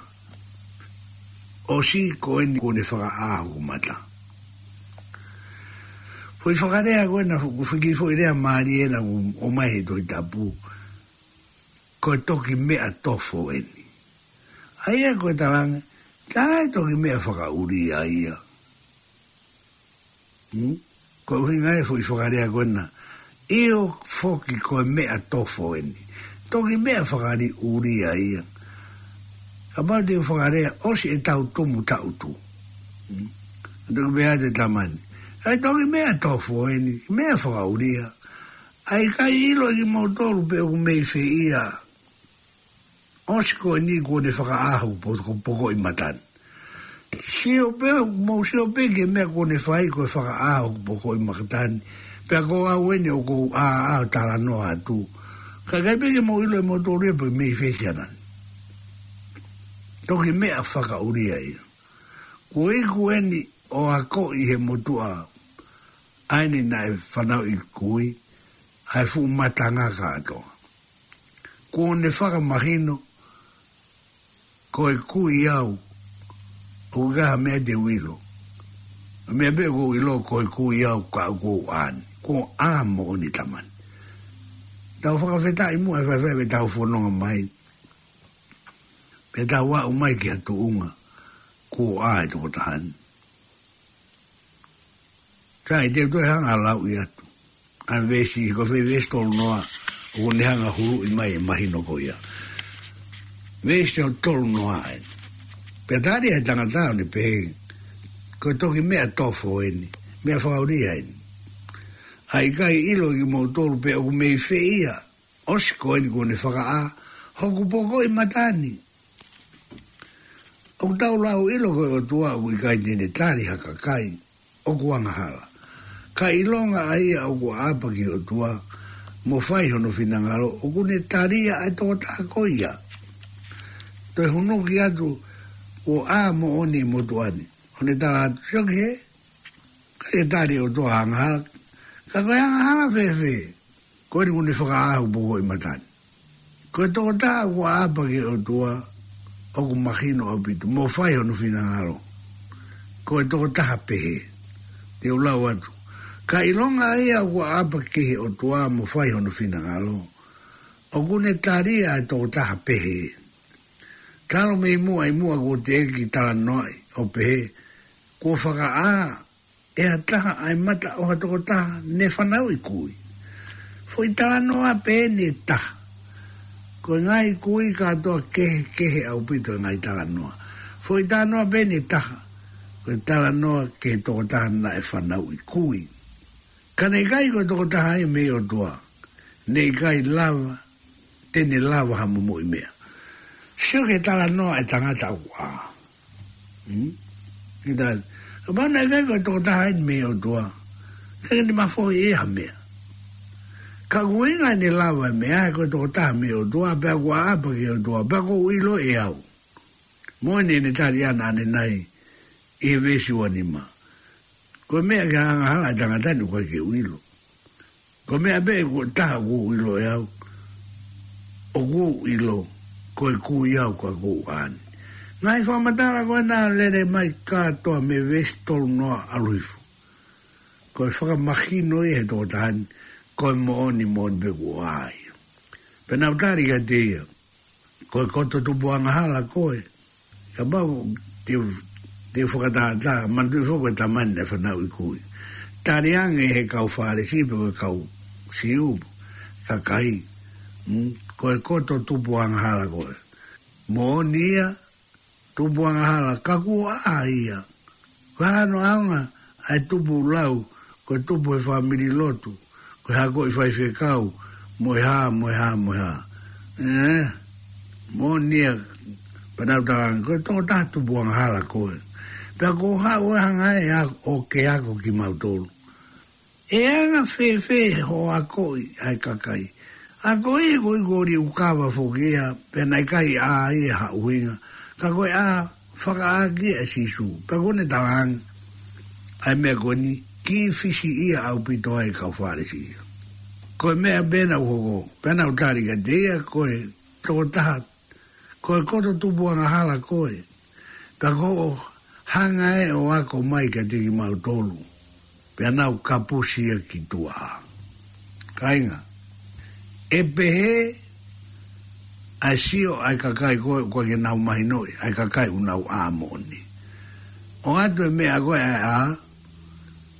ʻosi ko eni kuo ne fakaʻā hoku mata. Foʻi fakalea ko ena, foʻi kiʻi foʻi lea mālie ena ʻoku ʻomai he Tohi Tapu, ko e toki meʻa tofo eni. ʻA ia ko e talaange, tā e toki meʻa fakaʻulia ia. Hmm? Ko e ʻuhinga e foʻi fakalea ko ena, ʻIo foki ko e meʻa tofo eni. Toki meʻa fakaʻulia ia. Kapau te u fakalea, ʻosi ʻetau tumu taʻutu. Hmm? Toki meʻa te tamani, ʻA e toki meʻa tofo eni, meʻa fakaʻulia. ʻA e ʻikai ʻilo ʻe kimoutolu pe ʻoku mei fē ia, ʻosi ko eni kuo ne fakaʻā hoku po-, pokoʻi mata ni. Sio pē, mou sio pē ki he meʻa kuo ne fai ko e fakaʻā hoku pokoʻi mata ni. Pea ko au eni ʻoku ou ʻā ʻo talanoa atu. Ka ʻikai pē ke mou ʻilo ʻe moutolu ia pe mei fē siana ni. Toki meʻa fakaʻulia ia. Kuo iku eni ʻo akoʻi he motuʻa ʻa eni naʻe fanauʻi kui, ʻa e fuʻu matanga kātoa. Kuo ne fakamahino, ko e kui au, ʻoku ʻikai ha meʻa te u ʻilo. Meʻa pē ʻoku ou ʻilo ko e kui au ka ʻoku ou ʻā ni. Kuo ʻā moʻoni tamani. Tau fakafetaʻi muʻa e faifai pea tau fononga mai. Pea tau aʻu mai ki ha tuʻunga kuo ʻā e tokotaha ni. Sai, te u toe hanga ʻo lauʻi atu ʻa e veesi, ko e foʻi veesi tolu noa, ʻoku ne hanga ʻo huluʻi mai e mahino ko ia. Veesi ʻo tolu noa eni. Pea tali ʻa e tangata ʻo ne pehē, Ko e toki meʻa tofo eni, meʻa fakaʻulia eni. ʻA e ʻikai ʻilo ʻe kimoutolu pe ʻoku mei fē ia, ʻosi ko eni kuo ne fakaʻā hoku pokoʻi mata ni. ʻOku tau lau ʻilo ko e ʻOtua ʻoku ʻikai te ne tali ha kakai ʻoku angahala. Ka ʻilonga ʻa ia ʻoku ʻaʻapa ki he ʻOtua, mo fai hono finangalo, ʻoku ne tali ia ʻa e tokotaha ko ia. Toe hunuki atu, kuo ʻā moʻoni e motuʻa ni. ʻO ne tala atu, Sio ki hē, ʻikai ke tali ʻe he ʻOtua ha angahala. Ka ko e angahala fēfē? Ko eni kuo ne fakaʻā hoku pokoʻi mata ni. Ko e tokotaha ʻoku ʻaʻapa ki he ʻOtua, ʻoku mahino ʻaupito, mo fai hono finangalo. Ko e tokotaha pehē. Te u lau atu. Ka ʻilonga ʻa ia ʻoku ʻaʻapa ki he ʻOtua, mo fai hono finangalo, ʻoku ne tali ia ʻa e tokotaha pehē. Talu mei muʻa ʻi muʻa kuo teʻeki talanoaʻi ʻo pehē, Kuo fakaʻā ʻe ha taha ʻa e mata ʻo ha tokotaha ne fanauʻi kui. Foʻi talanoa pē eni ʻe taha. Ko e ngaahi kui kātoa kehekehe ʻaupito e ngaahi talanoa. Foʻi talanoa pē eni ʻe taha. Ko e talanoa ki he tokotaha naʻe fanauʻi kui. Ka naʻe ʻikai ko e tokotaha ia mei he ʻOtua, naʻe ʻikai lava te ne lava ha momoʻi meʻa. Sio ki he talanoa ʻa e tangata ʻoku ʻā. Hmm? Kita, kapau naʻe ʻikai ko e tokotaha eni mei he ʻOtua, ʻikai ke ne mafohi ʻe ia ha meʻa. Ka ko e ʻuhinga ʻene lava e meʻa, he ko e tokotaha mei he ʻOtua, pea ʻoku ʻaʻapa ki he ʻOtua, pea ʻoku ou ʻilo ʻe au. Mo eni ʻene tali ʻanenai ʻi he veesi ua nima. Ko e meʻa ke angahala e tangata ni ʻoku ʻikai ke u ʻilo. Ko e meʻa pē ʻoku taha ʻoku ou ʻilo ʻe au, ʻoku ou ʻilo ko e kui au ka ʻoku ou ʻā ni. Ngaahi fakamatala ko ena lele mai kātoa mei he veesi tolu noa ʻalu hifo. Ko e fakamahino ia he tokotaha ni, ko e moʻoni, moʻoni pē kuo ʻā ia. Pea nau tali kiate ia, ko e koto tupu angahala koe. Kapau te, te fakatātā, manatuʻi foki ko e tama ni naʻe fanauʻi kui. Tali ange he kau Fālesi pe ko e kau Siu, kakai, mm, ko e koto tupu angahala koe. Moʻoni ia, tupu angahala, ka kuo ʻā ia. Ko e hā hono ʻaonga ʻa e tupu lau, ko e tupu he fāmili lotu, ko e hako ʻi faifekau, mo e hā, mo e hā, mo e hā. ʻE, moʻoni ia, pea nau tala ange, ko e tokotaha tupu angahala koe. Pea ko e hā ʻoku hanga ʻe au ʻo ke ako kimautolu. ʻE anga fēfē hoʻo akoʻi ʻa e kakai? Akoʻi ko e kori ʻoku kava foki ia, pea naʻe ʻikai ʻā ia ha ʻuhinga. Ka ko e ʻā fakaʻāki ʻe Sīsū. Pea ko ʻene tala ange ʻa e meʻa ko eni, kiʻi fisiʻia ʻaupito ai e kau Fālesi ia. Ko e meʻa pē naʻe hoko, pea nau tali kiate ia, ko e tokotaha, ko e koto tupu angahala koe. Pea ko hoʻo hanga ʻe ʻo ako mai kiate kimautolu, pea nau kapusi ia ki tuʻa. Kāinga, ʻe pehē ʻa e sio ʻa e kakai ko ē ʻoku ʻikai ke nau mahinoʻi ʻa e kakai ʻoku nau ʻā moʻoni. ʻOatu e meʻa ko ē ʻa e ʻā,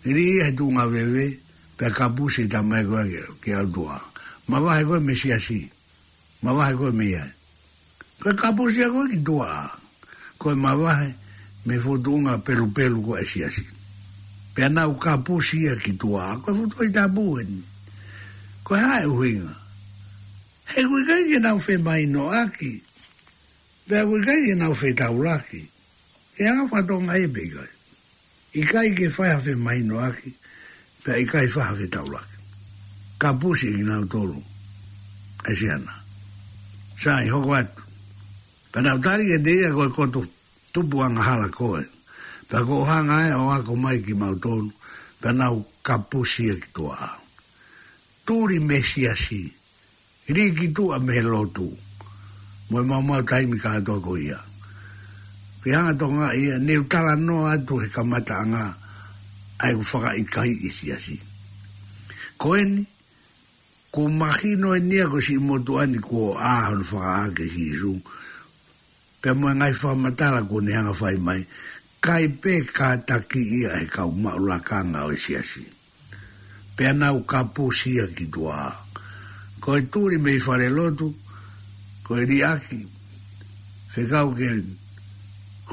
lī ia he tuʻunga veve, pea kapusi e tama ko ē ki, ki ʻOtua. Mavahe koe mei he siasi. Mavahe koe mei ai. Ko e kapusi ia ko ē ki tuʻa. Ko e mavahe mei he fokotuʻunga pelupelu ko ē ʻa e siasi. Pea nau kapusi ia ki tuʻa. Ko e foʻi tohi tapu eni. Ko e hā e ʻuhinga? He ʻoku ʻikai ke nau femahinoʻaki. Pea ʻoku ʻikai ke nau fetaulaki. Ke anga fakatonga ia pe ʻikai? ʻIkai ke fai ha femahinoʻaki, pea ʻikai fai ha fetaulaki. Kapusi ʻe kinautolu ʻa e siana. Sai, hoko atu. Pea nau tali kiate ia, ko e koto tupu angahala koe. Pea ko hoʻo hanga ʻe ʻo ako mai kimautolu, pea nau kapusi ia ki tuʻa. Tuli mei he siasi. Lī ki tuʻa mei he lotu. Mo e maumau taimi kātoa ko ia. Ke hanga ʻo tokangaʻi ia, ne u talanoa atu he kamataʻanga ʻa ʻeku fakaʻikaiʻi e siasi. Ko eni, kuo mahino eni ia ko e siʻi motuʻa ni kuo ʻā hono fakaʻā ʻe Sīsū. Pea mo e ngaahi fakamatala kuo ne hanga ʻo fai mai, ʻikai pē kātakiʻi ia ʻe he kau maʻu lakanga ʻo e siasi. Pea nau kapusi ia ki tuʻa. Ko e tuli mei falelotu, ko e liʻaki, fekau ke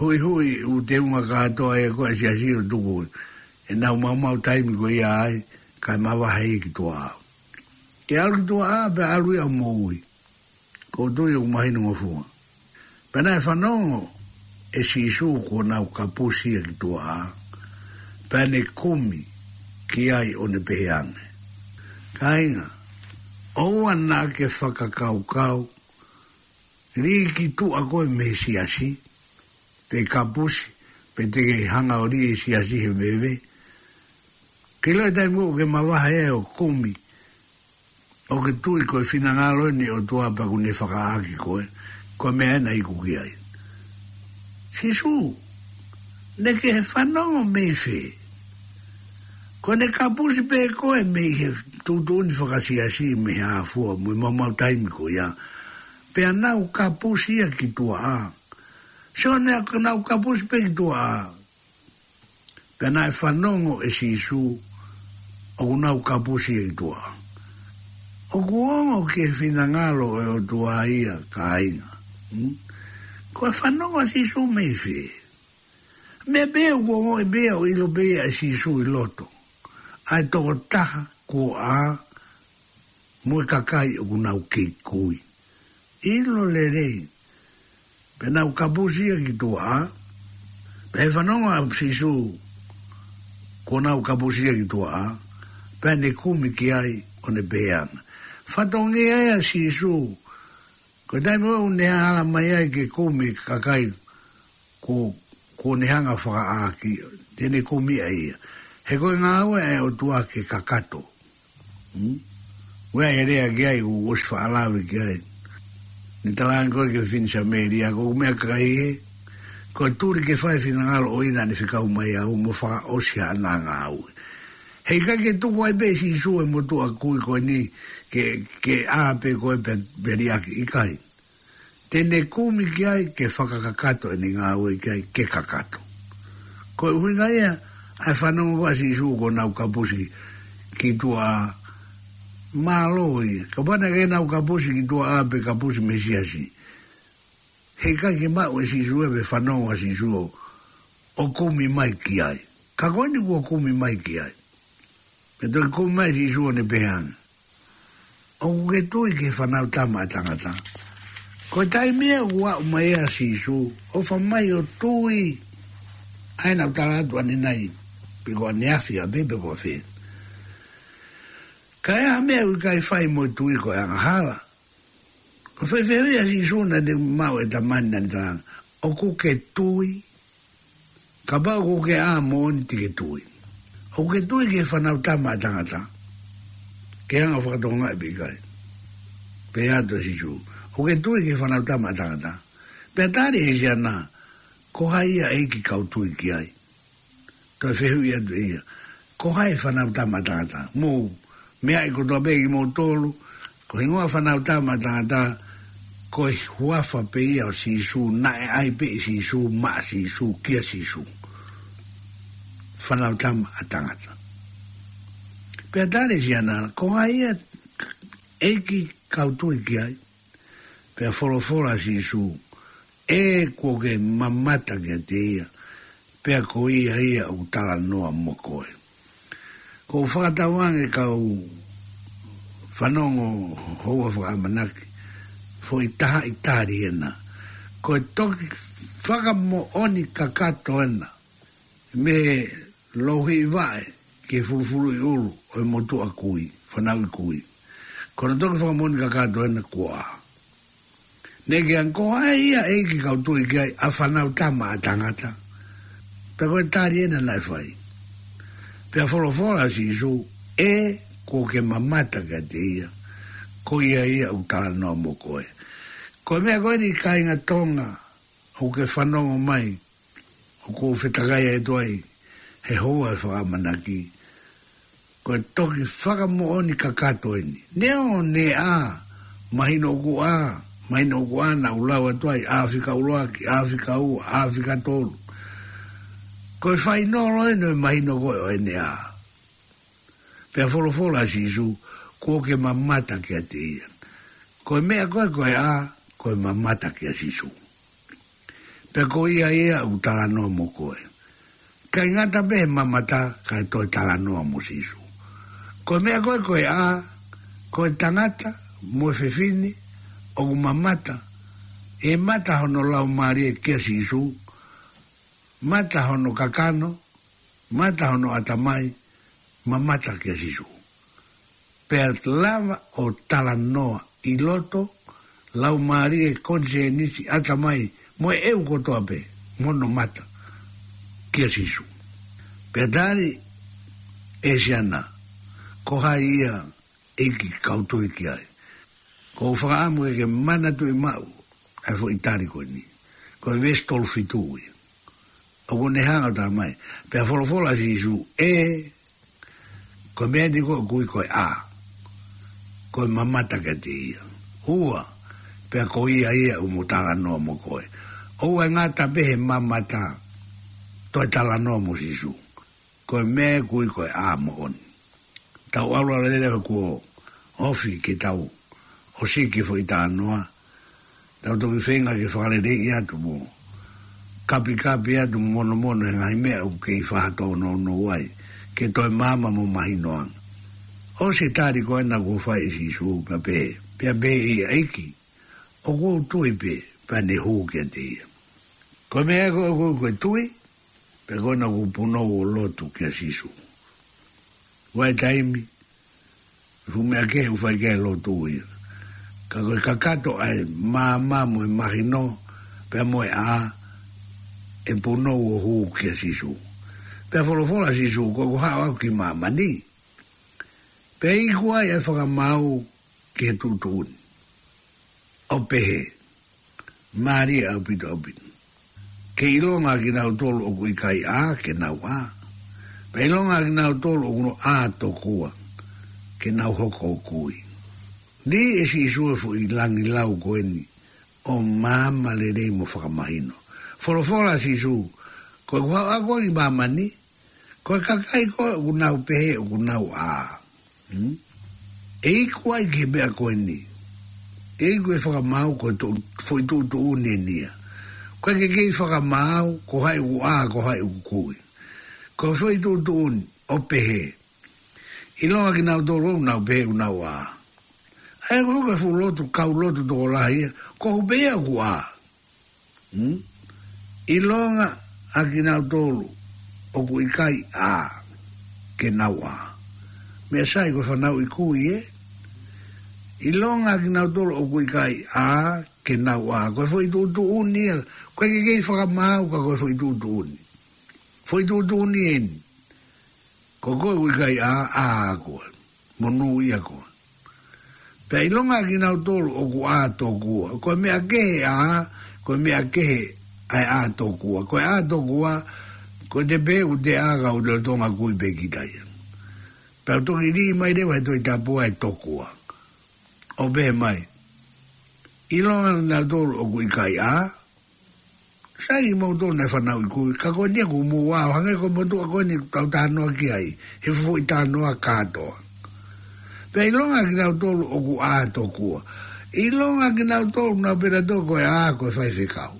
huʻihuʻi ʻū teunga kātoa ē ko ē ʻa e siasi ʻo tuku ʻenau maumau taimi ko ia ai, kae mavahe ia ki tuʻa. Ke ʻalu ki tuʻa, pea ʻalu ia ʻo moʻui. Ko u tui ʻoku mahino ngofua. Pea naʻe fanongo ʻe Sīsū kuo nau kapusi ia ki tuʻa, pea ne kumi ki ai ʻo ne pehē ange, Kāinga, ʻoua naʻa ke fakakaukau, lī ki tuʻa koe mei he siasi, pe kapusi, pe te ke hanga ʻo lī he siasi he veve. Ke ʻilo e taimi ʻoku ke mavahe ai ʻo kumi, ʻoku ke tui ko e finangalo eni ʻo e ʻOtua pea ʻoku ne fakaʻā koe, ko e meʻa ena ʻoku ke ʻi ai. Sīsū, naʻa ke fanongo mei fē? Ko ʻene kapusi pē koe mei he tuʻutuʻuni fakasiasi mei he afua, mo e maumau taimi ko ia. Pea nau kapusi ia ki tuʻa. Sio, naʻa nau kapusi pē ki tuʻa. Pea naʻe fanongo ʻe Sīsū ʻoku nau kapusi ia ki tuʻa. ʻOku ongo ki he finangalo ʻo e ʻOtua ia, kāinga. Hmm? Ko e fanongo ʻa Sīsū mei fē? Meʻa pē ʻoku ongoʻi pē ia ʻo ʻilo pē ia ʻe Sīsū ʻi loto. ʻA e tokotaha kuo ʻā mo e kakai ʻoku nau kei kui. ʻIlo lelei. Pea nau kapusi ia ki tuʻa. Pea ʻi he fanongo ʻa Sīsū kuo nau kapusi ia ki tuʻa, pea ne kumi ki ai ʻo ne pehē ange. Fatongia ia ʻa Sīsū. Ko e taimi ʻoku ne hala mai ai ke kumi e kakai kuo, kuo ne hanga ʻo fakaʻā ki, te ne kumi ai ia. He ko e ngāue ʻa e ʻOtua ke kakato. Hmm? Ua e lea ki ai, ʻoku ʻosi faʻa lave ki ai. Ne talaange ko ē ki he fefine Samēlia, ko e meʻakai ē, ko e tuli ke fai e finangalo ʻo ia naʻa ne fekau mai au mo fakaʻosi haʻana ngāue. Heʻikai ke tuku ai pē ʻe Sīsū e motuʻa kui ko eni ke, ke ʻā pē ko ē pea, pea liʻaki, ʻikai. Te ne kumi ki ai ke fakakakato ʻene ngāue ki ai ke kakato. Ko e ʻuhinga ia ʻa e fanongo ko ē ʻa Sīsū ko ʻenau kapusi ki tuʻa, mālō ia. Kapau naʻe ʻikai ke nau kapusi ki tuʻa pe kapusi mei he siasi, heʻikai ke maʻu ʻe Sīsū ia pe fanongo ʻa Sīsū ʻo kumi mai ki ai. Ka ko eni kuo kumi mai ki ai. Pea toki kumi mai ʻa Sīsū ʻo ne pehē ange, ʻoku ke tui ki he Fanautama ʻa Tangata? Ko e taimi ia ʻoku aʻu mai ai ʻa Sīsū, ʻofa mai ʻo tui. ʻA ia naʻa ku tala atu ʻanenai, pe ko ʻaneafi ʻapē pe ko fē. Ka ʻi ai ha meʻa ʻoku ʻikai fai mo e tui ko e angahala. Ko e fehuʻi ʻa Sīsū naʻa ne maʻu ʻe he tama ni naʻa ne talaange, ʻoku ke tui? Kapau ʻoku ke ʻā moʻoni te ke tui. ʻOku ke tui ki he Fanautama ʻa Tangata? Ke hanga ʻo fakatokangaʻi pe ʻikai. Pehē atu ʻa Sīsū, ʻoku ke tui ki he Fanautama ʻa Tangata? Pea tali ʻe he siana, ko hai ia ʻEiki ka u tui ki ai? Toe fehuʻi atu ʻe ia, ko hai e Fanautama ʻa Tangata? Mou meaʻi kotoa pē kimoutolu, ko e hingoa Fanautama ʻa Tangata, ko e huafa pē ia ʻo Sīsū, naʻe ʻai pē ʻe Sīsū, maʻa Sīsū, kia Sīsū. Fanautama ʻa Tangata. Pea tali ʻe he siana, ko hai ia ʻEiki ka u tui ki ai? Pea folofola ʻa Sīsū, ʻe kuo ke mamata kiate ia, pea ko ia ia ʻoku talanoa mo koe. ʻOku ou fakatauange kau fanongo houa fakaʻamanaki, foʻi tahaʻi tali ena. Ko e toki fakamoʻoni kakato ena mei he louhiʻi vaʻe ki he fulufuluʻi ʻulu ʻo e motuʻa kui, fanauʻi kui. Ko hono toki fakamoʻoni kakato ena kuo ʻā. Naʻe ke ange, ko hai ia ʻEiki ka u tui ki ai, ʻa Fanautama ʻa Tangata? Pea ko e tali ena naʻe fai. Pea folofola ʻa Sīsū, ʻe kuo ke mamata kiate ia, ko ia ia ʻoku talanoa mo koe. Ko e meʻa ko eni kāinga Tonga, ʻoku ke fanongo mai, ʻoku ou fetakai atu ai he houa ʻo e fakaʻamanaki, ko e toki fakamoʻoni kakato eni. Neongo ne ʻā, mahino ʻoku ʻā, mahino ʻoku ʻā naʻa ku lau atu ai, ʻAfika ʻUluaki, ʻAfika Ua, ʻAfika Tolu. Ko e fainolo eni ʻo e mahino ko ē ʻo ʻene ʻā. Pea folofola ʻa Sīsū, kuo ke mamata kiate ia. Ko e meʻa ko ē ko e ʻā, ko e mamata kia Sīsū. Pea ko ia ia ʻoku talanoa mo koe. ʻIkai ngata pē he mamata, kae toe talanoa mo Sīsū. Ko e meʻa ko ē ko e ʻā, ko e tangata mo e fefine ʻoku mamata, ʻe mata hono laumālie kia Sīsū, mata hono kakano, mata hono ʻatamai, mamata kia Sīsū. Pea lava ʻo talanoa ʻi loto, laumālie, konisēnisi, ʻatamai, mo e ʻeu kotoa pē, mo hono mata, kia Sīsū. Pea tali ʻe he siana, ko hai ia ʻEiki ka u tui ki ai? ʻOku ou fakaʻamu ke ke manatuʻi maʻu ʻa e foʻi tali ko eni. Ko e veesi tolu fitu ia. ʻOku ne hanga ʻo talamai. Pea folofola ʻa Sīsū, ʻe, ko e meʻa eni ko ē ʻoku ui ko e ʻā, ko e mamata kiate ia. Ua, pea ko ia ia ʻoku mo talanoa mo koe. ʻOua ʻe ngata pē he mamata, toe talanoa mo Sīsū. Ko e meʻa ʻoku ui ko e ʻā moʻoni. Tau ʻalu ʻalu lelei kuo ofi ke tau ʻosi ki he foʻi talanoa. Tau toki feinga ke fakaleleiʻi atu mo kapikapi atu mo monomono he ngaahi meʻa ʻoku kei faʻa tōnounou ai, ke toe maama mo mahino ange. ʻOsi e tali ko ena kuo fai ʻe Sīsū, pea pehē, pea pehē ʻe ia, ʻEiki, ʻoku ou tui pē, pea ne hū kiate ia. Ko e meʻa ko ē ʻoku ui ko e tui, pea ko ena ʻoku punou ʻo lotu kia Sīsū. Ua e taimi, fuʻu meʻa kehe ʻoku fai ki ai e lotu ia. Ka ko e kakato ʻa e maama mo e mahino, pea mo e ʻā, ʻe punou ʻo hū kia Sīsū. Pea folofola ʻa Sīsū, ko ʻeku haʻu au ki māmani, pea iku ai ʻa e fakamaau ki he tuʻutuʻuni, ʻo pehē, mālie ʻaupito ʻaupito, ke ʻilonga ʻa kinautolu ʻoku ʻikai ʻā, ke nau ʻā. Pea ʻilonga ʻa kinautolu ʻoku nau ʻā tokua, ke nau hoko ʻo kui. Lī ʻe Sīsū e foʻi langilau ko eni ʻo maama lelei mo fakamahino. Folofola ʻa Sīsū, ko ʻeku haʻu au ki māmani, ko e kakai ko ē ʻoku nau pehē ʻoku nau ʻā, hmm? ʻE iku ai ki he meʻa ko eni. ʻE iku e fakamaau ko e tu-, foʻi tuʻutuʻuni eni ia. Ko e ke kei fakamaau, ko hai ʻoku ʻā, ko hai ʻoku kui. Ko e foʻi tuʻutuʻuni, ʻo pehē, ʻilonga ʻa kinautolu ʻoku nau pehē ʻoku nau ʻā. ʻA ia ko e fuʻu lotu, kau lotu tokolahi ia, ko hoku pehē ʻoku ʻā. Hmm? ʻIlonga ʻa kinautolu ʻoku ʻikai ʻā, ke nau ʻā. Meʻa sai ko e fanauʻi kui ē. ʻIlonga ʻa kinautolu ʻoku ʻikai ʻā, ke nau ʻā. Ko e foʻi tuʻutuʻuni ia. Ko e ke kei fakamaau ka ko e foʻi tuʻutuʻuni. Foʻi tuʻutuʻuni eni. Ko koe ʻoku ʻikai ʻā, ʻā koe. Monūʻia koe. Pea ʻilonga ʻa kinautolu ʻoku ʻā tokua. Ko e meʻa kehe ʻā, ko e meʻa kehe ʻa e ʻā tokua. Ko e ʻā tokua, ko e te pehē ʻoku te ʻā ka ʻoku te lolotonga kui pē kita ia. Pea toki lī mai leva he Tohi Tapu ʻa e tokua, ʻo pehē mai, ʻilonga ʻa kinautolu ʻoku ʻikai ʻā, sai kimoutolu naʻe fanauʻi kui, ka ko eni ʻoku mou ʻā, ʻo hangē ko e motuʻa ko eni ʻoku tau talanoa ki ai, he foʻi talanoa kātoa. Pea ʻilonga ʻa kinautolu ʻoku ʻā tokua. ʻIlonga ʻa kinautolu nau pehē nautolu ko e ʻā ko e faifekau.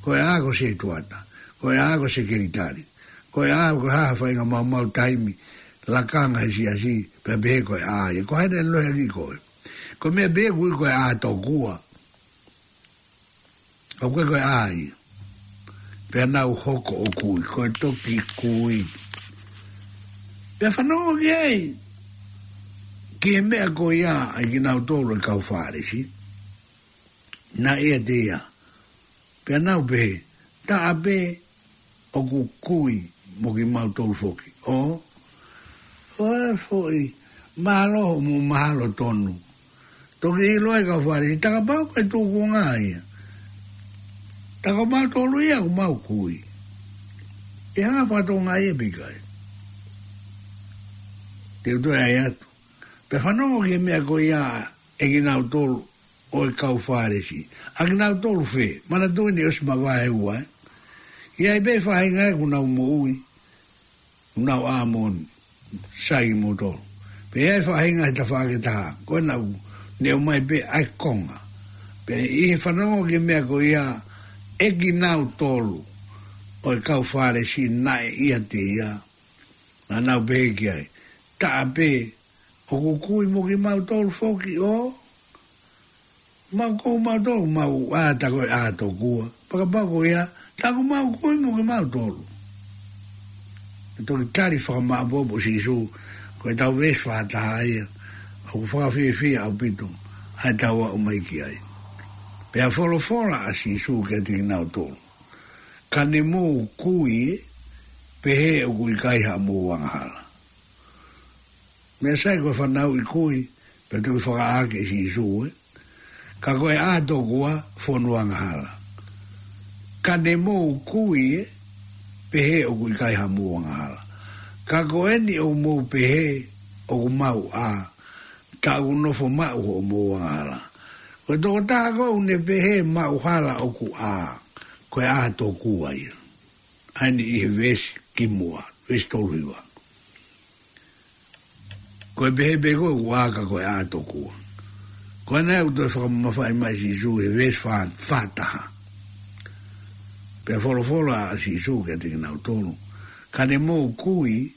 Ko e ʻā ko e sētuata. Ko e ʻā ko e sekelitali. Ko e ʻā ko e hā ha faʻahinga maumau taimi, lakanga he siasi, pea pehē ko e ʻā ia. Ko hai naʻe lohiakiʻi koe? Ko e meʻa pē ʻoku ui ko e ʻā tokua. ʻOku ʻikai ko e ʻā ia. Pea nau hoko ʻo kui, ko e toki kui. Pea fanongo ki ai, ki he meʻa ko ia ʻa kinautolu ʻa e kau Fālesi, naʻe ʻiate ia. Pea nau pehē, taʻa pē ʻoku kui mo kimautolu foki. ʻO, ʻo e foʻi, mālō hoʻomou mahalo tonu. Toki ʻilo ʻe he kau Fālesi, tā kapau ko e tūkunga ia, tā ko mautolu ia ʻoku mau kui, ʻe hanga fakatokangaʻi ia pe ʻikai? Te u toe ʻai atu. Pea fanongo ki he meʻa ko ia ʻa kinautolu ʻo e kau Fālesi. ʻA kinautolu fē? Manatuʻi naʻe ʻosi mavahe ua, ē? ʻI ai pē faʻahinga ʻoku nau moʻui, ʻoku nau ʻā moʻoni, sai kimoutolu. Pea ʻi ai faʻahinga he tafaʻaki ʻe taha, ko ena ʻoku ne ʻomai pē ʻa e konga. Pea ʻi he fanongo ki he meʻa ko ia ʻa kinautolu ʻo e kau Fālesi naʻe ʻiate ia, naʻa nau pehē ki ai, taʻa pē ʻoku kui mo kimautolu foki. ʻO, mau ko mautolu, mau ʻā, tā ko e ʻā tokua. Pea kapau ko ia, tā ko mau kui mo kimautolu. ʻE toki tali fakamāʻopoʻopo ʻe Sīsū, ko e tau veesi fā taha ia, ʻoku fakafiefia ʻaupito ʻa e tau aʻu mai ki ai. Pea folofola ʻa Sīsū kiate kinautolu, ka ne mou kui ē, pehē ʻoku ʻikai haʻamou angahala. Meʻa sai ko e fanauʻi kui, pea toki fakaʻā ʻe Sīsū ē, ka ko e ʻā tokua fonu angahala. Ka ne mou kui ē, pehē ʻoku ʻikai haʻamou angahala. Ka ko eni ʻoku mou pehē ʻoku mau ʻā, tā ʻoku nofo maʻu hoʻomou angahala. Ko e tokotaha ko ē ʻoku ne pehē maʻu hala ʻoku ʻā, ko e ʻā tokua ia. ʻA eni ʻi he veesi kimuʻa, veesi tolu hiva. Ko e pehē pē ko ē ʻoku ʻā ka ko e ʻā tokua. Ko ena ʻoku toe fakamamafaʻi mai ʻe Sīsū he veesi fā, fā taha. Pea folofola ʻa Sīsū kiate kinautolu, ka ne mou kui,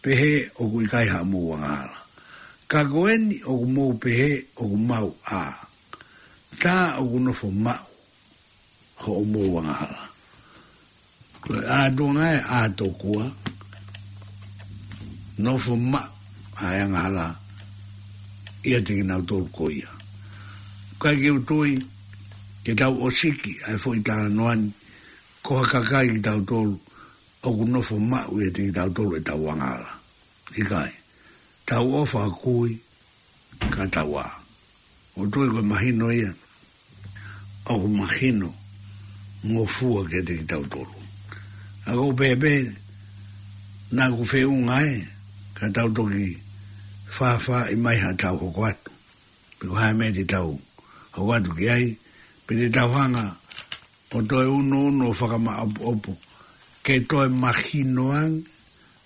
pehē ʻoku ʻikai haʻamou angahala. Ka ko eni ʻoku mou pehē ʻoku mau ʻā, tā ʻoku nofo maʻu hoʻomou angahala. Ko e ʻā tuʻunga ē ʻā tokua, nofo maʻu ʻa e angahala ʻiate kinautolu ko ia. Kae ke u tui, ke tau ʻosiki ʻa e foʻi talanoa ni, ko ha kakai kitautolu ʻoku nofo maʻu ʻiate kitautolu ʻetau angahala. ʻIkai, tau ʻofa kui ka tau ʻā. ʻOku ou tui ko e mahino ia ʻoku mahinongofua kiate kitautolu. ʻA ko pēpē naʻa ku feʻunga ē ka tau toki fāfāʻi mai haʻatau hoko atu. Pe ko e hā e meʻa te tau hoko atu ki ai, pe te tau hanga ʻo toe unuunu ʻo fakamaʻopoʻopo ke toe mahino ange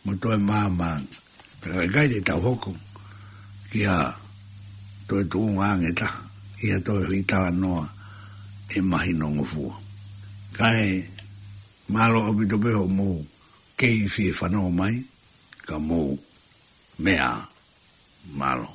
mo toe maama ange. Pea ʻikai te tau hoko ki ha toe tuʻunga ange ʻe taha ʻi ha toe hui talanoa ʻe mahinongofua. Kae mālō ʻaupito pē hoʻomou kei fie fanongo mai, ka mou meʻa ā. Mālō.